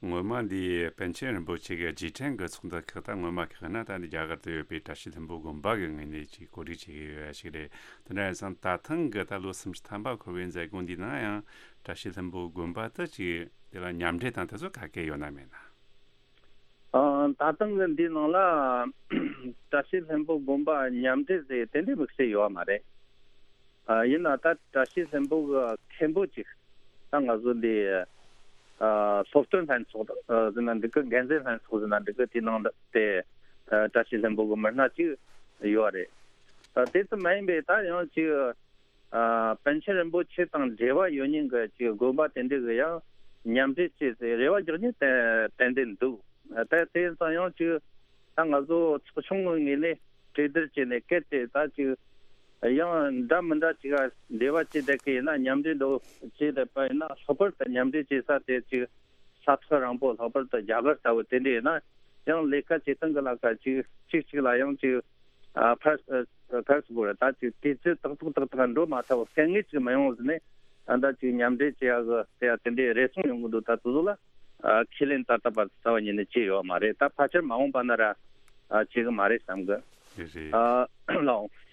ངོ་མ་འདི་པཎ་ཆེན་རིན་པོ་ཆེ་གི་རྗེས་དྲན་གྱི་ཚོགས་འདུ་ཁག་ད་ངོ་མ་ཁག་ན་ད་འདི་རྒྱ་གར་དུ་ཡོད་པའི་བཀྲ་ཤིས་ལྷུན་པོ་དགོན་པ་གི་ངོས་ནས་ཅིག་གོ་སྒྲིག་བྱེད་ཀྱི་ཡོད་ཞིག་རེད། དེ་འདྲ་ཡིན་ཙང་ད་ཐེངས་ཀྱི་ད་ལོ་སུམ་ཅུ་ཐམ་པ་འཁོར་བའི་མཛད་སྒོ་འདི་ནང་ཡང་བཀྲ་ཤིས་ལྷུན་པོ་དགོན་པ་དུ་ཅིག་དེ་ལ་མཉམ་འབྲེལ་དང་དེ་ཚོ་ག་གེ་ཡོད་ན་མེད་ན། ཨ། ད་ཐེངས་ཀྱི་འདི་ནང་ལ་བཀྲ་ཤིས་ལྷུན་པོ་དགོན་པ་མཉམ་འབྲེལ་ཟེར་དེ་འདྲའི་དམིགས་བསལ་ཡོད་མ་རེད། ཨ། ཡིན་ན་ད་བཀྲ་ཤིས་ལྷུན་པོ་གི་མཁན་པོ་ཅིག་ད་ང་ཚོ་འདི་ཨ་སློབ་སྟོན་ལྷན་ཚོགས་ཟེར་ན་འགྲིག་གི། འགན་འཛིན་ལྷན་ཚོགས་ཟེར་ན་འགྲིག་གི། དེ་ནང་དེ་ཨ་བཀྲ་ཤིས་ལྷུན་པོ་གི་མི་སྣ་ཅིག་ཡོད་རེད། ཨ། དེ་ཙམ་མ་ཡིན་པའི་ད་ཡང་ཅིག་ཨ། པཎ་ཆེན་རིན་པོ་ཆེ་དང་འབྲེལ་བ་ཡོད་མཁན་གྱི་ཅིག་དགོན་པ་དེ་འདྲ་གི་ཡང་མཉམ་འབྲེལ་བྱས་ཏེ་རེ་བ་རྒྱག་མཁན་ཏན་ཏན་འདུག་ད་དེ་ཡིན་ཙང་ཡང་ཅིག་ད་ང་ཚོ་ཚོགས་ཆུང་གི་ངོས་ནས་གྲོས་བསྡུར་བྱས་ནས་གལ་ཏེ་ད་ཅིག་ཡང་འདྲ་མི་འདྲ་ཅིག་འབྲེལ་བ་བྱས་བསྡད་ཀྱི་ཡིན་ན། མཉམ་འབྲེལ་འདྲ་བོ་བྱས་བསྡད་པ་ཡིན་ན། ལྷག་པར་དུ་མཉམ་འབྲེལ་བྱེད་ས་དེ་ཅིག་ས་ཐག་རིང་པོ། ལྷག་པར་དུ་རྒྱ་གར་ལྟ་བུ་དེ་འདྲ་ཡིན་ན་ཡང་ལས་ཀ་བྱེད་སྟངས་ཀྱི་ལ་ཀ་ཅིག་གཅིག་གཅིག་ལ་ཡང་ཅིག་ཨ། ཕར་ཕར་ཚུར་ད་ཅིག་དུས་ཚོད་ཏག་ཏག་ཏག་ཏག་འགྲོ་མ་ཐུབ། དཀའ་ངལ་ཅིག་མི་ཡོང་ཟེར་ནས། ད་ལྟ་ཅིག་མཉམ་འབྲེལ་བྱེད་ཡ་གི་ཟེར་ཡ་དེ་འདྲའི་རེ་ཟུང་ཡོང་གི་འདུག་ད་དེ་ཚོ་ལ་ཨ་ཁས་ལེན་ད་ལྟ་བར་རྩ་བ་ཉིད་ནས་བྱས་ཡོད་མ་རེད། ད་ཕལ་ཆེར་མ་འོངས་པ་ན་ར་ཨ་བྱེད་གི་མ་རེད་བསམ་གི། རེད་རེད། ཨ་ལགས།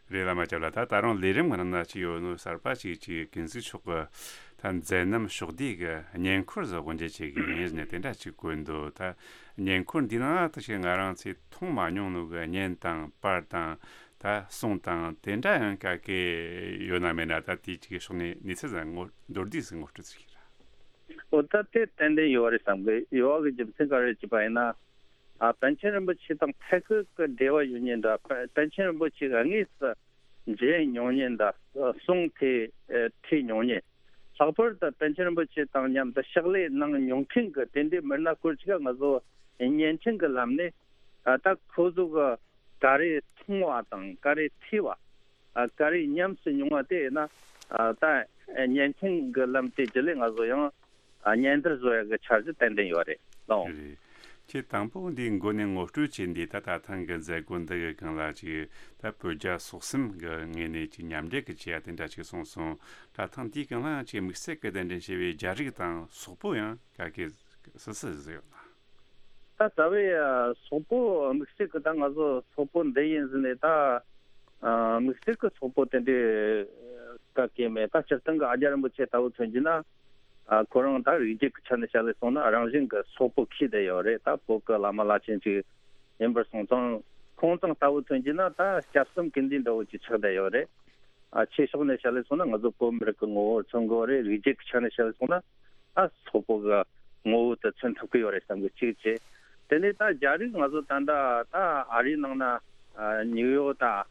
རེད། བླ་མ་སྐྱབས་ལགས། ད་ད་རུང་ལས་རིམ་གི་ནང་ན་ཅིག་ཡོད་ནོ་གསར་པ་ཅིག་ཅིག་ཀུན་གཟིགས་མཆོག་གི་ད་མཛད་རྣམ་ཕྱོགས་བསྡུས་ཀྱི་བརྙན་འཁོར་ཟིག་དབུ་འབྱེད་བྱེད་ཀྱི་ཡིན་ཟེར་ནས་དེ་འདྲ་ཅིག་བཀོད་འདུག་ད་བརྙན་འཁོར་འདི་ནང་ད་ཅིག་ང་རང་ཚོས་མཐོང་མ་མྱོང་ནོ་གི་བརྙན་དང་པར་དང་ད་གསུང་དང་དེ་འདྲ་ཡང་ག་གེ་ཡོད་ན་མེད་ན། ད་དེ་ཅིག་ཕྱོགས་ནས་གནས་ཚུལ་ཟིག་ངོ་མདོར་བསྡུས་ཟིག་ངོ་སྤྲོད་ཟིག་བྱེད་ར། འོ་ད་དེ་ཏན་ཏན་ཡོད་རེད་བསམ་གི། ཡོད་གི་རྒྱུ་མཚན་ག་རེ་བྱས་པ་ཡིན་ན། ཨ། པཎ་ཆེན་རིན་པོ་ཆེ་དང་ཐད་ཀར་གི་འབྲེལ་བ་ཡོད་མཁན་འདྲ། པ་པཎ་ཆེན་རིན་པོ་ཆེ་གི་དངོས་སུ་མཇལ་མྱོང་མཁན་འདྲ། གསུང་དེ་ཨ་ཐོས་མྱོང་མཁན། ལྷག་པར་དུ་པཎ་ཆེན་རིན་པོ་ཆེ་དང་མཉམ་དུ་ཕྱག་ལས་གནང་མྱོང་མཁན་གྱི་དེ་འདྲའི་མི་སྣ་སྐོར་ཅིག་ང་ཚོ་བརྙན་འཕྲིན་གྱི་ལམ་ནས་ཨ་ད་ཁོ་ཚོ་གི་ག་རེ་མཐོང་བ་དང་ག་རེ་ཐོས་པ། ཨ། ག་རེ་ཉམས་སུ་མྱོང་བ་དེ་ཡིན་ན། ཨ། ད་བརྙན་འཕྲིན་གྱི་ལམ་དེ་བརྒྱུད་ལས་ང་ཚོ་ཡང་ཨ་སྙན་དར་བཟོ་ཡག་གི་འཆར་གཞི་ཏན་ཏན་ཡོད་རེད་ལགས། རེད། ཁྱེད་དང་པོ་འདིའི་མགོ་ནས་ངོ་སྤྲོད་བྱས་འདི་ད་ད་ཐེངས་ཀྱི་མཛད་སྒོ་འདི་གི་སྒང་ལ་ཅིག་ད་བོད་རྒྱ་སོག་གསུམ་གྱི་ངོས་ནས་ཅིག་མཉམ་འབྲེལ་གྱི་བྱེད་ཡ་དེ་འདྲ་ཅིག་གསུངས་སོང་། ད་ཐེངས་འདིའི་སྒང་ལ་ཡང་ཅིག་དམིགས་བསལ་གྱི་གདན་འདྲེན་བྱས་པའི་རྒྱ་རིགས་དང་སོག་པོ་ཡང་ག་གེ་སུ་སུ་ཟིག་ཡོད་ན། ད་རྩ་བའི་ཨ་སོག་པོ་དམིགས་བསལ་གྱི་ད་ང་ཚོ་སོག་པོ་འདི་ཡིན་ཟེར་ནས་ད་ཨ་དམིགས་བསལ་གྱི་སོག་པོ་དེ་འདྲའི་ག་གེ་མེད། ད་སྤྱིར་བཏང་གི་ཨ་རྒྱ་རིན་པོ་ཆེ་ལྟ་བུ་མཚོན་གྱི་ན། ཨ། ཁོ་རང་ད་རིགས་རྒྱུད་ཀྱི་ཆ་ནས་བཤད་ལས་སོང་ན་རང་བཞིན་གྱི་སོག་པོ་ཁྱེར་བསྡད་ཡོད་རེད། ད་བོད་ཀྱི་བླ་མ་བླ་ཆེན་ཅིག་ཡིན་པར་སོང་ཙང་། ཁོང་ཚང་ལྟ་བུ་མཚོན་གྱི་ན་ད་སྐྱབས་གསུམ་ཀུན་འདུས་འདྲ་བོ་ཅིག་ཆགས་བསྡད་ཡོད་རེད། ཨ། ཆོས་ཕྱོགས་ནས་བཤད་ལས་སོང་ན་ང་ཚོ་བོད་མི་རིགས་ཀྱི་ངོ་བོར་མཚོན་དགོས་རེད། རིགས་རྒྱུད་ཀྱི་ཆ་ནས་བཤད་ལས་སོང་ན་ཨ་སོག་པོ་གི་ངོ་བོ་དེ་མཚོན་ཐུབ་ཀྱི་ཡོད་རེད་བསམ་གི། གཅིག་བྱས། དེ་ནས་ད་རྒྱ་རིགས་ང་ཚོ་ད་ལྟ་ད་ཨ་རིའི་ནང་ན་ཨ་ནིའུ་ཡོག་དང་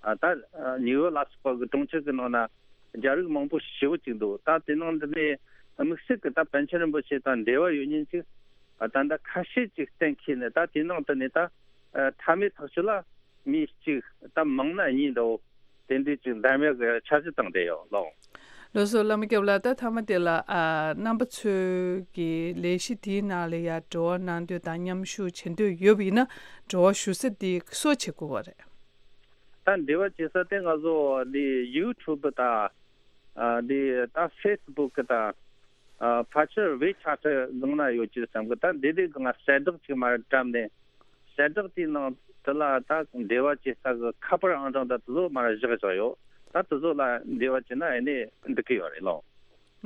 ཨ་ད་ཨ་ནིའུ་ཡོག་ལ་སོགས་པ་གི་གྲོང་ཁྱེར་གྱི་ནང་ན་རྒྱ་རིགས་མང་པོ་ཞེ་པོ་ཅིག་འདུག་ད་དེ་ནང་འདི་ནས་དམིགས་བསལ་གྱི་ད་པཎ་ཆེན་རིན་པོ་ཆེ་དང་འབྲེལ་བ་ཡོད་མཁན་ཅིག་ཨ་ད་ད་ཁ་ཤས་ཅིག་གཏན་འཁེལ་ནས། ད་དེ་ནང་དུ་ནས་ད་ཨ་མཐའ་མའི་ཐག་གཅོད་ལ་མི་གཅིག་ད་མང་ན་གཉིས་འདྲ་བོ་དེ་འདྲའི་ཅིག་འདེམས་ཡག་གི་འཆར་གཞི་བཏང་བསྡད་ཡོད་ལགས། ལགས་སོ། བླ་མ་སྐྱབས་ལགས། ད་མཐའ་མ་དེ་ལ་ཨ་རྣམ་པ་ཚོའི་གི་ལས་གཞི་དེའི་ནང་ལ་ཡ་འབྲེལ་བ་གནང་འདོད་དང་མཉམ་ཞུགས་བྱེད་འདོད་ཡོད་པ་ཡིན་ན་འབྲེལ་བ་ཞུ་ས་དེ་སུ་བྱེད་དགོས་པ་རེད། ད་འབྲེལ་བ་བྱེད་ས་དེ་ང་ཚོ་འདི་ཡུ་ཊུབ་དང་། ཨ། འདི་ད་ཕེ་སི་བུག་དང་། ཨ། ཕལ་ཆེར་ཝེ་ཆེ་ཊི་སྒང་ན་ཡོད་ཀྱི་བསམ་གི། ད་འདི་འདི་སྒང་གསལ་བསྒྲགས་ཅིག་མར་བཀྲམ་ནས། གསལ་བསྒྲགས་དེའི་ནང་དེ་ལ་ད་འབྲེལ་བ་བྱེད་ས་གི་ཁ་པར་ཨང་གྲངས་དང་དེ་ཚོ་མར་བཞག་བཞག་ཡོད། ད་དེ་ཚོ་ལ་འབྲེལ་བ་བྱས་ན་ཨེ་ནས་འགྲིག་གི་ཡོད་རེད་ལགས།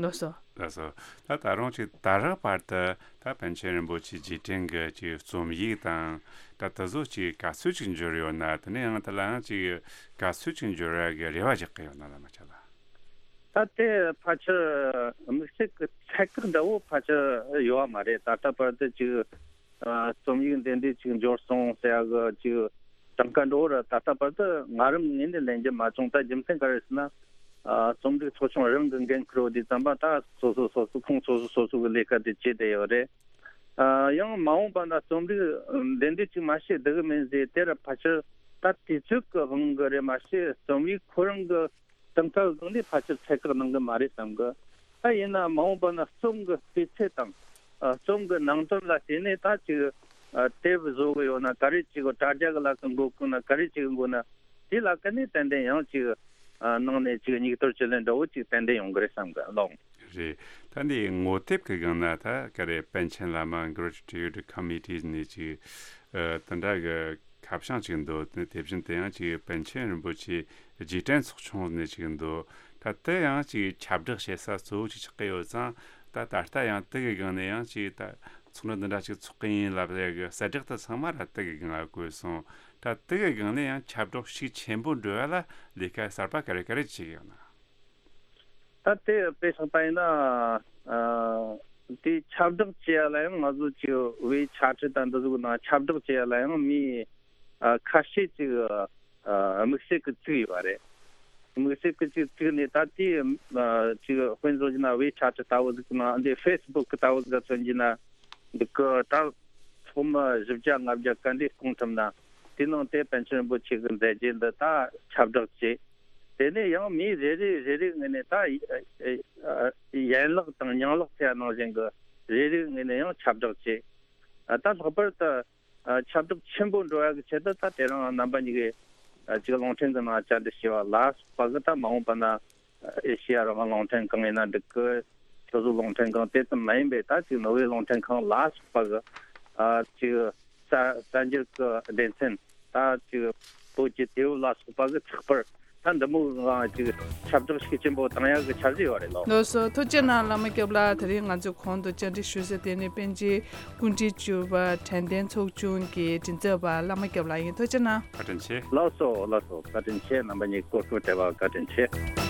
ལགས་སོ། ལགས་སོ། ད་ད་རུང་ཅིག་ད་རག་བར་དུ་ད་པཎ་ཆེན་རིན་པོ་ཆེ་རྗེས་དྲན་གྱི་ཅིག་རྩོམ་ཡིག་དང་ད་དེ་ཚོ་ཅིག་ག་ཚོད་ཅིག་འབྱོར་ཡོད་ན། དེ་ནས་ཡང་དེ་ལའང་ཅིག་ག་ཚོད་ཅིག་འབྱོར་ཡ་གི་རེ་བ་རྒྱག་གི་ཡོད་ན། བླ་མ་ཁྱེད་ལ། ད་དེ་ཕལ་ཆེར་དམིགས་བསལ་གྱི་ཚད་བཀག་འདྲ་བོ་ཕལ་ཆེར་ཡོད་པ་མ་རེད། ད་ལྟ་བར་དུ་ཅིག་ཨ་རྩོམ་ཡིག་འདི་འདྲ་ཅིག་འབྱོར་སོང་ཟེར་ཡ་གི་ཅིག་གྲངས་ཀ་འདྲ་བོ་ར་ད་ལྟ་བར་དུ་ང་རང་ངོས་ནས་ལེན་རྒྱུ་མ་བྱུང་། ད་རྒྱུ་མཚན་ག་རེ་ཟེར་ན། ཨ་རྩོམ་སྒྲིག་ཚོགས་ཆུང་རང་གི་འགན་འཁུར་བ་དེ་ཙམ་པ་ད་སོ་སོ་སོ་སོ་ཁོང་སོ་སོ་སོ་སོ་གི་ལས་ཀ་དེ་བྱས་བསྡད་ཡོད་རེད། ཨ་ཡང་མ་འོངས་པ་ན་རྩོམ་རིག་འདི་འདྲ་ཅིག་མ་བྱེད་བསྡད་གི་མིན་ཟེར་དེ་ར་ཕལ་ཆེར་ད་དུས་ཚོད་ཀྱི་དབང་གིས་རེད་མ་གཏོགས། རྩོམ་ཡིག་ཁོ་རང་གི་གྲངས་ཀ་གི་སྒང་ནས་ཕལ་ཆེར་ཚད་བཀག་གནང་གི་མ་རེད་བསམ་གི། ད་ཡིན་ན་མ་འོངས་པ་ན་རྩོམ་གྱི་སྤུས་ཚད་དང་། ཨ་རྩོམ་གྱི་ནང་དོན་ལ་བལྟས་ནས་ད་ཅིག་ཨ་དེབ་བཟོ་གི་ཡོད་ན་ག་རེ་ཅིག་དྲ་རྒྱ་གི་ལ་ཀ་འགོད་དགོས་ན་ག་རེ་ཅིག་དགོས་ན་དེ་ལ་ཀ་ནས་ཏན་ཏན་ཡང་ཅིག་ཨ་ནང་ནས་ཅིག་སྙིགས་དོར་བཅུད་ལེན་འདྲ་བོ་ཅིག་ཏན་ཏན་ཡོང་གི་རེད་བསམ་གི་ལགས། རེད། ད་འདི་ངོ་དེབ་ཀྱི་སྒང་ན་ད་ག་རེ་པཎ་ཆེན་བླ་མ་Gratitude Committee ནས་ཅིག་ཨ་དེ་འདྲ་གི་ཁ་བྱང་ཅིག་འདུག་དེ་དེ་བཞིན་དུ་ཡང་ཅིག་པཎ་ཆེན་རིན་པོ་ཆེ་རྗེས་དྲན་ཚོགས་ཆུང་ནས་ཅིག་འདུག་ད་དེ་ཡང་ཅིག་ཁྱབ་བསྒྲགས་བྱེད་ས་གཙོ་བོ་ཅིག་ཆགས་ཀྱི་ཡོད་ཙང་། ད་ད་ལྟ་ཡང་དེ་གི་སྒང་ནས་ཡང་ཅིག་ད་ཚོགས་འདུ་འདི་འདྲ་ཅིག་ཚོགས་ཀྱི་ཡིན་ལབ་ཡ་གི་གསལ་བསྒྲགས་དེ་ཚང་མ་ར་དེ་གི་སྒང་ལ་བཀོད་སོང་། ད་དེ་གི་སྒང་ནས་ཡང་ཁྱབ་བསྒྲགས་ཤུགས་ཆེན་པོ་འགྲོ་ཡ་ལ་ལས་ཀ་གསར་པ་ག་རེ་ག་རེ་བྱེད་ཀྱི་ཡོད་ན། ད་དེ་དཔེ་བཞག་པ་ཡིན་ན། ཨ་དེ་ཁྱབ་བསྒྲགས་བྱེད་ཡ་ལ་ཡང་ང་ཚོ་ཅིག་ཝེ་ཆེ་ཊི་དང་འདི་ཚོ་གི་ནང་ཁྱབ་བསྒྲགས་བྱེད་ཡ་ལ་ཡང་མི་ཨ་ཁ་ཤས་ཅིག་ཨ་དམིགས་བསལ་གྱི་བཙུགས་ཡོད་པ་རེད། དམིགས་བསལ་གྱི་ཅིག་བཙུགས་ནས་ད་དེ་ཨ་ཅིག་དཔེ་མཚོན་བྱས་ན་ཝེ་ཆེ་ཊི་ལྟ་བུ་ཟིག་ནང་འདི་ཧྥེ་སི་བུག་ལྟ་བུ་ཟིག་མཚོན་བྱས་ན། འདི་གི་ད་ཚོགས་མི་བཞི་བརྒྱ་ལྔ་བརྒྱ་ག་འདྲས་སྐོང་ཐུབ་ན། དེ་ནང་དེ་པཎ་ཆེན་རིན་པོ་ཆེ་གི་མཛད་རྗེས་འདི་ད་ཁྱབ་བསྒྲགས་བྱས། དེ་ནས་ཡང་མི་རེ་རེ་རེ་རེ་ངོས་ནས་ད་ཡན་ལག་དང་ཉིང་ལག་ཟེར་ཡ་ནང་བཞིན་གི་རེ་རེ་ངོས་ནས་ཡང་ཁྱབ་བསྒྲགས་བྱས། ད་ལྷག་པར་དུ་ཁྱབ་བསྒྲགས་ཆེན་པོ་འགྲོ་ཡ་གི་ཆེད་དུ་ད་དེ་རིང་རྣམ་པ་གཉིས་ཀས་ཅིག་རླུང་འཕྲིན་གི་ནང་བཅར་འདྲི་བྱས་པ་ལ་སོགས་པ་གི་ད་མ་འོངས་པ་ན། ཨེ་ཤེ་ཡ་རང་དབང་རླུང་འཕྲིན་ཁང་ཡིན་ན་འགྲིག་གི། སོ་སོའི་རླུང་འཕྲིན་ཁང་དེ་ཙམ་མ་ཡིན་པའི་ད་ཅིག་ནོར་ཝེ་རླུང་འཕྲིན་ཁང་ལ་སོགས་པ་གི་ཨ་ཅིག་གསར་གསར་འགྱུར་གི་སྡེ་ཚན། ད་ཅིག་བོད་ཀྱི་དུས་བབ་ལ་སོགས་པ་གི་ཚགས་པར་ད་འདི་མོ་གང་ཅིག་ཁྱབ་བསྒྲགས་ཤུགས་ཆེན་པོ་བཏང་ཡག་གི་འཆར་གཞི་ཡོད་རེད་ལོ། ལགས་སོ། ཐུགས་རྗེ་གནང་བླ་མ་སྐྱབས་ལགས། དེ་རིང་ང་ཚོས་གོང་དུ་བཅར་འདྲི་ཞུས་ས་དེ་ནི་པཎ་ཆེན་སྐུ་ཕྲེང་བཅུ་པ་དྲན་རྟེན་ཚོགས་ཆུང་གི་མགྲིན་ཚབ་པ་བླ་མ་སྐྱབས་ལགས་ཡིན། ཐུགས་རྗེ་གནང་། བཀའ་དྲིན་ཆེ། ལགས་སོ་ལགས་སོ། བཀའ་དྲིན་ཆེ། རྣམ་པ་གཉིས་གོ་སྐབས་སྤྲད་པར་བཀའ་དྲིན་ཆེ།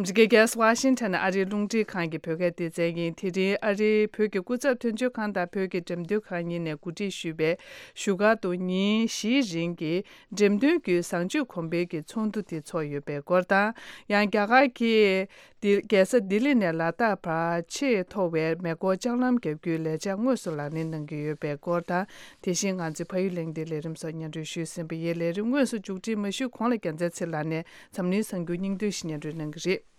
འདི་ག་རྒྱལ་ས་ཝ་ཤིང་ཊོན་ཨ་རིའི་རླུང་འཕྲིན་ཁང་གི་བོད་སྐད་སྡེ་ཚན་ཡིན། དེ་རིང་ཨ་རིའི་བོད་ཀྱི་སྐུ་ཚབ་དོན་གཅོད་ཁང་དང་བོད་ཀྱི་འགྲེམས་སྟོན་ཁང་གཉིས་ནས་གོ་སྒྲིག་ཞུས་པའི་བཞུགས་སྒར་དུ་ཉིན་བཞིའི་རིང་གི་འགྲེམས་སྟོན་བརྒྱུད་བཟང་སྤྱོད་གོང་འཕེལ་གྱི་ཚོགས་འདུ་དེ་ཚོགས་ཡོད་པའི་སྐོར་དང་། ཡང་རྒྱ་གར་གྱིས་ལྡི་རྒྱལ་ས་ལྡི་ལི་ནས་ལ་དྭགས་བར་ཆེས་མཐོ་བའི་མེ་འཁོར་ལྕགས་ལམ་བརྒྱབ་རྒྱུའི་ལས་འཆར་དངོས་སུ་ལག་ལེན་གནང་གི་ཡོད་པའི་སྐོར་དང་། དེ་བཞིན་ང་ཚོའི་ཕ་ཡུལ་གླེང་སྟེགས་ལས་རིམ་སོགས་སྙན་སྒྲོན་ཞུས་ཟིན་པ་ཡིན། ལས་རིམ་དངོས་སུ་མཇུག་སྒྲིལ་མ་ཞུས་གོང་ལ་རྒྱལ་མཚན་ཚེ་ལགས་ནས་འཛམ་གླིང་གསར་འགྱུར་སྙིང་བསྡུས་ཤིག་སྙན་སྒྲོན་གནང་གི་རེད།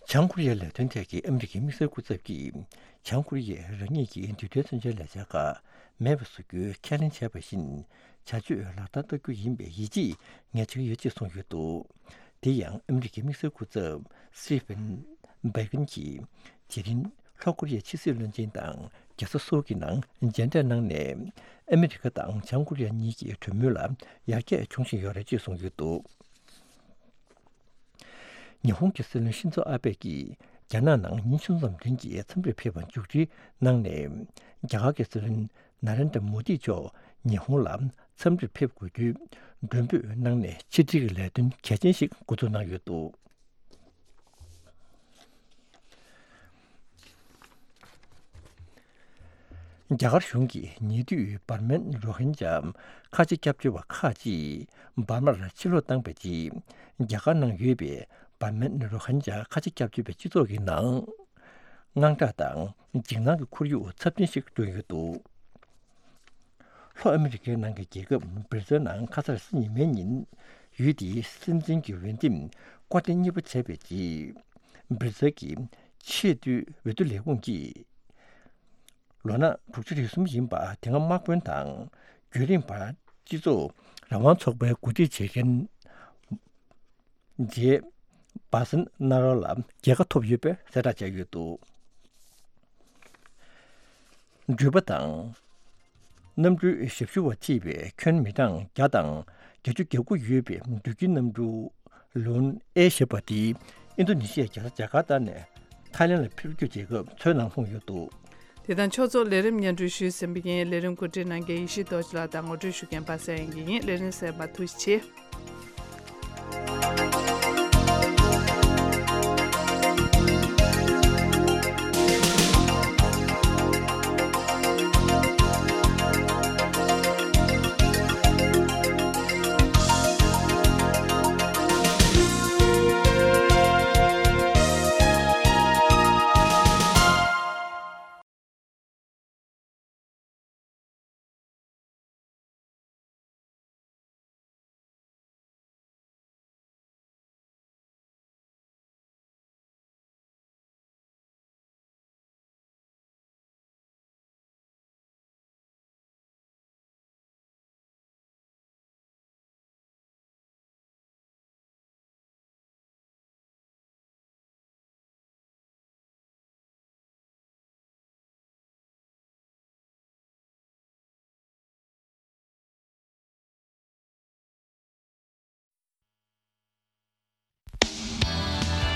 བྱང་ཀོ་རི་ཡའི་ལས་དོན་ཐད་ཀྱི་ཨ་མི་རི་ཀའི་དམིགས་བསལ་སྐུ་ཚབ་ཀྱིས་བྱང་ཀོ་རི་ཡས་རང་ཉིད་ཀྱི་འདྲུད་འཐེན་མཚོན་ཆའི་ལས་འཆར་ཁག་མེད་པ་བཟོ་རྒྱུའི་ཁས་ལེན་བྱས་པ་བཞིན་བྱ་སྤྱོད་ལག་བསྟར་བསྟར་རྒྱུ་ཡིན་པའི་ཡིད་ཆེས་ངས་བྱེད་ཀྱི་ཡོད་ཅེས་གསུངས་ཡོད་འདུག་དེ་ཡང་ཨ་མི་རི་ཀའི་དམིགས་བསལ་སྐུ་ཚབ་སི་ཕེན་བྷེ་གིན་གྱིས་དེ་རིང་ལྷོ་ཀོ་རི་ཡའི་ཕྱི་སྲིད་བློན་ཆེན་དང་རྒྱལ་ས་སོལ་གྱི་ནང་མཇལ་འཕྲད་གནང་ནས། ཨ་མི་རི་ཀ་དང་བྱང་ཀོ་རི་ཡ་གཉིས་ཀྱི་གྲོས་མོལ་ལ་ཡར་རྒྱས་བྱུང་བཞིན་ཡོད་རེད་ཅེས་གསུངས་ཡོད་འདུག་ཉི་ཧོང་གི་སྲིད་བློན་ཤིན་ཛོ་ཨ་བྷེ་ཀྱིས་རྒྱ་ནག་ནང་ཉིན་ཆུང་ཙམ་རིང་གི་འཚམས་འདྲིར་ཕེབས་པར་མཇུག་སྒྲིལ་གནང་ནས། རྒྱ་གར་གྱི་སྲིད་བློན་ན་རེན་དྲ་མོ་དི་མཆོག་ཉི་ཧོང་ལ་འཚམས་འདྲིར་ཕེབས་དགོས་རྒྱུའི་མགྲོན་འབོད་གནང་ནས། ཕྱི་འབྲེལ་གྱི་ལས་དོན་གལ་ཆེན་ཞིག་འགོ་འཛུགས་གནང་ཡོད་འདུག་རྒྱ་གར་གཞུང་གིས་ཉེ་དུས་འབར་མའི་རོ་ཧིན་ཇཱ་ཁ་ཆེ་སྐྱབས་བཅོལ་བ་ཁག་ཅིག་འབར་མར་ཕྱིར་ལོག་བཏང་བའི་རྗེས། རྒྱ་གར་ནང་ཡོད་པའི་འབར་མའི་རོ་ཧིན་ཇཱ་ཁ་ཆེ་སྐྱབས་བཅོལ་བའི་སྤྱི་ཚོགས་ཀྱི་ནང་དངངས་སྐྲག་དང་འཇིགས་སྣང་གི་ཁོར་ཡུག་ཚབས་ཆེན་ཞིག་བསྐྲུན་ཡོད་འདུག་ལྷོ་ཨ་མི་རི་ཀའི་ནང་གི་རྒྱལ་ཁབ་བྷི་རི་ཙིལ་ནང་ཁ་སང་ཕྱི་ཉིན་མའི་ཉིན། ཡུལ་དེའི་སྲིད་འཛིན་གྱི་འོས་འདེམས་སྐོར་ཐེངས་གཉིས་པ་བྱས་པའི་རྗེས། བྷི་རི་ཙིལ་གྱི་ཆེས་མཐོའི་འོས་བསྡུ་ལས་ཁུངས་ཀྱིས། ལོ་ན་དྲུག་ཅུ་རེ་གསུམ་ཡིན་པ་དེ་སྔ་དམག་དཔོན་དང་རྒྱུན་རིང་བར་སྤྱི་ཚོགས་རང་དབང་ཚོགས་པའི་གོ་སྒྲིག་བྱེད་མཁན་ཇེ་བྷ་སན་ན་རོ་ལ་རྒྱལ་ཁ་ཐོབ་ཡོད་པའི་གསལ་བསྒྲགས་བྱས་ཡོད་འདུག་འགྲུལ་པ་དང་གནམ་གྲུའི་ཞབས་ཞུ་བ་བརྩིས་པའི་ཁྱོན་མི་གྲངས་བརྒྱ་དང་བརྒྱད་ཅུ་གྱ་དགུ་ཡོད་པའི་འགྲུལ་སྐྱེལ་གནམ་གྲུ་ལུན་ཨེ་ཞེས་པ་དེ་ཨིན་རྡོ་ནེ་ཤི་ཡའི་རྒྱལ་ས་ཇ་ཀར་ཏ་ནས་ཐའི་ལེན་ལ་འཕུར་སྐྱོད་བྱེད་སྐབས་མཚོའི་ནང་ལྷུང་ཡོད་འདུག་དེ་དང་ཕྱོགས་གཅིག་ལས་རིམ་སྙན་སྒྲོན་ཞུས་ཟིན་པ་ཡིན། ལས་རིམ་གོ་སྒྲིག་གནང་མཁན་ཡེ་ཤེས་རྡོ་རྗེ་ལགས་དང་ངོ་སྤྲོད་ཞུ་མཁན་པ་སངས་དབྱངས་སྐྱིད་ཡིན། ལས་རིམ་གསན་པར་ཐུགས་རྗེ་ཆེ།